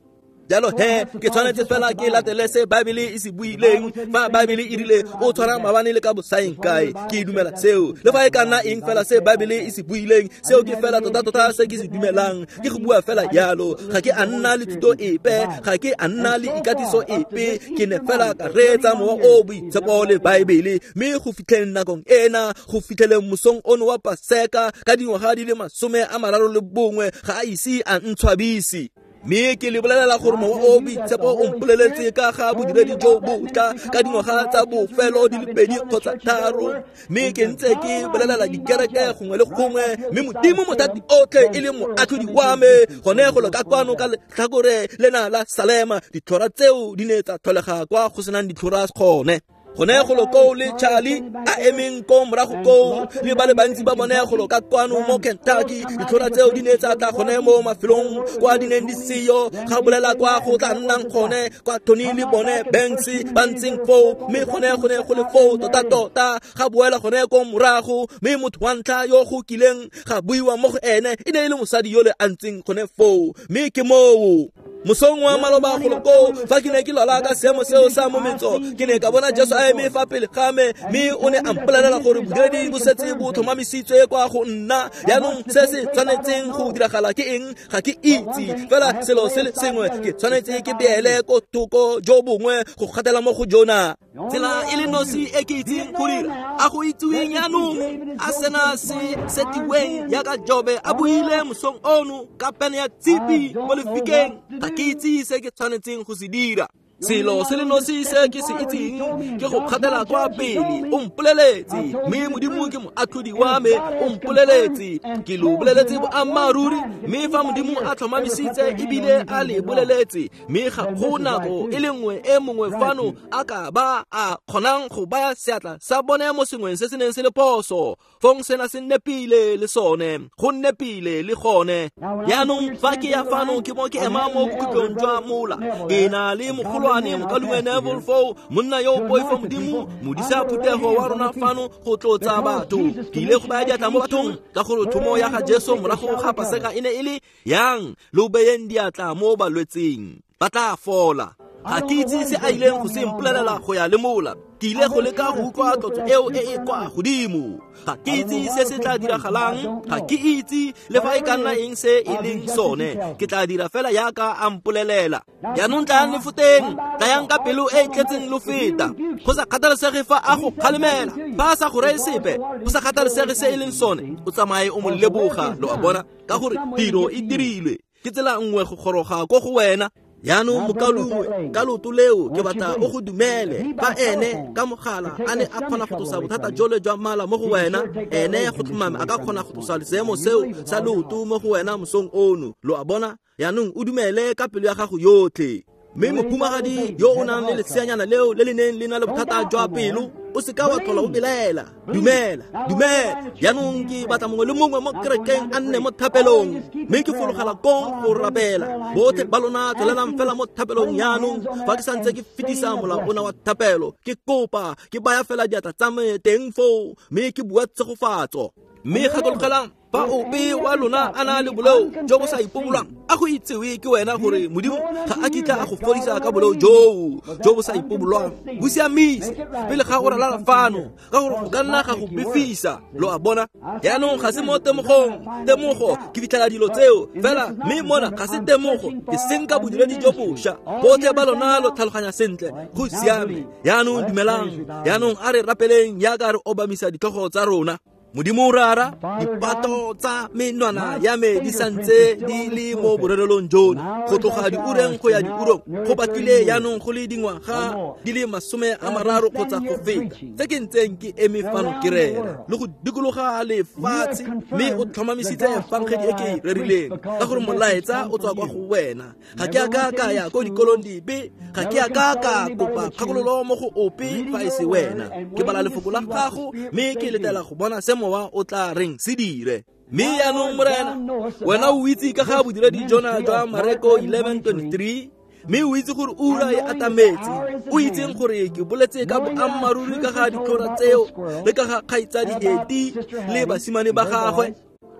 Jalo he ke tshwanetse fela ke latele se Baebele e se buileng. Fa Baebele e rile o tshwara maabane le ka bosaeng kae, ke dumela seo. Le fa e ka nna eng fela se Baebele e se buileng, seo ke fela tota-tota se ke se dumelang. Ke go bua fela jalo. Ga ke a nna le thuto epe, ga ke a nna le ikatiso epe, ke ne fela ka reetsa mowa o boitshepo le Baebele. Mme go fitlheleng nakong ena, go fitlheleng mosong ono wa Paseka ka dingwaga di le masome a mararo le bongwe, ga a ise a ntshwabise. Mme ke le bolelela gore mowa o boitshepo o mpoleletse ka ga bodiredi jo botla ka dingwaga tsa bofelo di le pedi kgotsa tharo. Mme ke ntse ke bolelela dikereke gongwe le gongwe, mme Modimo mothati otlhe e le moatlhodi wa me gone golo ka kwano ka letlhakore lena la Salema. Ditlhora tseo di ne tsa tlholega kwa go senang ditlhora gone. Gone golo koo le Charlie a emeng ko morago koo le ba le bantsi ba bone golo ka kwano mo Kentucky. Ditlhora tseo di ne tsa tla gone mo mafelong kwa di neng di seyo, ga bolela kwa go tla nnang gone kwa Tony le bone Banks ba ntseng foo, mme gone gone go le foo tota-tota ga boela gone ko morago. Mme motho wa ntlha yo go kileng ga buiwa mo go ene e ne e le mosadi yole a ntseng gone foo, mme ke moo. Mosong wa maloba golo koo fa ke ne ke lwala ka seemo seo sa mometso, ke ne ka bona Jesu a eme fa pele ga me, mme o ne a mpolelela gore bodiredi bo setse bo tlhomamisitswe kwa go nna. Jaanong se se tshwanetseng go diragala ke eng? Ga ke itse, fela selo se le sengwe ke tshwanetse ke beele ko thoko jo bongwe go gatela mo go jona. Tsela e le nosi e ke itseng go dira, a go itsiweng jaanong, a sena se setiweng jaaka Jobe a buile mosong ono ka pene ya tshipi mo lefikeng, ga ke itse se ke tshwanetseng go se dira. Selo se le nosi se ke se itseng ke go kgatela kwa pele. O mpoleletse, mme Modimo ke moatlhodi wa me, o mpoleletse, ke lo boleletse boammaaruri. Mme fa Modimo a tlhomamisitse ebile a le boleletse, mme ga go nako e le nngwe e mongwe fano a ka ba a kgonang go baya seatla sa bone mo sengweng se se neng se le phoso, fong sena se nepile le sone, go nepile le gone. Jaanong fa ke ya fano ke mo ke ema mo bokhutlong jwa mola, ke na le mogolo mokalume Neville foo, monna yo o poifo Modimo, modisa phuthego wa rona fano go tlotsa batho. Ke ile go baya diatla mo bathong ka gore thomo ya ga Jesu morago ga Paseka e ne e le yang lo beyeng diatla mo balwetseng, ba tla fola. Ga ke itse se a ileng go se mpolelela go ya le mola. Ke ile go leka go utlwa tlotso eo e e kwa godimo. Ga ke itse se se tla diragalang, ga ke itse le fa e ka nna eng se e leng sone. Ke tla dira fela jaaka a mpolelela. Jaanong tlayang le foteng, tlayang ka pelo e e tletseng lo feta. Go sa kgathalesege fa a go kgalemela, fa a sa go reye sepe, go sa kgathalesege se e leng sone, o tsamaye o mo leboga, lo a bona, ka gore tiro e dirilwe. Ke tsela nngwe go goroga ko go wena. Jaanong mokaulengwe, ka leoto leo ke batla o go dumele. Fa ene ka mogala a ne a kgona go tlosa bothata jole jwa mala mo go wena, ene go tlhomame a ka kgona go tlosa seemo seo sa leoto mo go wena mosong ono, lo a bona. Jaanong o dumele ka pelo ya gago yotlhe. Mme mohumagadi yo o nang le leseanyana leo le le neng le na le bothata jwa pelo, o seka wa tlhola o belaela. Dumela, dumela. Jaanong ke batla mongwe le mongwe mo kerekeng a nne mo thapelong, mme ke fologela kong go rapela. Botlhe ba lona tswelelang fela mo thapelong jaanong. Fa ke santse ke fetisa molao ona wa thapelo, ke kopa ke baya fela diatla tsa me teng foo, mme ke bua tshegofatso. Mme gakologelang, fa ope wa lona a na le boleo jo bo sa ipobolwang, a go itsewe ke wena gore Modimo ga a kitla a go fodisa ka boleo joo jo bo sa ipobolwang. Bo siamise pele ga o ralala fano, ka gore go ka nna ga go befisa, lo a bona. Jaanong ga se mo temogong, temogo ke fitlhela dilo tseo fela, mme mona ga se temogo, ke senka bodiredi jo bošwa. Botlhe ba lona lo tlhaloganya sentle, go siame. Jaanong dumelang, jaanong a re rapeleng jaaka re obamisa ditlhogo tsa rona. Modimo Rara, dipato tsa menwana ya me di santse di le mo borerelong jono, go tloga diureng go ya diurong, go batlile jaanong go le dingwaga di le masome a mararo kgotsa go feta tse ke ntseng ke eme fano ke rera le go dikologa lefatshe, mme o tlhomamisitse efangedi e ke e rerileng, ka gore molaetsa o tswa kwa go wena. Ga ke a ka ka ya ko dikolong dipe, ga ke a ka ka kopa kgakololo mo go ope fa e se wena. Ke bala lefoko la gago, mme ke letela go bona se mowa o tla reng se dire. Mme jaanong Morena, wena o itse ka ga bodiredi jona jwa Mareko eleven twenty-three, mme o itse gore ura e atametse. O itseng gore ke boletse ka boammaaruri ka ga ditlhora tseo le ka ga kgaitsadi Heti le basimane ba gagwe.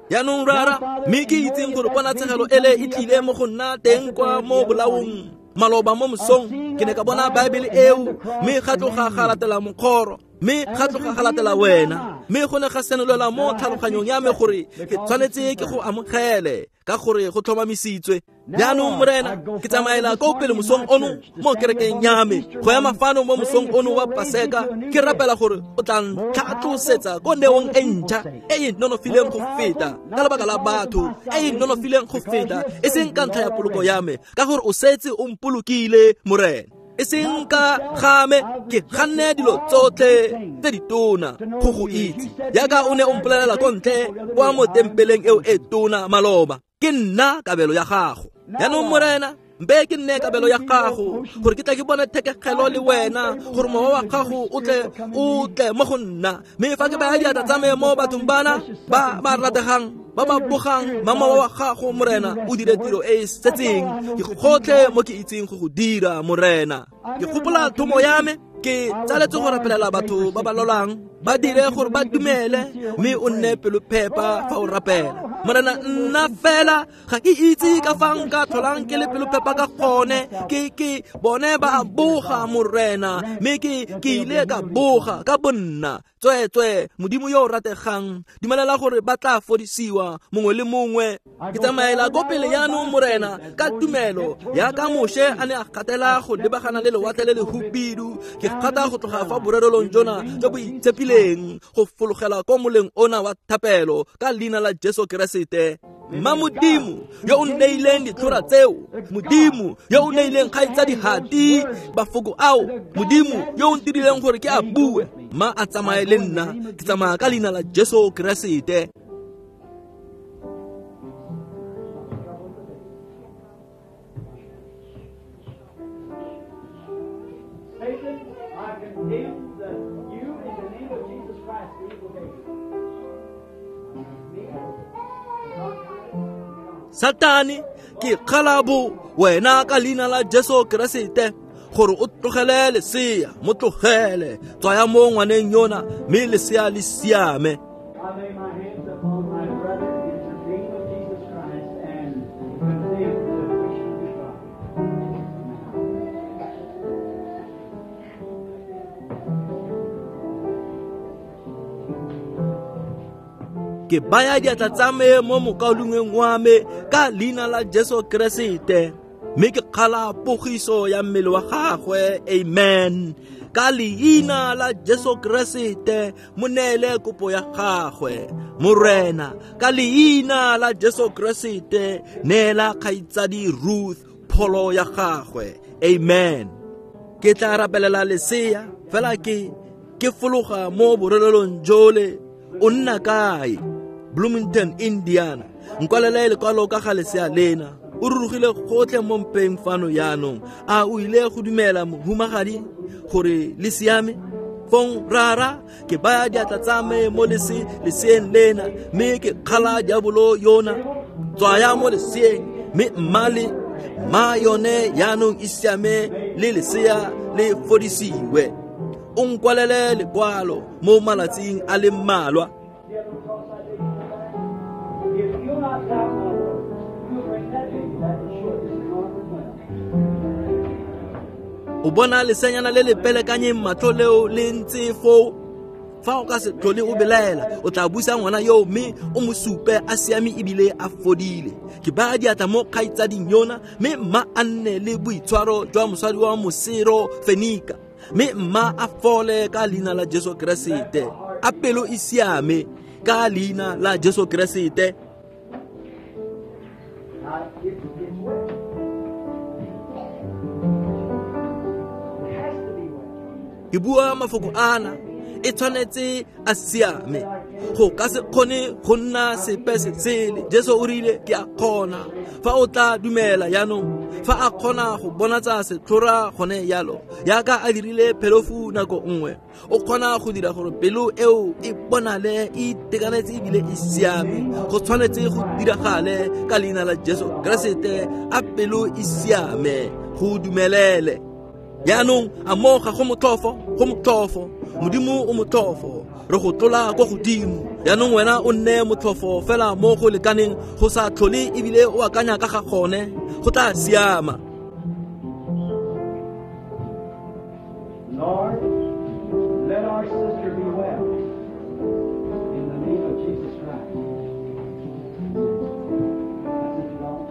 Jaanong Rara, mme ke itseng gore ponatshegelo ele e tlile mo go nna teng kwa mo bolaong maloba mo mosong. Ke ne ka bona Baebele eo, mme ga tloga ga latela mokgoro, mme ga tloga ga latela wena, mme go ne ga senolela mo tlhaloganyong ya me gore ke tshwanetse ke go amogele, ka gore go tlhomamisitswe. Jaanong Morena, ke tsamaela ko pele mosong ono mo kerekeng ya me, go ema fano mo mosong ono wa Paseka, ke rapela gore o tla ntlhatlosetsa ko neong e ntšha e e nonofileng go feta, ka lebaka la batho, e e nonofileng go feta, e seng ka ntlha ya poloko ya me, ka gore o setse o mpolokile, Morena. E seng ka ga me, ke ganne dilo tsotlhe tse ditona go go itse, jaaka o ne o mpolelela ko ntle kwa mo tempeleng eo e tona maloba. Ke nna kabelo ya gago. Jaanong Morena, mpe ke nne kabelo ya gago, gore ke tla ke bone thekegelo le wena, gore mowa wa gago o tle o tle mo go nna. Mme fa ke baya diatla tsa me mo bathong bana ba ba rategang, ba ba bogang, ba mowa wa gago Morena o dire tiro e e setseng. Ke gotlhe mo ke itseng go go dira, Morena. Ke gopola thomo ya me, ke tsaletse go rapelela batho ba ba lolang, ba dire gore ba dumele, mme o nne pelophepa fa o rapela. Morena nna fela ga ke itse ka fa nka tlholang ke le pelophepa ka gone. Ke ke bone ba boga Morena, mme ke ke ile ka boga ka bonna. Tsweetswe Modimo yo o rategang, dumelela gore ba tla fodisiwa mongwe le mongwe. Ke tsamaela ko pele jaanong Morena ka tumelo yaka Moshe a ne a gatela go lebagana le lewatle le le hubidu. Ke gata go tloga fa borerelong jona jo bo itshepileng go fologela ko moleng ona wa thapelo ka leina la Jesu Keresete. Mma Modimo yo o nneileng ditlhora tseo, Modimo yo o neileng kgaitsadi Hati bafoko ao, Modimo yo o ntirileng gore ke a bue, mma a tsamaye le nna. Ke tsamaya ka leina la Jesu Keresete. Satan, I condemn the, you in the name of Jesus Christ, the evil day. Satane, ke kgalabo wena ka leina la Jesu Keresete gore o tlogele lesea, mo tlogele, tswaya mo ngwaneng yona mme lesea le siame. I lay my hands upon my brother in the name of Jesus Christ and condemn the affliction of his body. Ke baya diatla tsa me mo mokaulengweng wa me ka leina la Jesu Keresete, mme ke kgala pogiso ya mmele wa gagwe. Amen. Ka leina la Jesu Keresete mo neele kopo ya gagwe. Morena, ka leina la Jesu Keresete neela kgaitsadi Ruth pholo ya gagwe. Amen. Ke tla rapelela lesea fela ke ke fologa mo borelelong jole. O nna kae? Bloomington, Indiana. Nkwalele lekwalo ka ga lesea lena. O rurugile gotlhe mo mpeng fano jaanong. A o ile go dumela mohumagadi gore le siame? Fong rara, ke baya diatla tsa me mo lese leseeng lena, mme ke kgala diabolo yona. Tswaya mo leseeng, mme mma le ma yone jaanong e siame le lesea le fodisiwe. O nkwalele lekwalo mo malatsing a le mmalwa. If you'll not doubt my word, you'll bring that baby back and show it this enormous well. O bona lesenyana le le pelekanyeng matlho leo le ntse foo. Fa o ka se tlhole o belaela, o tla busa ngwana yo mme o mo supe a siame ebile a fodile. Ke baya diatla mo kgaitsading yona, mme mma a nne le boitshwaro jwa mosadi wa mosero Fenika, mme mma a fole ka leina la Jesu Keresete. A pelo e siame ka leina la Jesu Keresete. Now, it, it's wet. It has to be wet. Ke bua mafoko ana, e tshwanetse a siame. Go ka se kgone go nna sepe se sele. Jesu o rile ke a kgona. Fa o tla dumela jaanong, fa a kgona go bonatsa setlhora gone yalo, yaka a dirile phelofu nako nngwe, o kgona go dira gore pelo eo e bonale e itekanetse ebile e siame. Go tshwanetse go diragale ka leina la Jesu Keresete. A pelo e siame, go dumelele. Jaanong a mo ga go motlhofo, go motlhofo. Modimo o motlhofo, re go tlola kwa godimo. Jaanong wena o nne motlhofo fela mo go lekaneng go sa tlhole ebile o akanya ka ga gone, go tla siama. Lord, let our sister be well in the name of Jesus Christ. That's it, Lord.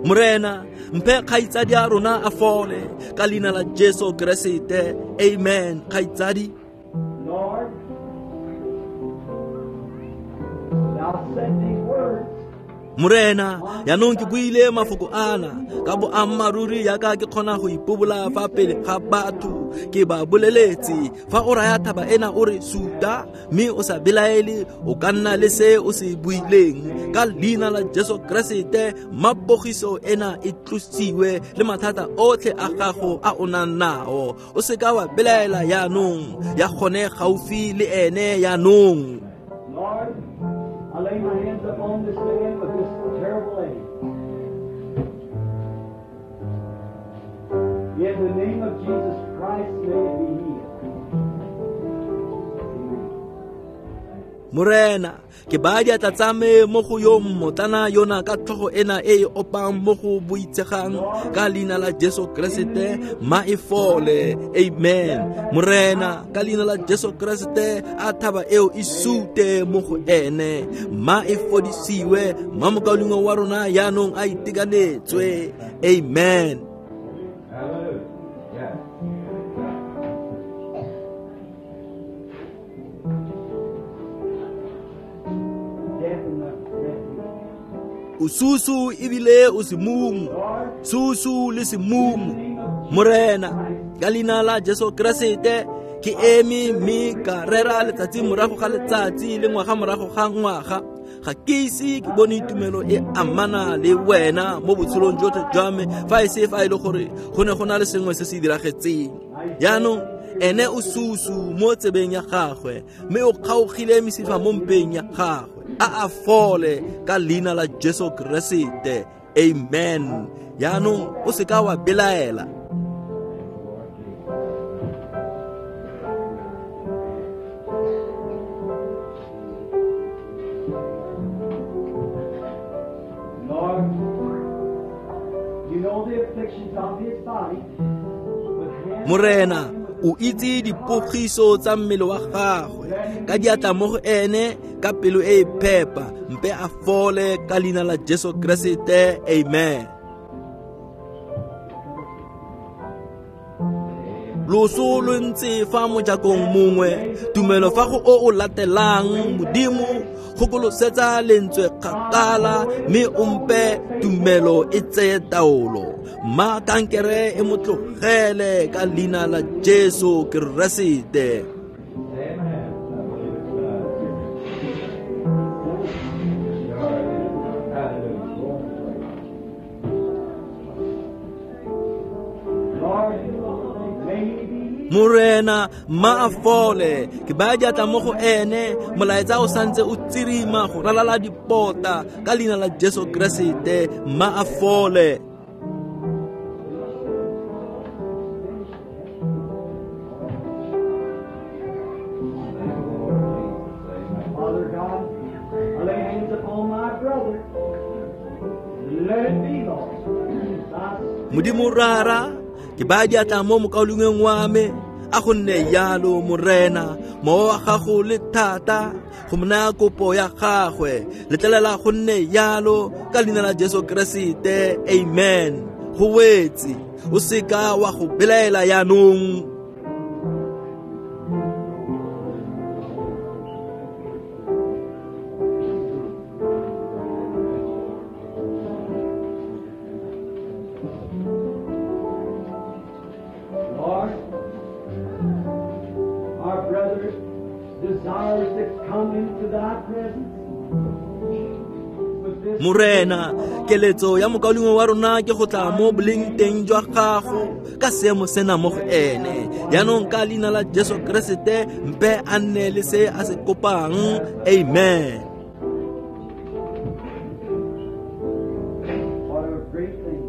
Morena, mpe kgaitsadi a rona a fole ka leina la Jesu Keresete. Amen. Kgaitsadi. Lord, thou said these words. Morena, jaanong ke buile mafoko ana ka boammaaruri yaka ke kgona go ipobola fa pele ga batho. Ke ba boleletse, fa o raya thaba ena o re suta mme o sa belaele, o ka nna le se o se buileng. Ka leina la Jesu Keresete, mapogiso ena e tlosiwe le mathata otlhe a gago a o nang nao. O seka wa belaela jaanong, ya gone gaufi le ene jaanong. Lord, I lay my hands upon this man with this terrible ache. In the name of Jesus Christ, may it be healed. Amen. Morena, ke baya diatla tsa me mo go yo mmotlana yona ka tlhogo ena e e opang mo go boitshegang ka leina la Jesu Keresete, ma e fole. Amen. Morena, ka leina la Jesu Keresete, a thaba eo e sute mo go ene, ma e fodisiwe, ma mokaulengwe wa rona yaanong a itekanetswe. Amen. O susu ebile o semumu, susu le semumu. Morena, ka leina la Jesu Keresete, ke eme mme ka rera letsatsi morago ga letsatsi le ngwaga morago ga ngwaga. Ga ke ise ke bone tumelo e amana le wena mo botshelong jotlhe jwa me, fa e se fa e le gore go ne go na le sengwe se se diragetseng. Jaanong ene o susu mo tsebeng ya gagwe, mme o kgaogile mesifa mo mpeng ya gagwe. A a fole ka leina la Jesu Keresete. Amen. Jaanong o seka wa belaela. Lord, you know the afflictions of his body. Morena, o itse dipogiso tsa mmele wa gagwe, ka diatla mo go ene ka pelo e e phepa, mpe a fole ka leina la Jesu Keresete. Amen. Loso lo ntse fa mojakong mongwe, tumelo fa go o o latelang. Modimo, gokolosetsa lentswe kgakala, mme o mpe tumelo e tseye taolo. Ma kankere e mo tlogele ka leina la Jesu Keresete. Morena, ma a fole, ke baya diatla mo go ene, molaetsa o santse o tsirima go ralala dipota ka leina la Jesu Keresete, ma a fole. Father God, I lay hands upon my brother. Let it be, Lord. Modimo Rara, ke baya diatla mo mokaulengweng wa me, a go nne jalo Morena, mowa wa gago le thata go mo naya kopo ya gagwe, letlelela go nne jalo ka leina la Jesu Keresete. Amen. Go wetse, o seka wa go belaela jaanong. Lord, our brother desires to come into thy presence with this Morena, keletso ya mokaulengwe wa rona ke go tla mo boleng teng jwa gago ka seemo sena mo go ene. Jaanong ka leina la Jesu Keresete, mpe a nne le se a se kopang. Amen. What a great thing.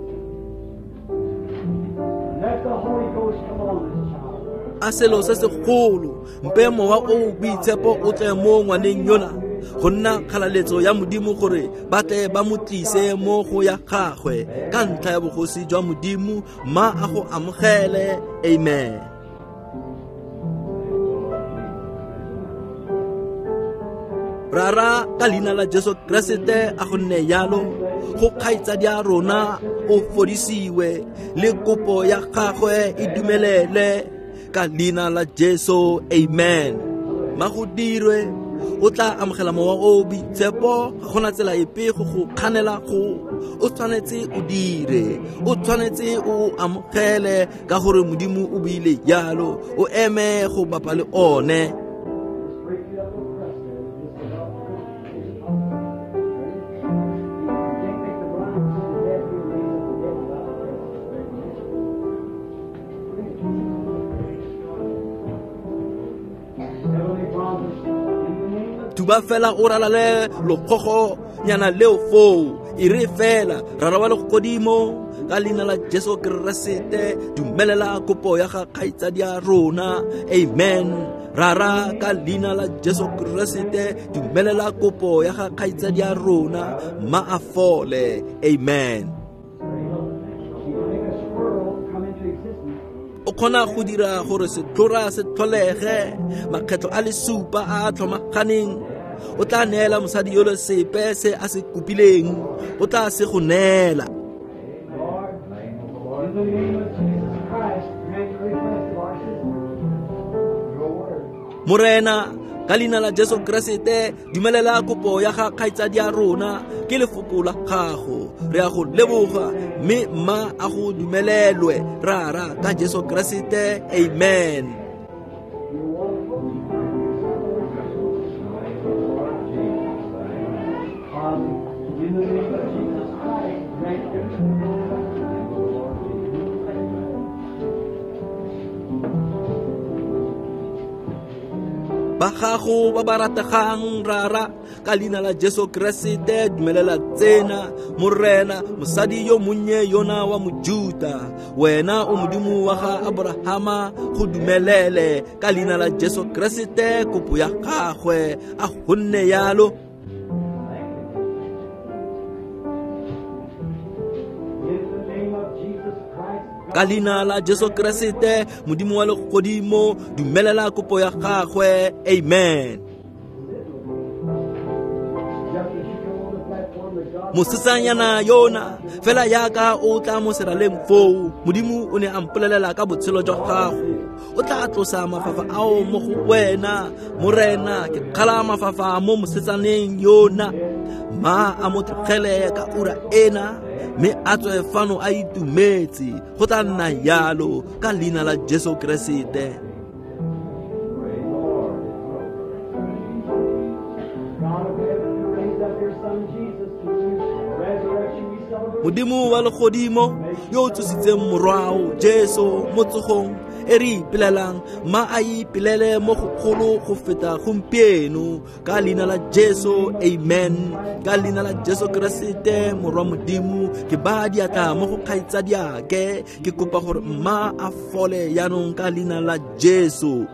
Let the Holy Ghost come on this child. A selo se segolo, mpe mowa o boitshepo o tle mo ngwaneng yona, go nna kgalaletso ya Modimo gore ba tle ba mo tlise mo go ya gagwe ka ntlha ya bogosi jwa Modimo, ma a go amogele. Amen. Rara, ka leina la Jesu Keresete, a go nne jalo go kgaitsadi ya rona o fodisiwe, le kopo ya gagwe e dumelele ka leina la Jesu. Amen. Ma go dirwe, o tla amogela mowa o boitshepo, ga gona tsela epe go go kganela go. O tshwanetse o dire, o tshwanetse o amogele ka gore Modimo o buile jalo, o eme go bapa le one. Break it up a crust there. Just about. You can't make the blind see the dead, you raise up the dead without the crust. Heavenly Father, in the name of Tuba fela o ralale lokgogo nyana leo foo, E re fela Rara wa legodimo ka leina la Jesu Keresete dumelela kopo ya ga kgaitsadi ya rona. Amen. Rara ka leina la Jesu Keresete dumelela kopo ya ga kgaitsadi ya rona ma a fole. Amen. O kgona go dira gore setlhora se tlholege makgetlo a le supa a a tlhomaganeng. O tla neela mosadi yole sepe se a se kopileng, o tla se go neela. Morena ka leina la Jesu Keresete dumelela kopo ya ga kgaitsadi ya rona ke lefoko la gago. Re a go leboga mme mma a go dumelelwe Rara ka Jesu Keresete. Amen. Ba gago ba ba rategang Rara ka leina la Jesu Keresete dumelela tsena Morena mosadi yo monnye yona wa Mojuta, wena o Modimo wa ga Abrahama go dumelele ka leina la Jesu Keresete kopo ya gagwe a go nne yalo. Ka leina la Jesu Keresete Modimo wa legodimo dumelela kopo ya gagwe. Amen. Mosetsanyana yona fela yaka o tla mo seraleng foo, Modimo o ne a mpolelela ka botshelo jwa gago. O tla tlosa mafafa ao mo go wena Morena. Ke kgala mafafa mo mosetsaneng yona, ma a mo tlogele ka ura ena mme a tswe fano a itumetse. Go tla nna yalo ka leina la Jesu Keresete. Modimo wa legodimo yo o tsositseng morwao Jesu mo tsogong e re ipelelang, ma a ipelele mo go golo go feta gompieno ka leina la Jesu. Amen. Ka leina la Jesu Keresete morwa Modimo ke ba diatla mo go kgaitsadiake, ke kopa gore mma a fole yaanong ka leina la Jesu.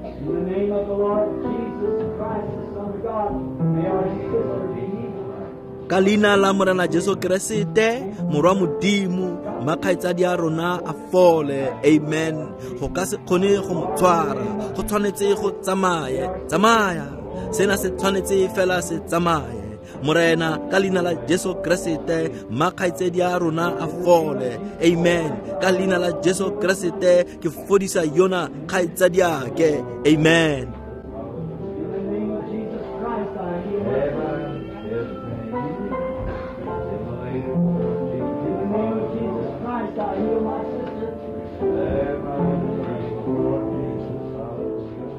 In the name of the Lord Jesus Christ, the Son of God, may our sister be healed. Ka leina la Morena Jesu Keresete morwa Modimo mma kgaitsadi ya rona a fole. Amen. Go ka se kgone go mo tshwara, go tshwanetse go tsamaye. Tsamaya, sena se tshwanetse fela se tsamaye. Morena ka leina la Jesu Keresete mma kgaitsadi ya rona a fole. Amen. Ka leina la Jesu Keresete ke fodisa yona kgaitsadi yake. Amen. In the name of Jesus Christ, I heal my In the name of Jesus Christ, I heal my sister.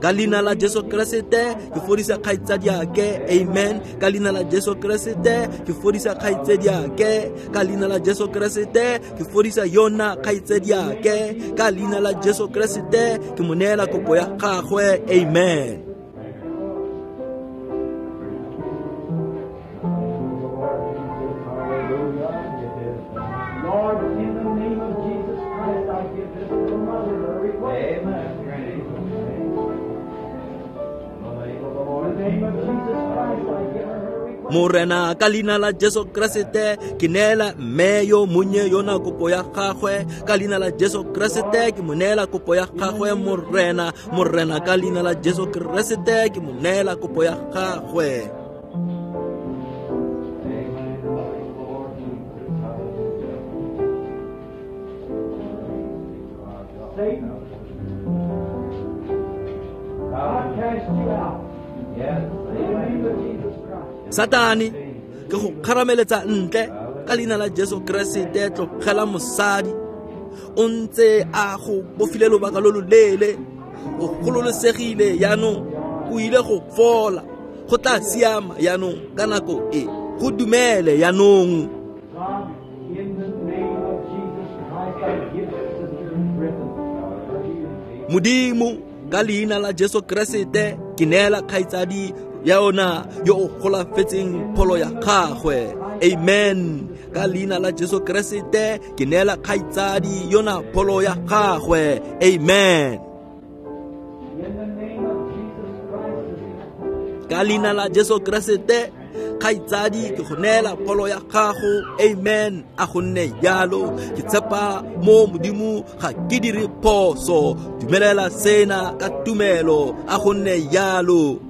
Ka leina la Jesu Keresete ke fodisa kgaitsadi yake. Amen. Ka leina la Jesu Keresete ke fodisa kgaitsadi yake. Ka leina la Jesu Keresete ke fodisa yona kgaitsadi yake. Ka leina la Jesu Keresete ke mo neela kopo ya gagwe. Amen. Lord, in the name of Jesus Christ, I give this little mother her request. In the name of Jesus Christ, I give her her request. Morena ka leina la Jesu Keresete ke neela mme yo monnye yona kopo ya gagwe. Ka leina la Jesu Keresete ke mo neela kopo ya gagwe. Morena, Morena ka leina la Jesu Keresete ke mo neela kopo ya gagwe. Satan, I cast you out. In the name of Jesus Christ. Satane ke go kgarameletsa ntle ka leina la Jesu Keresete. Tlogela mosadi, o ntse a go bofile lobaka lo loleele, o gololosegile yaanong, o ile go fola, go tla siama yaanong ka nako e, go dumele yaanong. God, in the name of Jesus Christ, I give Sister Griffin her healing. Modimo ka leina la Jesu Keresete ke neela kgaitsadi ya ona yo o golafetseng pholo ya gagwe. Amen. Ka leina la Jesu Keresete ke neela kgaitsadi yona pholo ya gagwe. Amen. Ka leina la Jesu Keresete kgaitsadi ke go neela pholo ya gago. Amen. A go nne jalo. Ke tshepa mo Modimo, ga ke dire phoso. Dumelela sena ka tumelo. A go nne jalo.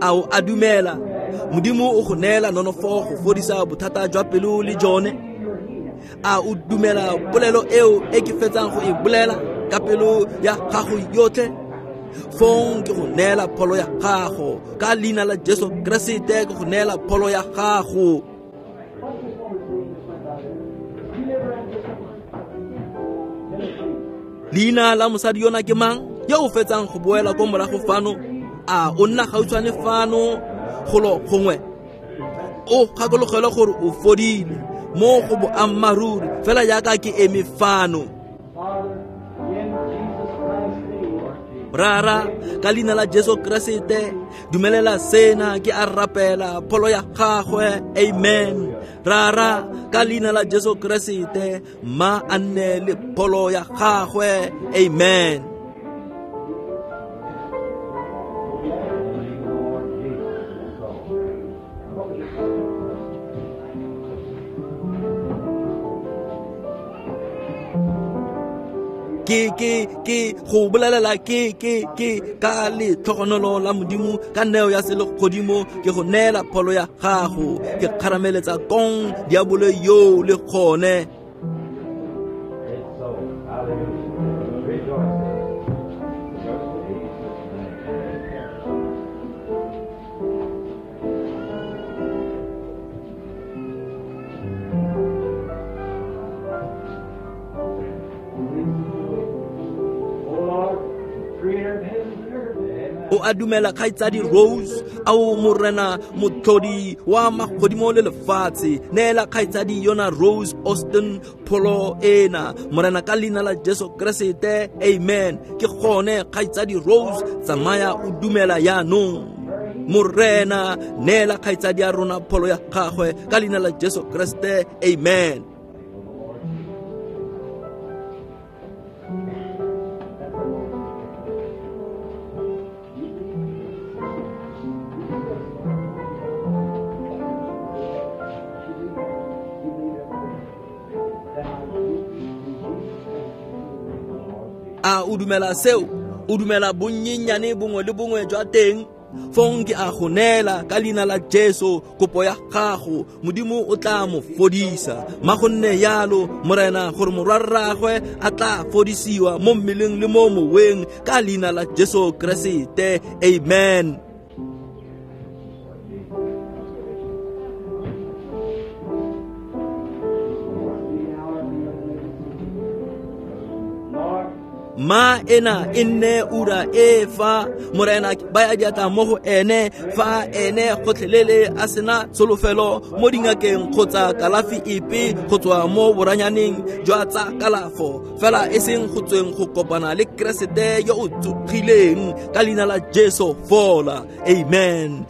A o a dumela Modimo o go neela nonofo go fodisa bothata jwa pelo le jone? A o dumela polelo eo e ke fetsang go e bolela ka pelo ya gago yotlhe? Fong ke go neela pholo ya gago ka leina la Jesu Keresete, ke go neela pholo ya gago. Leina la mosadi yona ke mang yo o fetsang go boela ko morago fano? A o nna gautshwane fano golo gongwe? O gakologelwe gore o fodile mo go boammaaruri fela jaaka ke eme fano. Rara, ka leina la Jesu Keresete dumelela sena, ke a rapela pholo ya gagwe. Amen. Rara, ka leina la Jesu Keresete ma a nne le pholo ya gagwe. Amen. Ke ke ke go bolelela ke ke ke ka letlhogonolo la Modimo, ka neo ya selegodimo ke go neela pholo ya gago. Ke kgarameletsa kong diabolo yo le gone. O a dumela kgaitsadi Rose? Ao Morena motlhodi wa magodimo le lefatshe, neela kgaitsadi yona Rose Austin pholo ena, Morena, ka leina la Jesu Keresete. Amen. Ke gone kgaitsadi Rose, tsamaya o dumela jaanong. Morena, neela kgaitsadi ya rona pholo ya gagwe ka leina la Jesu Keresete. Amen. A o dumela seo? O dumela bonnyenyane bongwe le bongwe jwa teng? Fong ke a go neela ka leina la Jesu kopo ya gago. Modimo o tla mo fodisa. Ma go nne yalo, Morena, gore morwarraagwe a tla fodisiwa mo mmeleng le mo moweng ka leina la Jesu Keresete. Amen. Ma ena e nne ura e fa Morena ba ya diatla mo go ene, fa ene gotlhelele a sena tsholofelo mo dingakeng kgotsa kalafi epe go tswa mo boranyaneng jwa tsa kalafo, fela e seng go tsweng go kopana le Keresete yo o tsogileng ka leina la Jesu fola. Amen.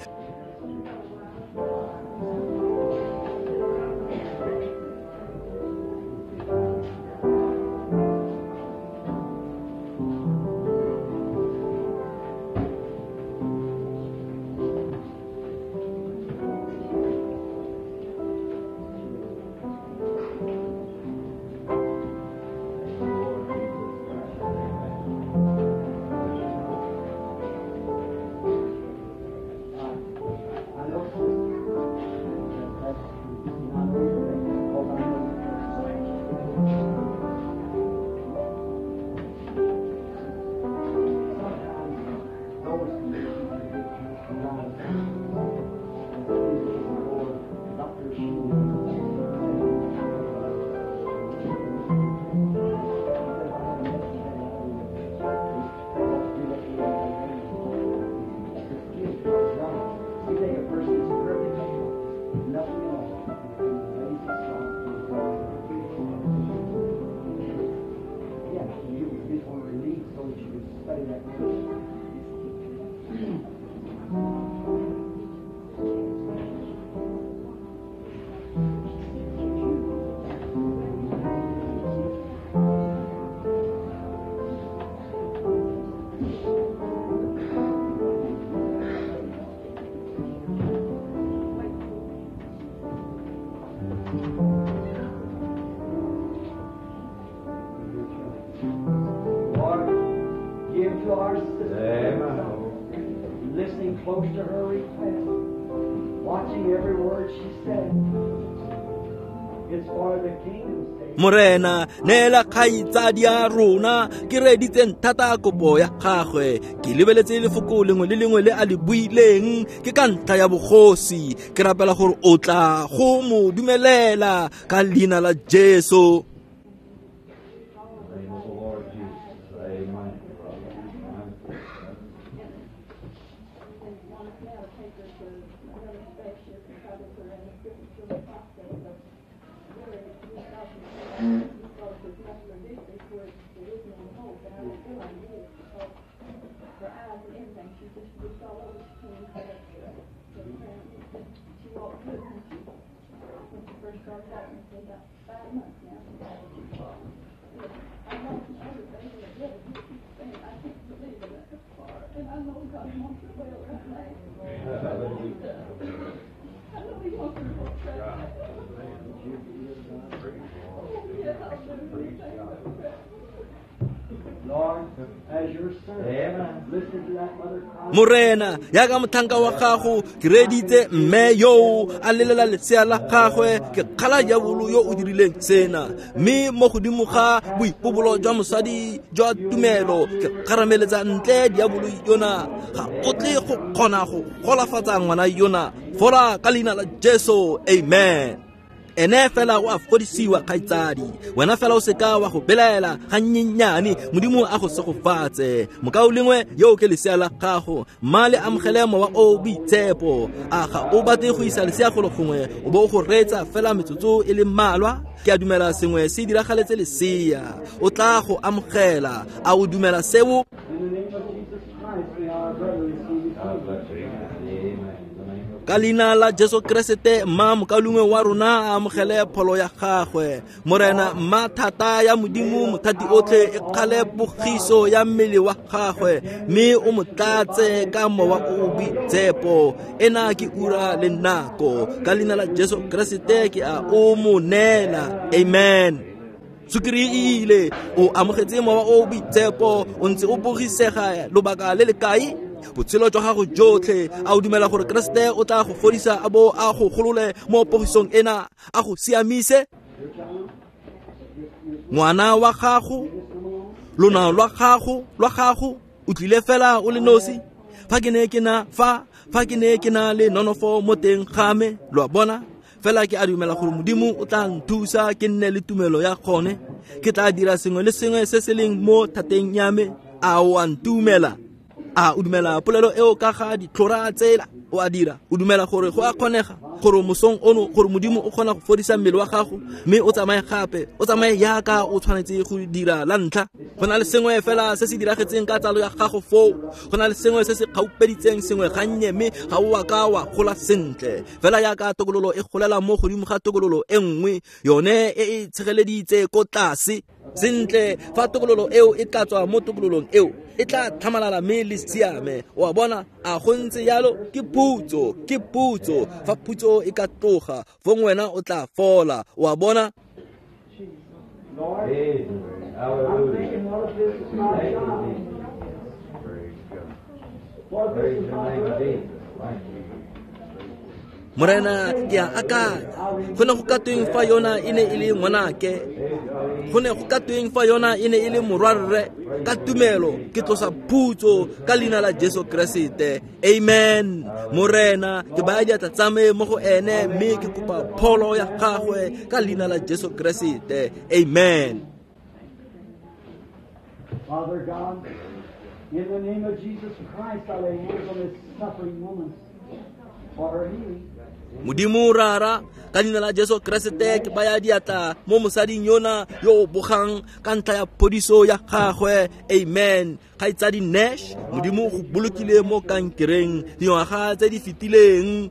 close to her request, watching every word she said. It's for the kingdom's sake. Morena neela kgaitsadi ya rona ke reeditseng thata kopo ya gagwe ke lebeletse lefoko lengwe le lengwe le a le buileng ke ka ntlha ya bogosi ke rapela gore o tla go mo dumelela ka leina la Jesu. Morena yaka mothanka wa gago ke reeditse mme yo a lelela lesea la gagwe ke kgala diabolo yo o dirileng sena mme mo godimo ga boipobolo jwa mosadi jwa tumelo ke kgarameletsa ntle diabolo yona ga o tle go kgona go golafatsa ngwana yona fola ka leina la Jesu. Amen. Ene fela o a fodisiwa kgaitsadi wena fela o seka wa go belaela gannyenyane Modimo a go segofatse mokaulengwe yo ke lesea la gago mma le amogele mowa o boitshepo a ga o batle go isa lesea golo gongwe o bo o go reetsa fela metsotso e le mmalwa ke a dumela sengwe se diragaletse lesea o tla go amogela a o dumela seo. Ka leina la Jesu Keresete mma mokaulengwe wa rona a amogele pholo ya gagwe Morena mma thata ya Modimo mothati otlhe e kgale pogiso ya mmele wa gagwe mme o mo tlatse ka mowa o boitshepo ena ke ura le nako ka leina la Jesu Keresete ke a o mo neela. Amen. Sukiri e ile o amogetse mowa o boitshepo o ntse o bogisega lobaka le le kae botshelo jwa gago jotlhe a o dumela gore Keresete o tla go fodisa a bo a go golole mo pogisong ena a go siamise ngwana wa gago lona lwa gago lwa gago o tlile fela o le nosi fa ke ne ke na fa fa ke ne ke na le nonofo mo teng ga me lo a bona fela ke a dumela gore Modimo o tla nthusa ke nne le tumelo ya gone ke tla dira sengwe le sengwe se se leng mo thateng ya me a o a ntumela a o dumela polelo eo ka ga ditlhora tsela o a dira o dumela gore go a kgonega gore mosong ono gore Modimo o kgona go fodisa mmele wa gago mme o tsamaye gape o tsamaye yaka o tshwanetse go dira la ntlha go na le sengwe fela se se diragetseng ka tsalo ya gago foo go na le sengwe se se kgaupeditseng sengwe gannye mme ga o a ka wa gola sentle fela yaka tokololo e golela mo godimo ga tokololo e nngwe yone e e tshegeleditse ko tlase sentle fa tokololo eo e tla tswa mo tokololong eo e tla tlhamalala mme le siame o a bona a go ntse yalo ke phutso ke phutso fa phutso e ka tloga fong wena o tla fola o a bona. Morena ke a akanya go ne go ka tweng fa yona e ne e le ngwanake go ne go ka tweng fa yona e ne e le morwarre ka tumelo ke tlosa phutso ka leina la Jesu Keresete. Amen. Morena ke baya diatla tsa me mo go ene mme ke kopa pholo ya gagwe ka leina la Jesu Keresete. Amen. Father God, in the name of Jesus Christ, I lay hands on this suffering woman for her healing. Modimo rara ka leina la Jesu Keresete ke baya diatla mo mosading yona yo o bogang ka ntlha ya phodiso ya gagwe. Amen. Kgaitsadi Nash Modimo go bolokile mo kankereng dingwaga tse di fetileng.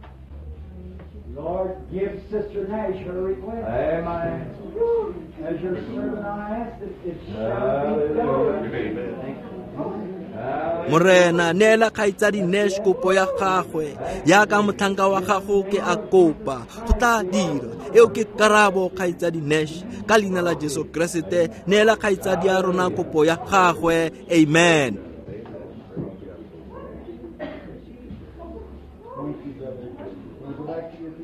Lord, give Sister Nash her request. Amen. As your servant I ask it, it shall be done. Amen. Morena neela kgaitsadi Nash kopo ya gagwe yaka motlhanka wa gago ke a kopa go tla dira eo ke karabo kgaitsadi Nash ka leina la Jesu Keresete neela kgaitsadi ya rona kopo ya gagwe. Amen.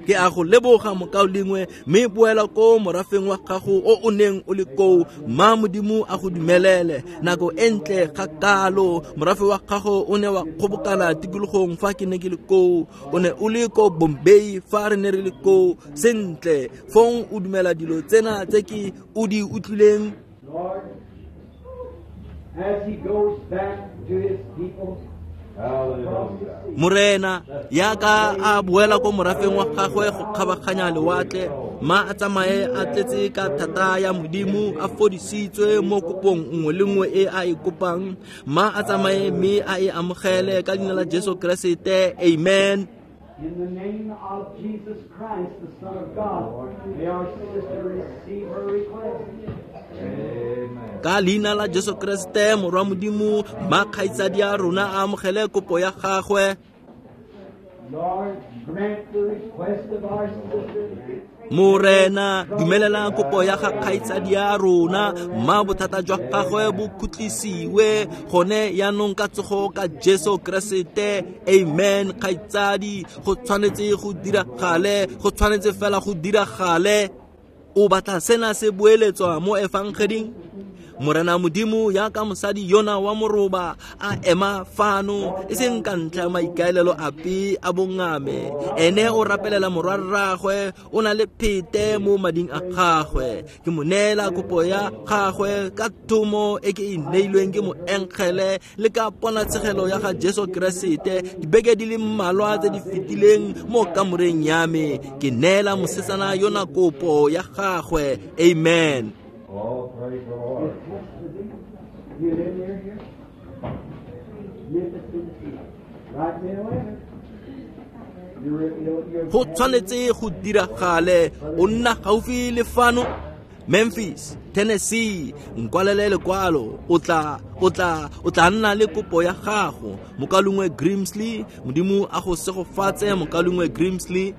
Ke a go leboga mokaulengwe, mme boela ko morafeng wa gago o o neng o le koo. Ma Modimo a go dumelele nako e ntle ga kalo. Morafe wa gago o ne wa kgobokana tikologong fa ke ne ke le koo, o ne o le ko Bombay fa re ne re le koo. Sentle, fong o dumela dilo tsena tse ke o di utlwileng. Lord, as he goes back to his people, Morena, yaka a boela ko morafeng wa gagwe go kgabaganya lewatle, ma a tsamaye a tletse ka thata ya Modimo, a fodisitswe mo kopong nngwe le nngwe e a e kopang. Ma a tsamaye mme a e amogele ka leina la Jesu Keresete. Amen. In the name of Jesus Christ, the Son of God, may our sister receive her request. Amen. Ka leina la Jesu Keresete morwa Modimo, ma kgaitsadi a rona a amogele kopo ya gagwe. Lord, grant the request of our sister. Morena, dumelela kopo ya ga kgaitsadi a rona, ma bothata jwa gagwe bo khutlisiwe gone yaanong ka tsogo ka Jesu Keresete. Amen. Kgaitsadi, go tshwanetse go diragale, go tshwanetse fela go diragale. O batla sena se boeletswa mo efangeding? Morena Modimo, yaka mosadi yona wa moroba a ema fano, e seng ka ntlha ya maikaelelo ape a bongame. Ene o rapelela morwarraagwe, o na le phete mo mading a gagwe. Ke mo neela kopo ya gagwe ka thomo e ke e neilweng ke moengele le ka ponatshegelo ya ga Jesu Keresete dibeke di le mmalwa tse di fetileng mo kamoreng ya me. Ke neela mosetsana yona kopo ya gagwe. Amen. Oh, praise the Lord. You live near here? Memphis, Tennessee. Write me a letter. Go tshwanetse go diragale. O nna gaufi le fano, Memphis, Tennessee. Nkwalele lekwalo, o tla o tla o tla nna le kopo ya gago. Mokalungwe Grimsley, Modimo a go segofatse mokalungwe Grimsley.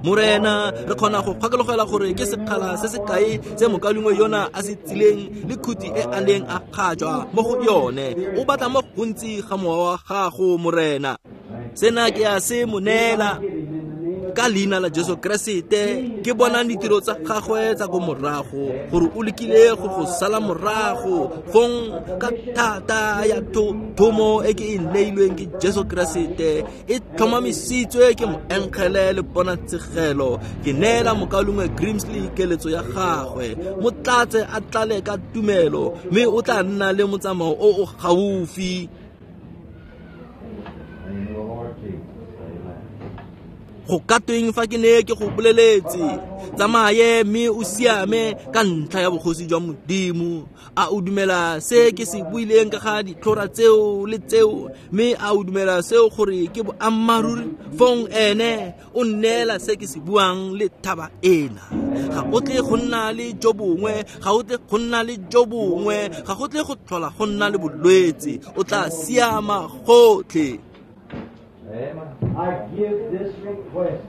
Morena, re kgona go kgakologela gore ke sekgala se se kae se mokalungwe yona a se tsileng le khuti e a neng a kgatšwa mo go yone. O batla mo gontsi ga mowa wa gago, Morena. Sena ke a se mo neela ka leina la Jesu Keresete. Ke bona ditiro tsa gagwe tsa ko morago, gore o lekile go go sala morago. Fong ka thata ya thomo e ke e neilweng ke Jesu Keresete, e tlhomamisitswe ke moengele le ponatshegelo. Ke neela mokalungwe Grimsley keletso ya gagwe. Mo tlatse a tlale ka tumelo, mme o tla nna le motsamao o o gaufi. Go ka tweng fa ke ne ke go boleletse, tsamaye mme o siame ka ntlha ya bogosi jwa Modimo. A o dumela se ke se buileng ka ga ditlhora tseo le tseo, mme a o dumela seo gore ke boammaaruri? Fong ene o nneela se ke se buang le thaba ena. Ga o tle go nna le jo bongwe, ga o tle go nna le jo bongwe, ga go tle go tlhola go nna le bolwetse. O tla siama gotlhe. Amen. I give this request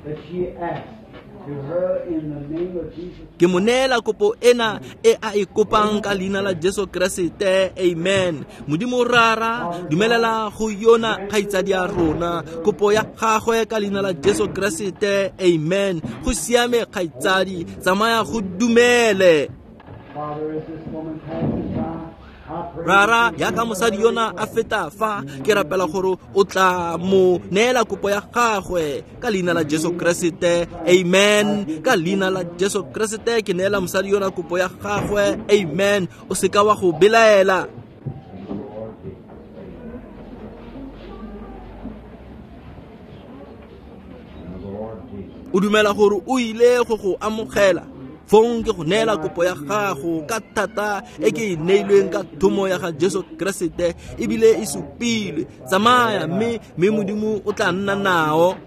that she asked to her in the name of Jesus. Ke mo neela kopo ena e a e kopang ka leina la Jesu Keresete. Amen. Modimo Rara, dumelela go yona kgaitsadi ya rona kopo ya gagwe ka leina la Jesu Keresete. Amen. Go siame kgaitsadi, tsamaya go dumele. Father, as this woman passes by, Rara, yaka mosadi yona a feta fa, ke rapela gore o tla mo neela kopo ya gagwe ka leina la Jesu Keresete. Amen. Ka leina la Jesu Keresete ke neela mosadi yona kopo ya gagwe. Amen. O seka wa go belaela. O dumela gore o ile go go amogela. Fong ke go neela kopo ya gago ka thata e ke e neilweng ka thomo ya ga Jesu Keresete, ebile e supilwe. Tsamaya mme mme Modimo o tla nna nao.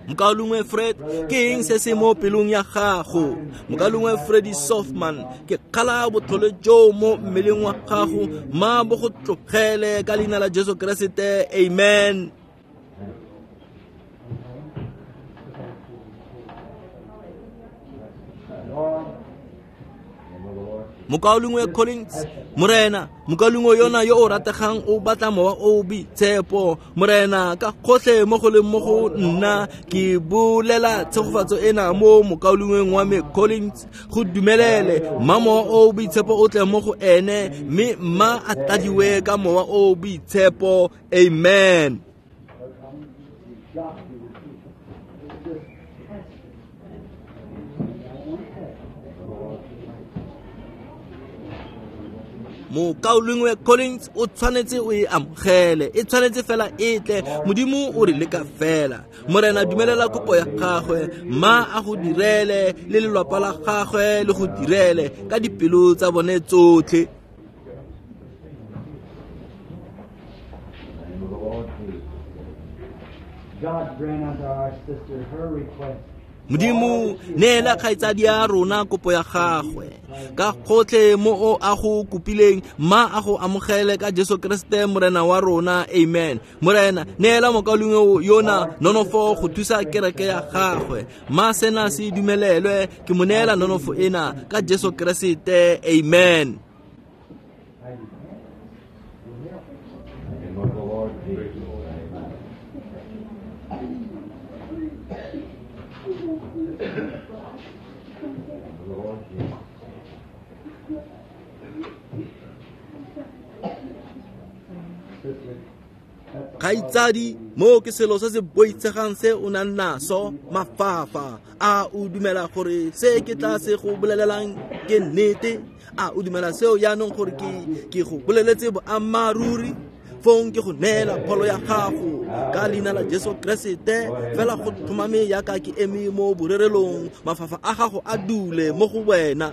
Mokaulengwe Fred, ke eng se se mo pelong ya gago? Mokaulengwe Freddy Softman, ke kgala botlhole jo mo mmeleng wa gago, ma bo go tlogele ka leina la Jesu Keresete. Amen. Lord, Mokaulengwe Collins, Morena, mokaulengwe yona yo o rategang o batla mowa o o boitshepo. Morena, ka gotlhe mo go leng mo go nna, ke bolela tshegofatso ena mo mokaulengweng wa me Collins, go dumelele mma mowa o o boitshepo o tle mo go ene, mme mma a tladiwe ka mowa o o boitshepo. Amen. Mokaulengwe Collins o tshwanetse o e amogele, e tshwanetse fela e tle. Modimo o re leka fela. Morena, dumelela kopo ya gagwe, mma a go direle le lelapa la gagwe le go direle ka dipelo tsa bone tsotlhe. God grant unto our sister her request. Modimo, neela kgaitsadi ya rona kopo ya gagwe ka gotlhe mo o a go kopileng, mma a go amogele ka Jesu Kriste Morena wa rona. Amen. Morena, neela mokaulengwe yona nonofo go thusa kereke ya gagwe, mma sena se dumelelwe. Ke mo neela nonofo ena ka Jesu Kriste. Amen. Kgaitsadi, mo ke selo se se boitshegang se o nang naso, mafafa. A o dumela gore se ke tla se go bolelelang ke nnete? A o dumela seo jaanong gore ke ke go boleletse boammaaruri? Fong ke go neela pholo ya gago ka leina la Jesu Kriste. Fela go tlhomame yaka ke eme mo borerelong, mafafa a gago a dule mo go wena.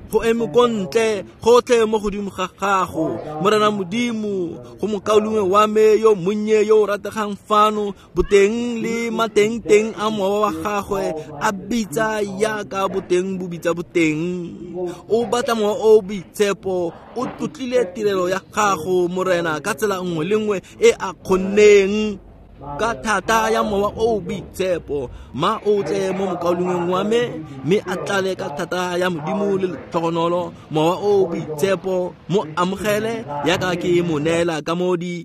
Go eme ko ntle gotlhe mo godimo ga gago, Morena Modimo, go mokaulengwe wa me yo monnye yo o rategang fano, boteng le matengteng a mowa wa gagwe a bitsa yaka boteng bo bitsa boteng. O batla mowa o o boitshepo, o tlotlile tirelo ya gago, Morena, ka tsela nngwe le nngwe e a kgonneng. Ka thata ya mowa o o boitshepo, ma o tle mo mokaulengweng wa me, mme a tlale ka thata ya Modimo le letlhogonolo. Mowa o o boitshepo mo amogele yaka ke mo neela ka mo di